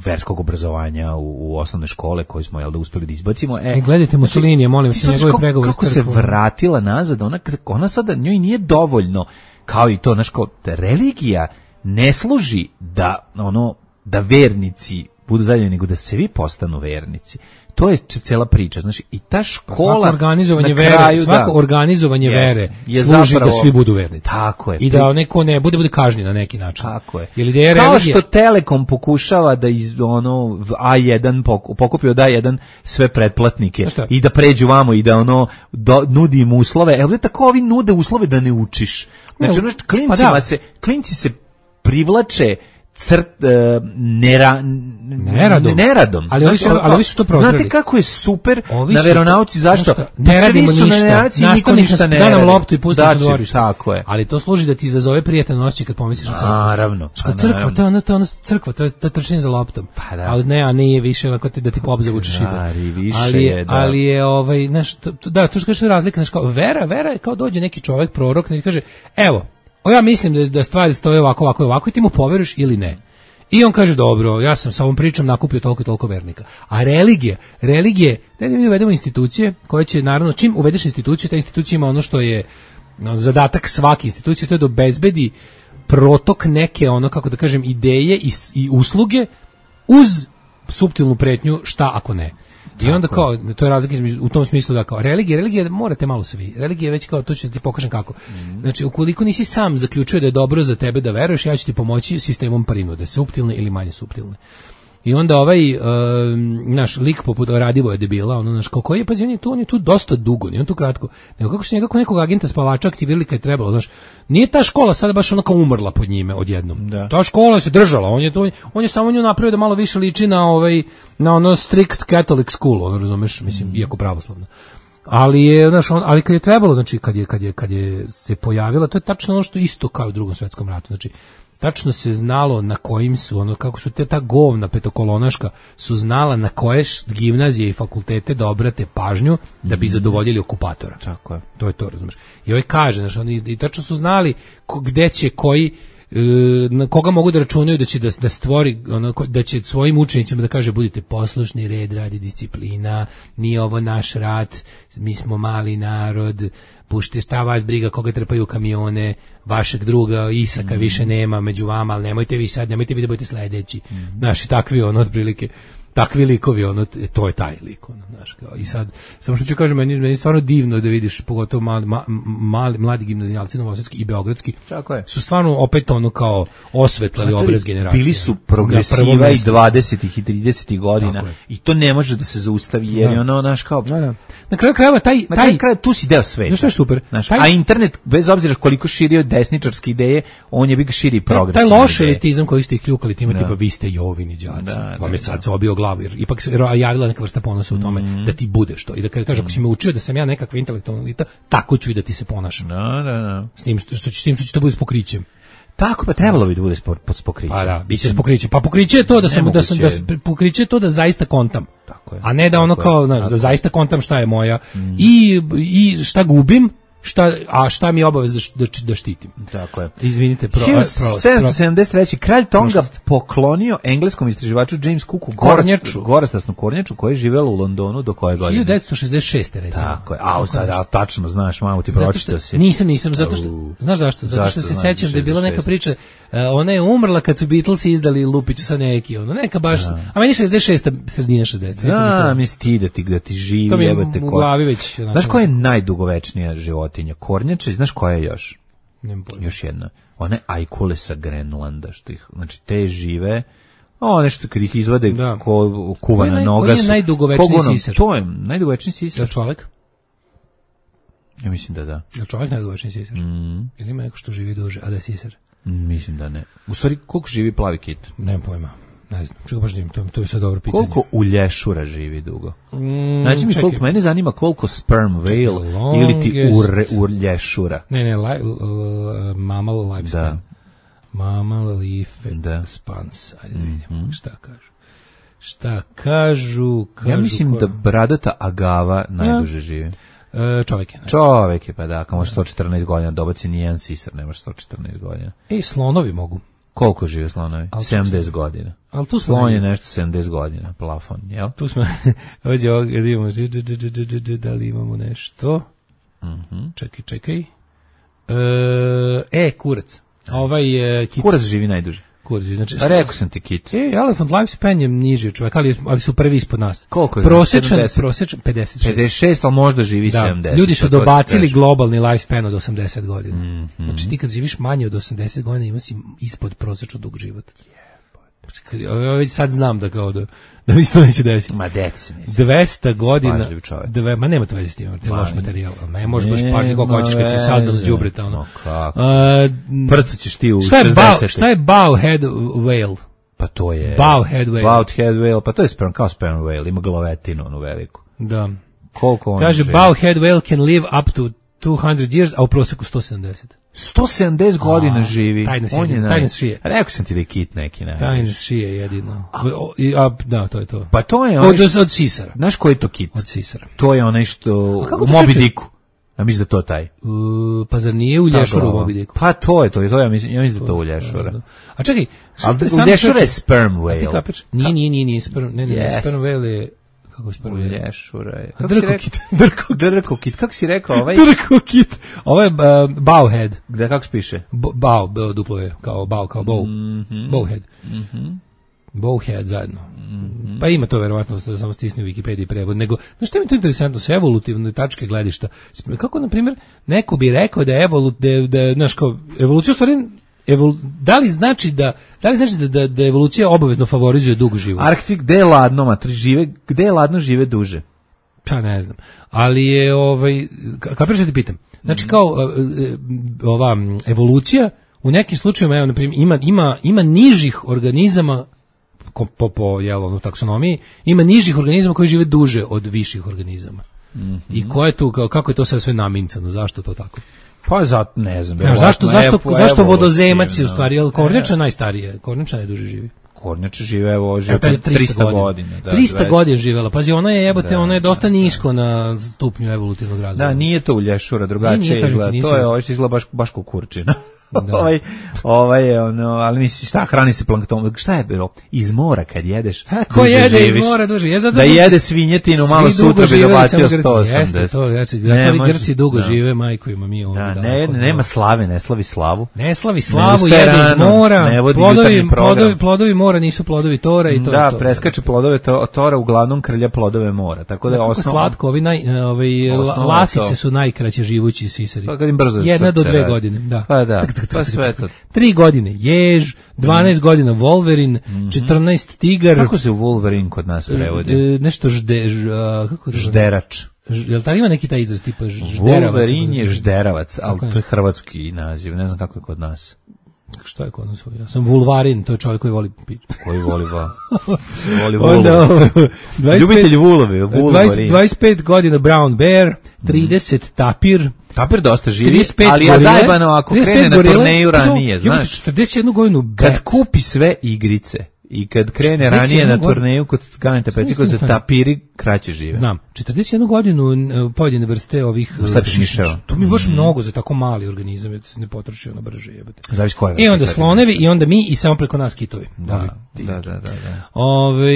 verskog obrazovanja u, u osnovne škole koje smo jel da uspeli da izbacimo. E, e gledajte Mussolinija, molim se, njegove pregovore. Kako se vratila nazad, ona, ona sada njoj nije dovoljno, kao i to, znaš, kao, religija ne služi da, ono, da vernici budu zadovoljni, nego da se vi postanu vernici. To je cela priča, znači i ta škola, svako organizovanje kraju, vere, svako da, organizovanje jest, vere je služi zapravo, da svi budu vernici. Tako je. I da neko ne bude bude kažnjen na neki način. Tako je. Ili da je kao religija, što Telekom pokušava da iz ono A jedan pokupi od A jedan sve pretplatnike i da pređu vamo i da ono do, nudi im uslove. Evo tako ovi nude uslove da ne učiš. Znači ono klincima pa da. se klinci se privlače crt uh, nera, neradom. neradom. Ali ovi su, ali ovi su to prozreli. Znate kako je super ovi na veronauci, zašto? Pa ne radimo ništa. Niko ništa ne radi. Da nam loptu i pusti da, se dvorište. Tako je. Ali to služi da ti izazove prijatno noći kad pomisliš o crkvu. Naravno. Što crkva, to je ono, to je ono crkva, to je, to je trčanje za loptom. Pa da. A ne, a nije više ovako ti da ti pop zavuče šibu. Ali je, da. ali je ovaj, znaš, to, da, to što kažeš razlika, znaš, kao vera, vera je kao dođe neki čovjek, prorok, neki kaže, evo, o ja mislim da, da stvari stoje ovako, ovako, ovako i ti mu poveruješ ili ne. I on kaže, dobro, ja sam sa ovom pričom nakupio toliko i toliko vernika. A religija, religije, da mi uvedemo institucije koje će, naravno, čim uvedeš instituciju, ta institucija ima ono što je no, zadatak svake institucije, to je da obezbedi protok neke, ono, kako da kažem, ideje i, i usluge uz suptilnu pretnju šta ako ne. I onda kao, to je razlika u tom smislu da kao religija, religija morate malo svi. Religija je već kao, to ću da ti pokažem kako. Mm. Znači, ukoliko nisi sam zaključio da je dobro za tebe da veruješ, ja ću ti pomoći sistemom prinude, suptilne ili manje suptilne. I onda ovaj uh, naš lik poput Radivoja debila, ono naš kako je, pazi, on je tu, on je tu dosta dugo, nije on tu kratko. Nego kako su nekako nekog agenta spavača aktivirali kad je trebalo, znaš. Nije ta škola sada baš onako umrla pod njime odjednom. Da. Ta škola se držala, on je to on je samo nju napravio da malo više liči na ovaj na ono strict Catholic school, ono razumeš, mislim, mm. iako pravoslavno. Ali je, znaš, on, ali kad je trebalo, znači kad je kad je kad je se pojavila, to je tačno ono što isto kao u Drugom svetskom ratu, znači tačno se znalo na kojim su, ono, kako su te ta govna petokolonaška su znala na koje gimnazije i fakultete da obrate pažnju da bi zadovoljili okupatora. Tako je. To je to, razumiješ. I ovaj kaže, znači, oni i tačno su znali ko, gde će koji, na koga mogu da računaju da će da, da stvori, ono, da će svojim učenicima da kaže budite poslušni, red, radi, disciplina, nije ovo naš rat, mi smo mali narod, pušte šta vas briga koga trpaju kamione, vašeg druga Isaka mm. više nema među vama, ali nemojte vi sad, nemojte vi da budete sledeći. Mm. Naši takvi ono otprilike, takvi likovi, ono, to je taj lik, ono, znaš, kao, i sad, samo što ću kažem, meni, meni je stvarno divno da vidiš, pogotovo mali, ma, mali, mladi gimnazijalci novosadski i beogradski, su stvarno opet ono kao osvetlali obraz generacije. Bili su progresiva i dvadesetih i tridesetih godina i to ne može da se zaustavi, jer je ono, naš kao... Da, da. Na kraju krajeva, taj... Na kraju krajeva, tu si deo sveta. Znaš, je super. Znaš, taj, a internet, bez obzira koliko širio desničarske ideje, on je bi širi progresivne taj loš elitizam koji ste ih kljukali time, tipa, vi ste Jovini đaci, vam je sad se obio glavu, jer ipak se javila neka vrsta ponosa u tome mm. da ti budeš to. I da kada kaže, ako si me učio da sam ja nekakva intelektualna elita, tako ću i da ti se ponašam. Da, da, da. S tim što, s tim što će to bude s pokrićem. Tako pa trebalo bi da bude s pokrićem. Pa da, biće s pokrićem. Pa pokriće je to da sam da sam da pokriće je to da zaista kontam. Tako je. A ne da ono kao, znaš, da zaista kontam šta je moja mm. i i šta gubim šta, a šta mi je obavez da, da, da štitim. Tako je. Izvinite, pro, hiljadu pro, sedamsto sedamdeset treće. kralj Tonga poklonio engleskom istraživaču James Cooku kornjaču, gorastasnu kornjaču koja je živela u Londonu do koje godine? hiljadu devetsto šezdeset šeste recimo. Tako je. A sad a, tačno znaš, malo ti pročitao si. Nisam, nisam, zato što znaš zašto? Zato što se sećam da je bila neka priča, uh, ona je umrla kad su Beatlesi izdali Lupiću sa neki, ono neka baš, da. A meni šezdeset šesta sredina šezdeset. Da, mi ti da ti da ti živi, jebote ko. U glavi već. Znaš koja je najdugovečnija životinja? Kornjača, znaš koja je još? Još jedna. One ajkule sa Grenlanda, što ih, znači te žive, o nešto kad ih izvade da. Ko kuvana naj, noga su. Koji je najdugovečniji sisar? To je najdugovečniji sisar. Je čovjek? Ja mislim da da. Je čovjek najdugovečniji sisar? Mm. Ili ima neko što živi duže, a da je sisar? Mm, mislim da ne. U stvari, koliko živi plavi kit? Nemam pojma. Ne znam, čekaj baš da im, to, to je sad dobro pitanje. Koliko ulješura živi dugo? Mm, znači mi koliko, mene zanima koliko sperm whale ili ti ure, ulješura. Ne, ne, li, uh, mammal lifespan. Da. Mammal life da. spans. Ajde vidimo mm-hmm. šta kažu. Šta kažu, kažu ja mislim ko... da bradata agava najduže živi. E, čovjek je. Ne? Čovjek je, pa da, ako može sto četrnaest godina, dobaci nijedan sisar, nemaš sto četrnaest godina. Ej, slonovi mogu. Koliko žive slonovi? sedamdeset godina. Al tu slon je nešto sedamdeset godina, plafon, jel? Tu smo, ovdje ovdje imamo, da li imamo nešto? Mm-hmm. Čekaj, čekaj. E, e kurac. Ovaj, uh, kit. Kurac živi najduže. Kurac živi, znači... Rekao sam ti kit. E, elephant lifespan je niži čovjek, ali, ali su prvi ispod nas. Koliko je? Prosječan, prosječan, pedeset šest. pedeset šest, ali možda živi da, sedamdeset. Ljudi su dobacili globalni lifespan od osamdeset godina. Mm-hmm. Znači ti kad živiš manje od osamdeset godina ima si ispod prosječno dug život. Ja sad znam da kao da da mi se to neće desiti. Ma deci mislim. dvesta godina. Dve, ma nema to veze s tim, to je loš materijal. Ne možeš baš pažnje koliko hoćeš kad si sazdao đubreta ono. Kako? Prcaćeš ti u šezdeset. Šta je bowhead whale? Pa to je bowhead whale. Bowhead whale, pa to je sperm kao sperm whale, ima glavetinu onu veliku. Da. Koliko on kaže bowhead whale can live up to two hundred years, a u prosjeku sto sedamdeset. sto sedamdeset godina a, živi. On je tajna šije. Rekao sam ti da je kit neki. Ne, tajna šije jedino. A, a, da, to je to. Pa to je onaj od, što, od sisara. Znaš koji je to kit? Od sisara. To je onaj što u Moby Dicku. Ja mislim da to taj. Uh, pa zar nije u lješuru u Moby Dicku? Pa to je to. to ja, mislim, ja mislim da to u lješura. A čekaj. Ali u lješura je sperm whale. Nije, nije, nije, nije sperm, ne, ne, yes. Sperm whale je... Kako se prvo lješura je? Drkokit. Drkokit. Kako si rekao ovaj? Drkokit. Ovo je uh, bowhead. Gde kako se piše? Bow, duplo je, kao bow, kao bow. Mm-hmm. Bowhead. Mhm. Bowhead zajedno. Mm-hmm. Pa ima to verovatno, samo stisni u Wikipediji prevod. Nego, znaš što mi to interesantno, su evolutivne tačke gledišta. Kako, na primjer, neko bi rekao da je evolut, da je, da je, znaš, kao, evolucija u stvari, evolu, da li znači da, da li znači da, da, da evolucija obavezno favorizuje dug život? Arktik, gde je ladno, matri, žive, gde je ladno žive duže? Pa ne znam. Ali je, ovaj, kako što ti pitam, znači kao, ova evolucija, u nekim slučajevima, evo, na primjer, ima, ima, ima nižih organizama, po, po jel, ono, taksonomiji, ima nižih organizama koji žive duže od viših organizama. Mm-hmm. I ko je tu, kao, kako je to sve sve namincano, zašto to tako? Pa zato, ne znam. Ja, zašto, zašto, evo, zašto vodozemac je u stvari, jel, kornjača najstarije, kornjača najduže živi. Kornjača žive, evo, žive trista godina. Da, trista godina živela, pazi, ona je, jebote, da, ona je dosta da, nisko na stupnju evolutivnog razvoja. Da, nije to u lješura, drugačije izgleda, to je, ovo što izgleda baš, baš kukurčina. Da. ovaj, ovaj je ono, ali misliš šta, hrani se plankton, šta je bilo? Iz mora kad jedeš, ha, ko jede živiš, iz mora duže? Je zato da jede svinjetinu, malo sutra bi dobacio sto osamdeset. Jeste to, znači, ne, Grci dugo da. žive, majko ima mi ovdje. Da, ne, ne, nema slave, ne slavi slavu. Ne slavi slavu, ne jede iz mora, plodovi, plodovi, plodovi mora nisu plodovi tora i to. Da, to. preskače plodove to, tora, uglavnom krlja plodove mora, tako da je osnovno. Slatko, ovi naj, ovaj, lasice su najkraće živući sisari. Pa kad im brzo jedna do dve godine, da. Pa da. Pa sve to. Tri godine jež, dvanaest mm. godina Wolverine, mm-hmm. četrnaest tigar. Kako se Wolverine kod nas prevodi? E, nešto žde, ž, a, kako žderač. Ž, jel tako ima neki taj izraz tipa žderavac? Wolverine je žderavac, ali to je hrvatski naziv, ne znam kako je kod nas. Šta je kod nas? Ja sam Vulvarin, to je čovjek koji voli pić. Koji voli va. Voli Onda, ljubitelj vulovi, Vulvarin. dvadeset pet godina Brown Bear, trideset mm. tapir. Tapir dosta živi, ali ja zajebano ako krene na turneju ranije, znaš. četrdeset jednu godinu Beth. Kad kupi sve igrice i kad krene ranije na turneju kod Ganeta Peciko za tapiri kraće žive. Znam, četrdeset jednu godinu pojedine vrste ovih šišmiša. To mi je baš mm. mnogo za tako mali organizam, da se ne potroši ono brže jebate. Zavisi koje. I onda slonevi i onda mi i samo preko nas kitovi. Da, da, da, da, da. Ove,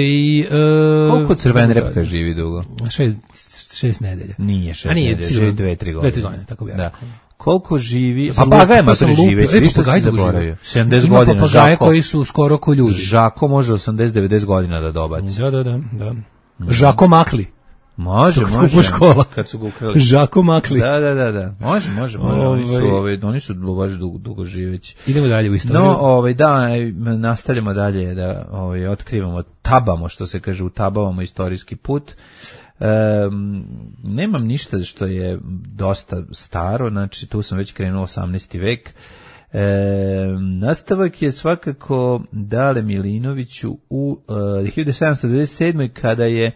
uh, koliko crven repka živi dugo? Šest, šest nedelja. Nije šest nedelja, živi dve, tri godine. Dve, tri godine, tako bi ja rekao. Koliko živi? Papagaje ma prežive, vi što se zaboravio. sedamdeset godina, papagaje Žako, koji su skoro ko ljudi. Žako može osamdeset do devedeset godina da dobaci. Da, da, da, da. Žako Makli. Može, Dok može. Škola. Kad su ga ukrali. Žako Makli. Da, da, da, da. Može, može, može. Ove... Oni su, ove, oni su baš dugo, dugo živeći. Idemo dalje u istoriju. No, ovaj da, nastavljamo dalje da ovaj otkrivamo, tabamo, što se kaže, utabavamo istorijski put. Um, nemam ništa što je dosta staro, znači tu sam već krenuo osamnaesti vek. E, nastavak je svakako Dale Milinoviću u uh, hiljadu sedamsto devedeset sedmoj kada je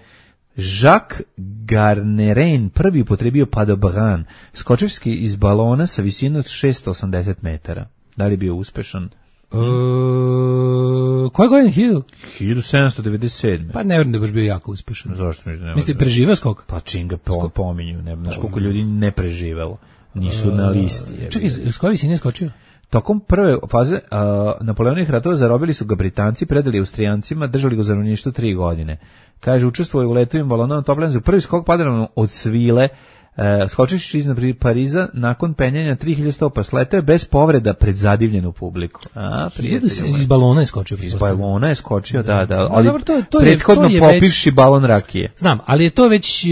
Jacques Garnerin prvi upotrebio padobran, skočivski iz balona sa visine od šesto osamdeset metara. Da li je bio uspešan? Uh, koje godine? hiljadu sedamsto devedeset sedme. Pa ne vjerujem da je baš bio jako uspešan. Zašto mi ne? Mislite, preživao skok? Pa čim ga po, pominju, ne znaš koliko ljudi ne preživelo. Nisu uh, na listi. Je. Čekaj, s koje visine je skočio? Tokom prve faze uh, Napoleonovih ratova zarobili su ga Britanci, predali Austrijancima, držali ga u zarobljeništvu tri godine. Kaže, učestvuje u letovima balonom na Toplenzu. Prvi skok padao od svile, e, skočiš iznad Pariza, nakon penjanja tri hiljade stopa, sletao je bez povreda pred zadivljenu publiku. A, prijatelj. Iz balona je skočio. Iz balona je skočio, da, da. Ali dobro, to, to prethodno je, to je popivši već, balon rakije. Znam, ali je to već,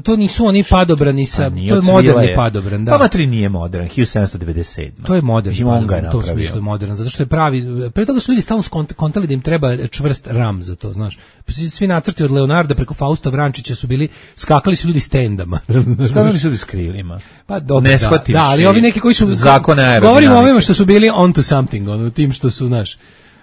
to nisu oni padobrani sa, to je moderni padobran. Da. Pa matri nije modern, hiljadu sedamsto devedeset sedma. To je moderni padobran, to smislu je modern, zato što je pravi, pre toga su ljudi stalno kontali da im treba čvrst ram za to, znaš. Svi nacrti od Leonarda preko Fausta Vrančića su bili, skakali su ljudi s tendama. Skakali su ljudi s krilima. Pa dobro, da, da, ali ovi neki koji su, zakone govorimo o ovima što su bili onto something, ono, tim što su, znaš,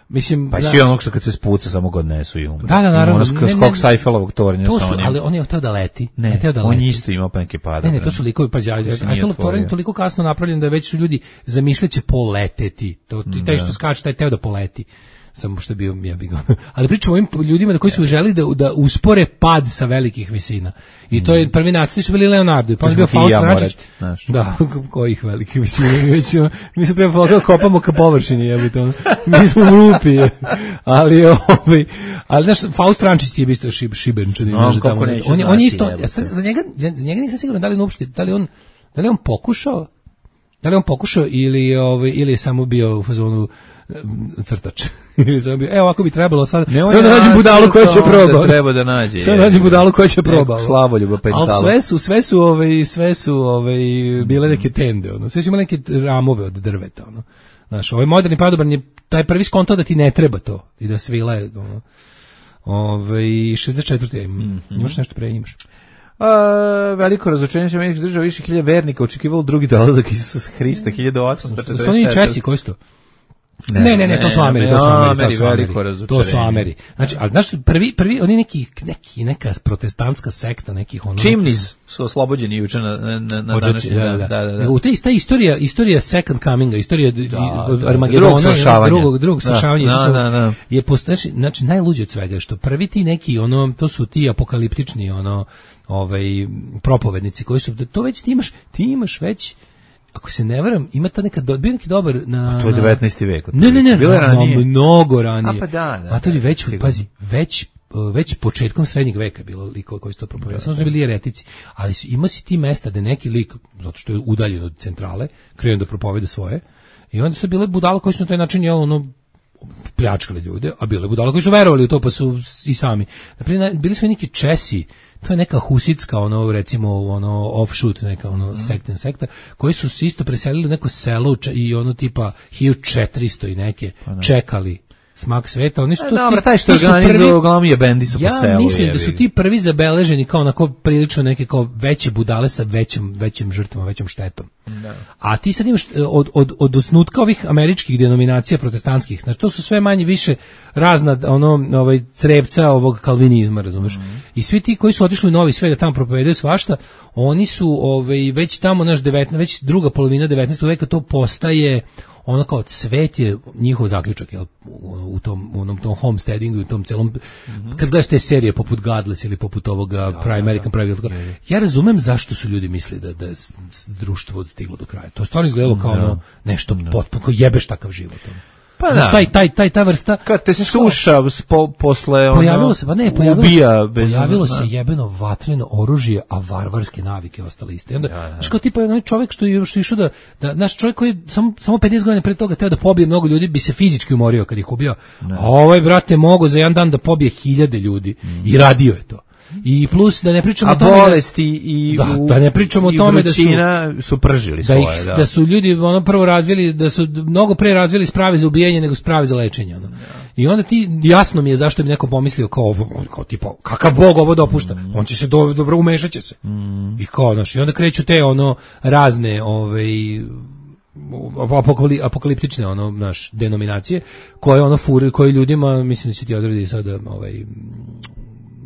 mislim... Pa i svi onog što kad se spuca samo god nesu i umre. Da, da, naravno. Ono skok, skok Seifelovog tornja sa onim. Ali on je hteo da leti. Ne, hteo da on leti. isto imao pa neke pada. Ne, ne, to su likovi, pa ja, Eiffelov tornj je toliko kasno napravljen da već su ljudi zamišljaće poleteti. To, i taj što skače, taj teo da poleti. Samo što je bio, ja bih ga. Ali pričamo o ovim ljudima da koji su želi da, da uspore pad sa velikih visina. I to je prvi nacrti su bili Leonardo, pa on je bio Faust Vrančić. Da, kojih velikih visina. Mi, mi se treba da kopamo ka površini, jebite ono. Mi smo u rupi. Ali ovaj, ali znaš, Faust Vrančić je isto šib, šibenčan. No, on, tamo, on, on je isto, ja sam, za njega, za njega nisam siguran da li on uopšte, da li on, da li on pokušao, da li on pokušao ili, ovaj, ili je samo bio u fazonu crtač. Evo ovako bi trebalo sad. Sve da nađem budalu koja će probati. Treba da nađe. Sve da nađem budalu koja će probati. Slavoljuba pentala. Al sve su, sve su, ovaj, sve su, ovaj, bile neke tende, ono. Sve su imale neke ramove od drveta, ono. Znaš, ovaj moderni padobran je taj prvi skonto da ti ne treba to i da svila je, ono. Ovaj šezdeset četvrte Mm -hmm. Imaš nešto pre imaš? A, veliko razočarenje se Američkih država, više hiljada vernika očekivalo drugi dolazak Isusa Hrista hiljadu osamsto četrdeset četvrte. To nije Česi, koji su to? Ne, ne, ne, ne, to su Ameri, to su Ameri, to su Ameri, to su Ameri. Znači, ali znaš, prvi, prvi, oni neki, neki, neka protestantska sekta, nekih ono... Chimneys su oslobođeni juče na, na, na današnji dan. Da, da, da. U te, ta istorija, istorija Second Cominga, istorija da, Armagedona, drugog slašavanja, drugog, drugog slašavanja, da, da, da. je posto, znači, najluđe od svega je što prvi ti neki, ono, to su ti apokaliptični, ono, ovaj, propovednici koji su, to već ti imaš, ti imaš već, ako se ne varam, ima ta neka, bio neki dobar na... A to je devetnaesti vek. Ne, ne, ne, bilo ranije. Mnogo ranije. A pa da, da. A to je već, pazi, već, već početkom srednjeg veka bilo likova koji su to propovedali. Samo su bili jeretici. Ali ima si ti mesta da neki lik, zato što je udaljen od centrale, krenu da propovede svoje, i onda su bile budala koji su na taj način, jel, ono, pljačkali ljude, a bile budala koji su verovali u to, pa su i sami. Naprimjer, bili su i neki Česi, to je neka husitska, ono, recimo, ono, offshoot, neka, ono, mm. sekten sekta, koji su se isto preselili u neko selo i ono, tipa, hiljadu četiristo i neke, pa čekali smak sveta. Oni su e, to, dobro, ti, taj što organizuo uglavnom je bendi su ja po selu. Ja mislim jevi. da su ti prvi zabeleženi kao onako prilično neke kao veće budale sa većim, većim žrtvama, većom štetom. Da. A ti sad imaš od, od, od osnutka ovih američkih denominacija protestantskih, znači to su sve manje više razna ono, ovaj, crevca ovog kalvinizma, razumeš? Mm. I svi ti koji su otišli u Novi Svet da tamo propovedaju svašta, oni su ovaj, već tamo naš devetnaesti, već druga polovina devetnaestog veka to postaje ono kao svet je njihov zaključak, jel, u, u tom u onom tom homesteadingu, u tom celom, mm-hmm. kad gledaš te serije poput Godless ili poput ovoga da, Prime American da, da. Private, ja razumem zašto su ljudi mislili da da je društvo stiglo do kraja. To stvarno izgledalo kao da. ono nešto da. potpuno, kao jebeš takav život. Ono. Pa znaš, taj, taj, taj, ta vrsta... Kad te suša po, posle... Ono, pojavilo se, pa ne, pojavilo ubija se, bez pojavilo ono, se jebeno vatreno oružje, a varvarske navike ostale iste. I onda, ja, znaš, kao tipa onaj čovjek što je što išao da, da, naš čovjek koji je samo, samo pedeset godina pre toga teo da pobije mnogo ljudi, bi se fizički umorio kad ih ubio. Ne. A ovaj, brate, mogo za jedan dan da pobije hiljade ljudi. Mm. I radio je to. I plus da ne pričamo a o tome bolesti da, i da, da ne pričamo o tome da su su pržili da, svoje, ih, da. da su ljudi ono prvo razvili, da su mnogo pre razvili sprave za ubijanje nego sprave za lečenje ono. I onda ti jasno mi je zašto bi neko pomislio kao ovo, kao tipa kakav bog ovo dopušta, mm. on će se do, dobro umešaće se mm. i kao znaš, i onda kreću te ono razne ovaj apokaliptične ono naš denominacije koje ono furi, koje ljudima mislim da će ti odredi sada ovaj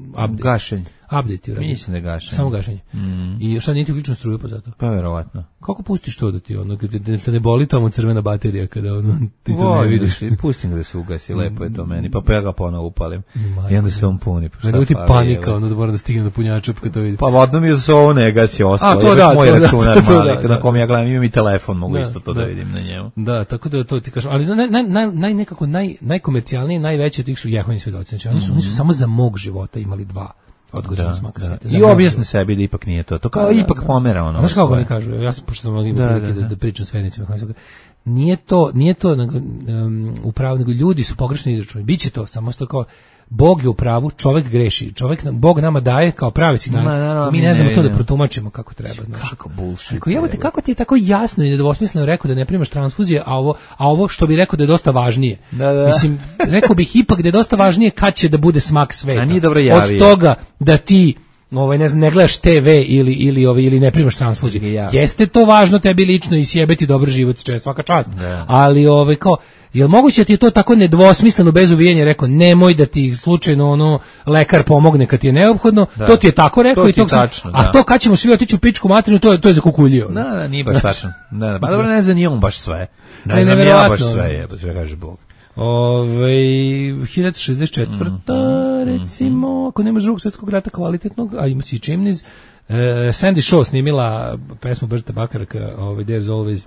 update. Gašenje. Update, uradio. Mislim da je gašenje. Samo gašenje. Mm. I šta nije ti uključeno struju pa zato? Pa verovatno. Kako pustiš to da ti ono, da te ne boli tamo crvena baterija kada ono, ti to Voj, ne vidiš? Da pustim da se ugasi, lepo je to meni, pa, pa ja ga ponovo upalim. Majke. I onda se on puni. Pa da ti panika, ono da mora da stigne do punjača kad to vidi. Pa vodno mi je za ovo ne gasi ostalo. A, to da, moj to računar da, to mali, da, na da. kom ja gledam, imam i telefon, mogu da, isto to da, da vidim na njemu. Da, tako da to ti kažem. Ali naj, naj, naj, nekako naj, najkomercijalniji, najveći od tih su Jehovini svedoci. Znači, oni su, oni su samo za mog života imali dva odgođena smaka sveta. I objasne sebi da ipak nije to. To kao da, ipak da. pomera ono. Znaš kako oni kažu? Ja sam pošto sam mogli da, da, da. da pričam s vernicima. Nije to, nije to um, upravo, nego ljudi su pogrešno izračunali. Biće to, samo što kao Bog je u pravu, čovjek greši. Čovjek nam, Bog nama daje kao pravi signal. No, mi ne znamo ne to da protumačimo kako treba, znaš. Kako bullshit. Ako jebote, kako ti je tako jasno i nedvosmisleno rekao da ne primaš transfuzije, a ovo, a ovo što bi rekao da je dosta važnije. Da, da. Mislim, rekao bih ipak da je dosta važnije kad će da bude smak sveta. A nije dobro javio. Od toga da ti ovaj ne znam, ne gledaš te ve ili ili ovaj ili ne primaš transfuziju. Ja. Jeste to važno tebi lično i sjebeti dobar život, čest svaka čast. Da. Ali ovaj kao jel moguće da ti je to tako nedvosmisleno bez uvijenja rekao nemoj da ti slučajno ono lekar pomogne kad ti je neophodno, da. To ti je tako rekao to i to tačno, a da. To kad ćemo svi otići u pičku materinu to je to je zakukuljio. Da, da, nije baš tačno. Da, da, pa dobro ne znam ni on baš sve. Ne, ne znam ja baš sve, je, baš kaže Bog. Ove, hiljadu šezdeset četvrta Mm-hmm. recimo, ako nemaš drugog svjetskog rata kvalitetnog, a ima si Chimneys, uh, Sandy Shaw snimila pesmu Berta Bakarka, ovaj, There's Always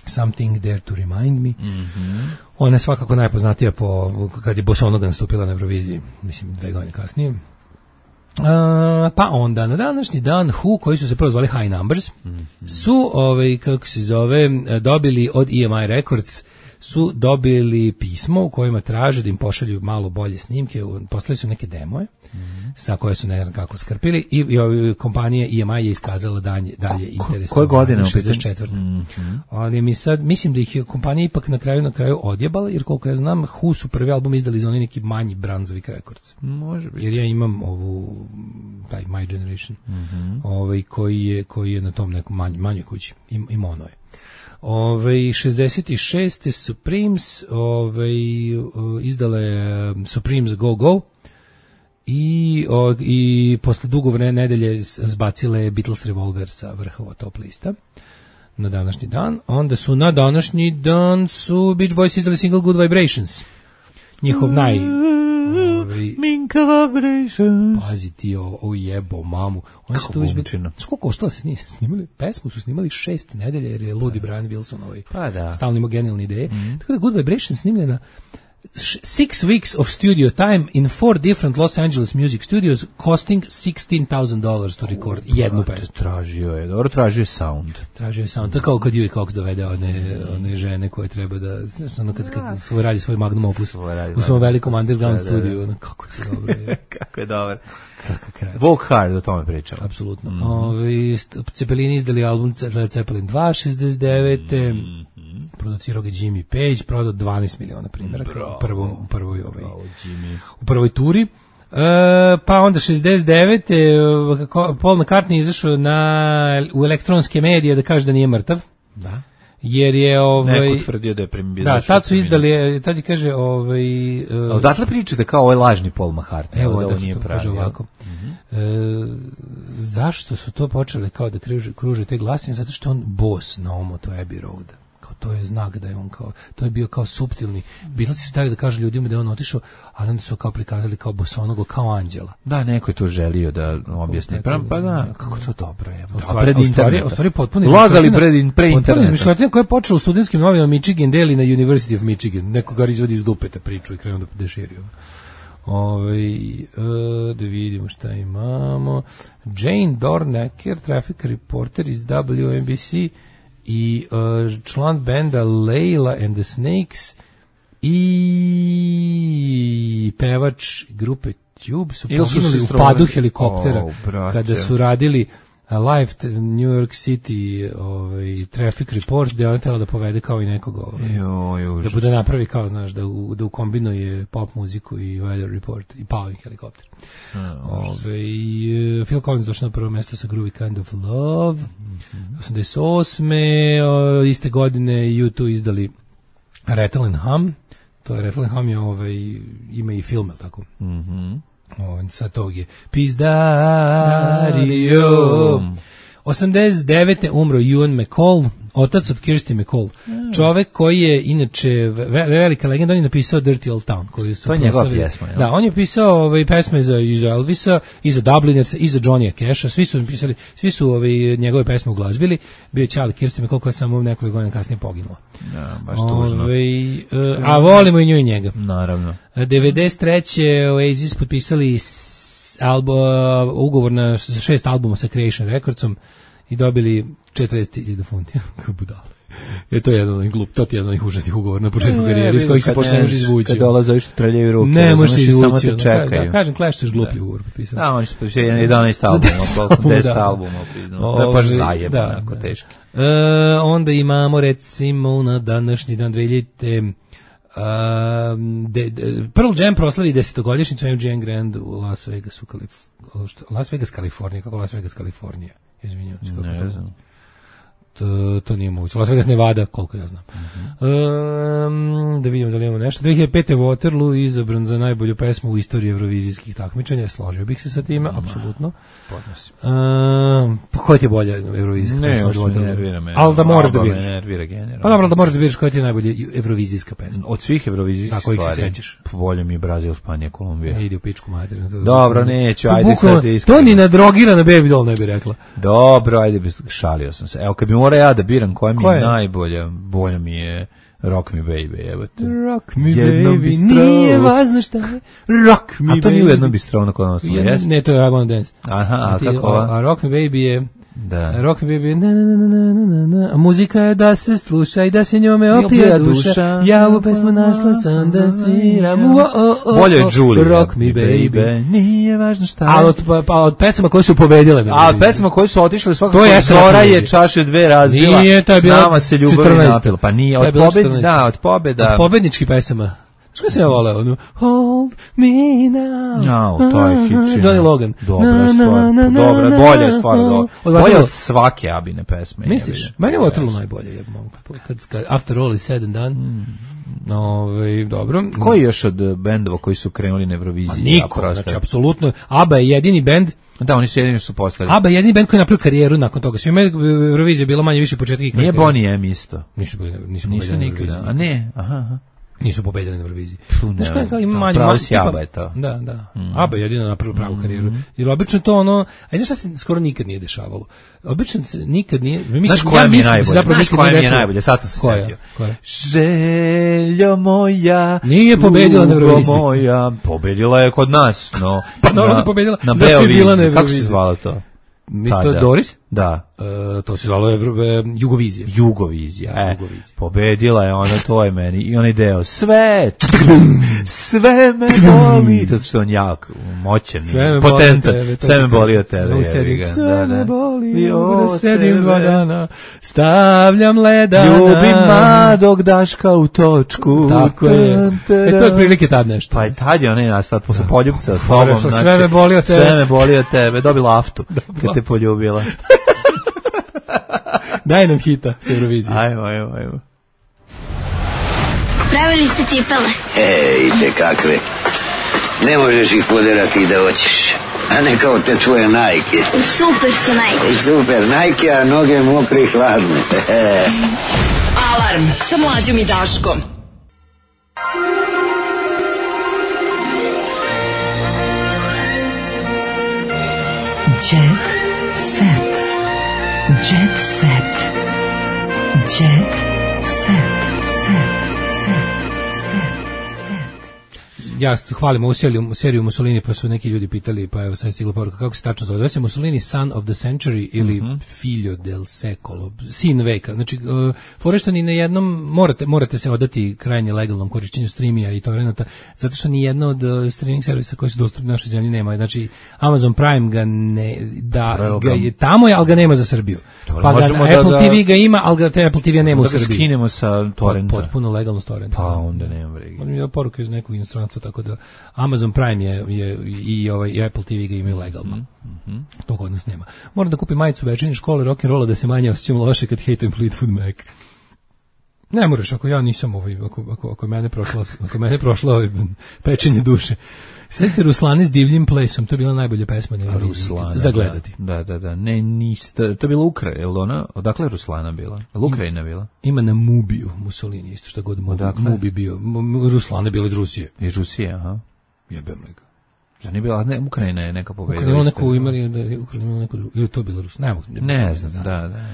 Something There to Remind Me. Mm-hmm. Ona je svakako najpoznatija po, kad je Bosonoga nastupila na Euroviziji, mislim dve godine kasnije. Uh, pa onda na današnji dan Who, koji su se prvo zvali High Numbers, mm-hmm. su, ovaj, kako se zove, dobili od E M I Records su dobili pismo u kojima traže da im pošalju malo bolje snimke, poslali su neke demoje mm-hmm. sa koje su ne znam kako skrpili i, i kompanija E M I je iskazala dalje, dalje interes. Koje godine? šezdeset četvrte Mm-hmm. Ali mi sad, mislim da ih je kompanija ipak na kraju na kraju odjebala, jer koliko ja znam, Who su prvi album izdali za oni neki manji Brunswick Records. Može biti. Jer ja imam ovu, taj My Generation, mm-hmm. ovaj, koji, je, koji je na tom nekom manj, manjoj kući. Im, im ono je. Ove, šezdeset šeste Supremes ove, izdale Supremes Go Go i, o, i posle dugo vremena nedelje zbacile Beatles Revolver sa vrhova top lista na današnji dan. Onda su na današnji dan su Beach Boys izdali single Good Vibrations, njihov naj ovaj, Minka Vibrations. Pazi ti o, o jebo mamu. Oni su to izbečeno. Koliko koštalo se snimali? Pesmu su snimali šest nedelja jer je ludi Brian Wilson ovaj. Pa da. Stalno ima genijalne ideje. Mm-hmm. Tako da Good Vibrations snimljena six weeks of studio time in four different Los Angeles music studios costing sixteen thousand dollars to record oh, jednu pesmu. Tražio je, dobro tražio je sound. Tražio je sound. Tako kao kad Huey Cox dovede one, one žene koje treba da, znaš, ono kad, kad svoj radi svoj magnum opus u svom velikom underground da, studiju. Da, da. Ono, kako je to dobro. Je. Kako je dobro. Walk Hard, o tome pričamo. Apsolutno. Mm. Ovi, Cepelini izdali album Led Zeppelin dva, šezdeset devete Mm. Producirao ga Jimmy Page, prodao dvanaest miliona primjeraka u prvoj, u prvoj, ovaj, u prvoj turi. E, pa onda šezdeset devete Paul McCartney izašao na, u elektronske medije da kaže da nije mrtav. Da. Jer je ovaj neko tvrdio da je premijer. Da, tad su izdali, tad je kaže ovaj uh, odatle pričate kao ovaj lažni Paul McCartney, evo, da da, on nije pravi. Ovako. Mm-hmm. E, zašto su to počeli kao da kruže, kruže te glasine? Zato što on boss na Omoto Abbey Road. kao to je znak da je on kao, to je bio kao suptilni. Beatlesi su tako da kažu ljudima da je on otišao, ali onda su kao prikazali kao bosonogo, kao anđela. Da, neko je to želio da objasni. Pa, pa da, kako to dobro je. U stvari, u stvari, u stvari potpuno lagali pred, pre interneta. Izmišljotina koja je počela u studentskim novinama Michigan Daily na University of Michigan. Neko ga izvodi iz dupeta priču i krenuo da deširio. Ove, uh, da vidimo šta imamo. Jane Dornacker, traffic reporter iz W N B C i uh, član benda Layla and the Snakes i pevač grupe Tube su poginuli u padu helikoptera oh, kada su radili live New York City ovaj, traffic report gde on tela da povede kao i nekog ovaj, jo, da bude napravi kao, znaš, da, u, da ukombinuje pop muziku i weather report i pao helikopter. Ove, i, uh, Phil Collins došao na prvo mesto sa Groovy Kind of Love. Mm-hmm. osamdeset osme O, iste godine U dva izdali Rattle and Hum. To je Rattle and Hum je ovaj, ima i film, tako? Mhm. On sa tog je Pizdario. osamdeset devete umro Ewan McCall, otac od Kirsty McCall. Mm. Čovek koji je inače ve, velika legenda, on je napisao Dirty Old Town, koju su to je njegova pjesma, ja? Da, on je pisao ovaj pesme za iz Elvisa, i za Dublinersa, i za Johnny'a Casha, svi su napisali, svi su ovaj njegove pesme uglazbili. Bio je ćali Kirsty McCall koja je samo nekoliko godina kasnije poginula. Ja, baš tužno. Ovaj, uh, a volimo i nju i njega. Naravno. devedeset treće Oasis potpisali album, ugovor na šest albuma sa Creation Recordsom i dobili četrdeset hiljada funti. Kako budale. Je to jedan od glup, to je jedan od užasnih ugovora na početku karijere iz kojih se posle ne može izvući. Kad dolaze ovi što treljaju ruke, ne može se izvući, samo te čekaju. Da, kažem, Clash su još gluplji ugovor potpisali. Da, oni su potpisali jedanaest albuma, deset albuma priznao. To je baš zajebano, onako teški. E, onda imamo recimo na današnji dan dve hiljadite Um, de, de, Pearl Jam proslavi desetogodišnjicu M G M Grand u Las Vegasu, Kalif, Las Vegas, Kalifornija. Kako Las Vegas, Kalifornija? Izvinjavam se. Ne znam. To, to nije moguće. Las Vegas, Nevada, koliko ja znam. Uh-huh. Um, da vidimo da li imamo nešto. dve hiljade pete Waterloo izabran za najbolju pesmu u istoriji evrovizijskih takmičenja. Složio bih se sa time, apsolutno. Podnosim. Um, pa koja ti je bolja evrovizijska ne, pesma? Ne, još ne nervira me. Ali da moraš da biraš. Ne nervira generalno. Pa dobro, da moraš da biraš koja ti je najbolja evrovizijska pesma. Od svih evrovizijskih stvari. Kojih se sećaš? Bolje mi je Brazil, Španija, Kolumbija. Ne ide u pičku materinu. Dobro, neću, ajde sad iskreno. To ni na drogirana Baby Doll ne bi rekla. Dobro, ajde, šalio sam se. Evo, kad bi morao ja da biram koja mi je najbolja, bolja mi je Rock Me Baby, evo te. Rock Me Baby, nije važno šta je. Rock Me Baby. A to nije u jednom bistro na kojem smo, jes? Ne, to je I Wanna Dance. Aha, a kako ova? A Rock Me Baby je... Da. Rock Me Baby, na na na na na na. A muzika je da se sluša i da se njome opija duša. Ja ovu pesmu našla sam da sviram. Bolje je Julie. Rock Me Baby. Nije važno šta je. A od, pa, od pesama koje su pobedile. A od pesama koje su otišle svakako Zora je čaše dve razbila. Nije, to je bilo s nama se ljubav napila. Pa nije, od pobeda, da, od pobeda. Od pobedničkih pesama. Što sam ja voleo? Ono, hold me now. No, to je hit. Johnny Logan. Dobra stvar. Dobra, bolja je stvar. Bolja od svake Abine pesme. Misliš? Meni je Waterloo najbolje. Ja mogu, kad, kad, after all is said and done. Mm. Ove, dobro. Koji još od bendova koji su krenuli na Euroviziji? Niko, ja, znači, apsolutno. ABBA je jedini bend. Da, oni su jedini su postali. ABBA je jedini bend koji je napravio karijeru nakon toga. Svima je Eurovizija bilo manje više početka i kraj. Nije Bonnie M isto. Nisu, nisu, nisu nikada. A ne, aha, aha. Nisu pobedili na Euroviziji. Znaš kako ima manje... Pravo si ABBA je to. Da, da. Mm. ABBA je jedino napravila pravu karijeru. Mm. Jer obično to ono... A znaš šta se skoro nikad nije dešavalo? Obično se nikad nije... Mislim, znaš koja ja mi je najbolje? Znaš koja mi je najbolje? Sad sam se koja? setio. Koja? Željo moja... Nije pobedila na Euroviziji. Moja... Pobedila je kod nas, no... Pa naravno da pobedila. Na Beoviziji. Kako se zvala to? Mi to Doris? Da. Uh, to se zvalo Evro, e, Jugovizija. Jugovizija, da, e. Jugovizija. Pobedila je ona, to je meni. I onaj deo, sve, sve me boli. To što on jak, moćan, potentan. Sve me boli od tebe. Da sedim, sve da, da. me boli, da sedim dva dana, stavljam ledana. Ljubim mladog Daška u točku. Tako je. E, to je prilike tad nešto. Pa i tad je onaj nastao, posle poljubca s tobom. Znači, sve me boli od tebe. Sve me boli od tebe. Dobila aftu, kad te poljubila. Daj nam hita s Eurovizije. Ajmo, ajmo, ajmo. Pravili ste cipele? E, i te kakve. Ne možeš ih poderati da hoćeš. A ne kao te tvoje Nike. Super su Nike. Super Nike, a noge mokre i hladne. Alarm sa Mlađom i Daškom. Jet set. Jet set. Jet set. Set. Set. Ja hvalim ovu seriju, seriju Mussolini, pa su neki ljudi pitali, pa evo sad stigla poruka, kako se tačno zove. Zove se Mussolini Son of the Century ili mm-hmm. Figlio del Secolo, sin veka. Znači, uh, fore što ni na jednom, morate, morate se odati krajnje legalnom korišćenju streamija i torrenata, zato što ni jedna od uh, streaming servisa koji su dostupni u našoj zemlji nema. Znači, Amazon Prime ga ne, da, ga je tamo, je, ali ga nema za Srbiju. Dobre, pa ga na da, Apple da, T V ga ima, ali ga te Apple T V nema u Srbiji. Da ga skinemo sa torrenta. Potpuno legalno s torrenta. Pa onda nema vrege. On mi je poruka iz nekog inostranstva, tako da Amazon Prime je, je i ovaj i Apple T V ga imaju legalno. Mm-hmm. To kod nas nema. Moram da kupim majicu večernje škole rock and rolla da se manje osjećam loše kad hejtujem Fleetwood Mac. Ne moraš, ako ja nisam ovaj, ako, ako, ako mene prošlo, ako mene prošlo ovaj, pečenje duše. Sve Ruslane s divljim plesom, to je bila najbolja pesma na Ruslana, za gledati. Da, da, da. Ne, niste, to je bila Ukrajina, jel ona? Odakle je Ruslana bila? Jel Ukrajina bila? Ima na Mubiju, Mussolini, isto što god Mubi, Mubi bio. Ruslana je bila iz Rusije. Iz Rusije, aha. Jebem lega. Da nije bila, ne, Ukrajina je neka pobedila. Ukrajina neku imali, da Ukrajina imala neku, ili to bilo Rus, ne mogu. Ne znam, da, da, da.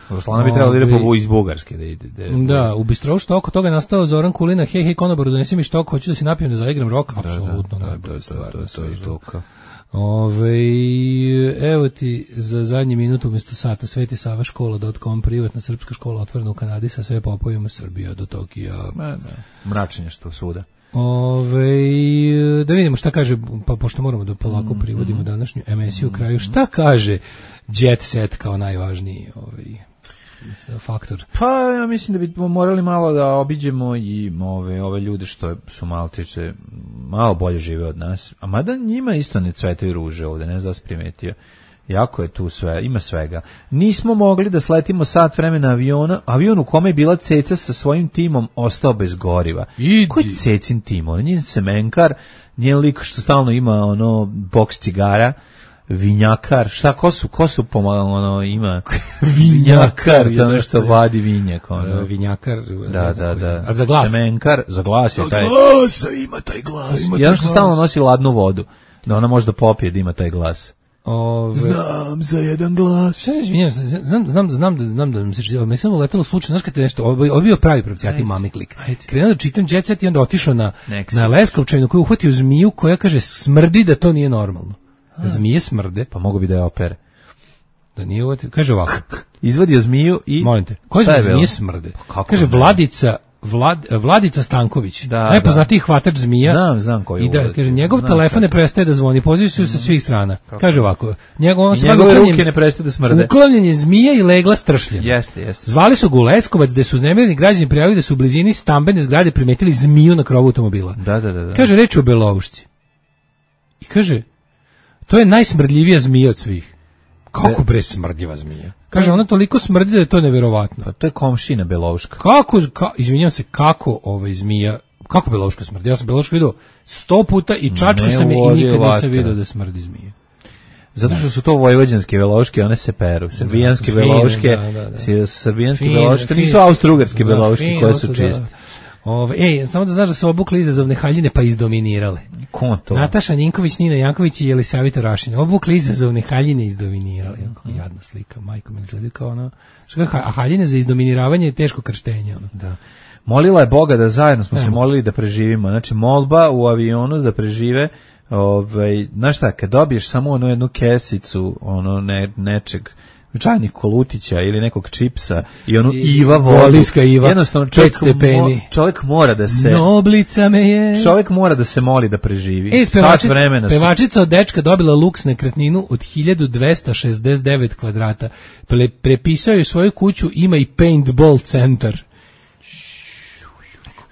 Ruslana bi trebala da ide po iz Bugarske da ide. Da, da u Bistrovu što oko toga je nastao Zoran Kulina, hej, hej, konobaru, donesi mi štok, hoću da se napijem da zaigram rock, apsolutno, da, da, da, da, da, to je to kao. Ove, evo ti za zadnji minut umjesto sata sveti sava škola dot com, privatna srpska škola otvorena u Kanadi sa sve popovima Srbija do Tokija. Ma, da. Mračenje što svuda. Ove, da vidimo šta kaže, pa pošto moramo da polako privodimo današnju emisiju u kraju, šta kaže Jet Set kao najvažniji ovaj faktor? Pa ja mislim da bi morali malo da obiđemo i ove ove ljude što su malo tiče malo bolje žive od nas, a mada njima isto ne cvetaju ruže ovde, ne znam da si primetio. Jako je tu sve, ima svega. Nismo mogli da sletimo sat vremena aviona, avion u kome je bila Ceca sa svojim timom ostao bez goriva. Idi. Koji Cecin tim? On je njen semenkar, njen lik što stalno ima ono boks cigara, vinjakar, šta, ko su, ko su pomalo, ono, ima vinjakar, to ono što vadi vinjak, ono. Vinjakar, da, da, da. A za glas? Semenkar, za glas je taj. Za glas, ima taj glas. Jedan što stalno nosi ladnu vodu, da ona može da popije da ima taj glas. Ove, znam za jedan glas. Izvinjam, znam, znam, znam da znam da mi se čini, mislim uletelo slučajno, znaš kad te nešto, ovo bio pravi pravcijati mami klik. Krenuo da čitam Jet Set i onda otišao na Next. na Leskovčevinu koji uhvatio zmiju koja kaže smrdi da to nije normalno. A. Zmije smrde. Pa mogu bi da je opere. Da nije uvatio, kaže ovako. Izvadio zmiju i... Molim te, koje je zmije smrde? Pa kaže ne? Vladica... Vlad, Vladica Stanković, da, najpoznatiji da. hvatač zmija. Znam, znam koji je. I da, kaže, njegov znam telefon ne prestaje da zvoni, pozivi se sa svih strana. Kako? Kaže ovako, njegov, on I njegove ruke ne prestaje da smrde. Uklanjen je zmija i legla stršljena. Jeste, jeste. Zvali su ga u Leskovac, gde su uznemireni građani prijavili da su u blizini stambene zgrade primetili zmiju na krovu automobila. Da, da, da, da. Kaže, reč o beloušci. I kaže, to je najsmrdljivija zmija od svih. Kako bre smrdljiva zmija? Kaže, ona toliko smrdi da je to neverovatno. Pa to je komšina belouška. Kako, ka, izvinjam se, kako ovaj zmija, kako belouška smrdi? Ja sam belouška vidio sto puta i čačko sam je i nikad nisam vidio da smrdi zmija. Zato što su to vojvođanske belouške, one se peru. Srbijanske belouške, da, da, da. Srbijanske belouške, to nisu austrougarske belouške koje su čiste. Ove, ej, samo da znaš da su obukli izazovne haljine pa izdominirali. Ko to? Nataša Ninković, Nina Janković i Jelisavita Rašina. Obukli izazovne haljine i izdominirali. Kako jadna slika, majko me izgleda kao ono. Što a haljine za izdominiravanje je teško krštenje. Ono. Da. Molila je Boga da zajedno smo ne, se molili da preživimo. Znači molba u avionu da prežive. Ovaj, znaš šta, kad dobiješ samo ono jednu kesicu ono ne, nečeg čajnih kolutića ili nekog čipsa i onu I, Iva vodu. Iva, jednostavno čovjek, mo, čovjek mora da se Noblica me je. Čovjek mora da se moli da preživi. E, Sat vremena. Pevačica od dečka dobila luks nekretninu od hiljadu dvesta šezdeset devet kvadrata. Pre, prepisao je svoju kuću, ima i paintball centar.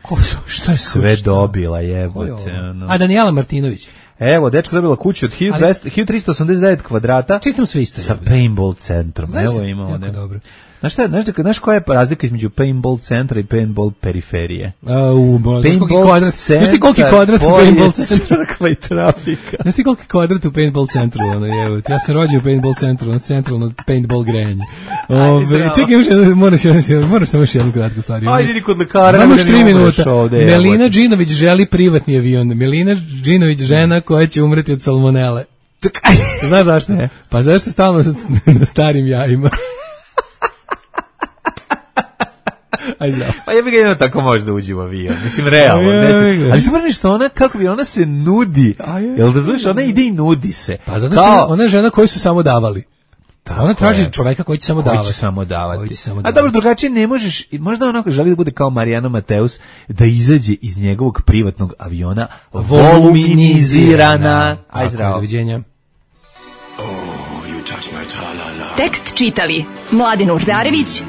Ko su, šta je sve dobila, jebote. No. A Daniela Martinović. Evo, dečko dobila kuću od hiljadu tristo osamdeset devet kvadrata. Čitam sve isto. Sa paintball centrom. Znaš, evo imamo. Jako dobro. Znaš šta, znaš, znaš koja je razlika između paintball centra i paintball periferije? A, u, bo, paintball kvadrat, centar, znaš ti koliki kvadrat u paintball centru? Crkva i trafika. Znaš ti koliki kvadrat u paintball centru? Ono, evo, ja sam rođen u paintball centru, na centralno paintball grejanje. Ove, čekaj, još jedno, moraš, moraš samo još jednu kratku stvar. Ajde, idi kod lekara. Imamo još tri minuta. Ovde, Melina Džinović želi privatni avion. Melina Džinović, žena koja će umreti od salmonele. Znaš zašto? Ne. Pa zašto stalno na starim jajima? Aj zdravo. Pa ja bih ga jedno tako možda uđi u avion. Mislim, realno. Neće. Ali super nešto, ona, kako bi, ona se nudi. Jel da znaš, ona ide i nudi se. Pa zato što Kao... ona je žena koju su samo davali. Tako ona traži je. Čoveka koji će samo davati. Koji će samo davati. Će samo davati. A dobro, drugačije ne možeš, možda ona želi da bude kao Marijana Mateus, da izađe iz njegovog privatnog aviona voluminizirana. Aj zdravo. Doviđenja. Tekst čitali Mladin Urdarević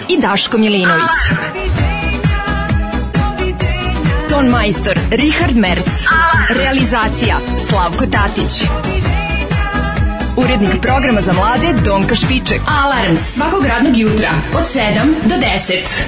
i Daško Milinović. Ton majstor Richard Merc. Realizacija Slavko Tatić. Urednik programa za mlade Donka Špiček. Alarms svakog radnog jutra od sedam do deset.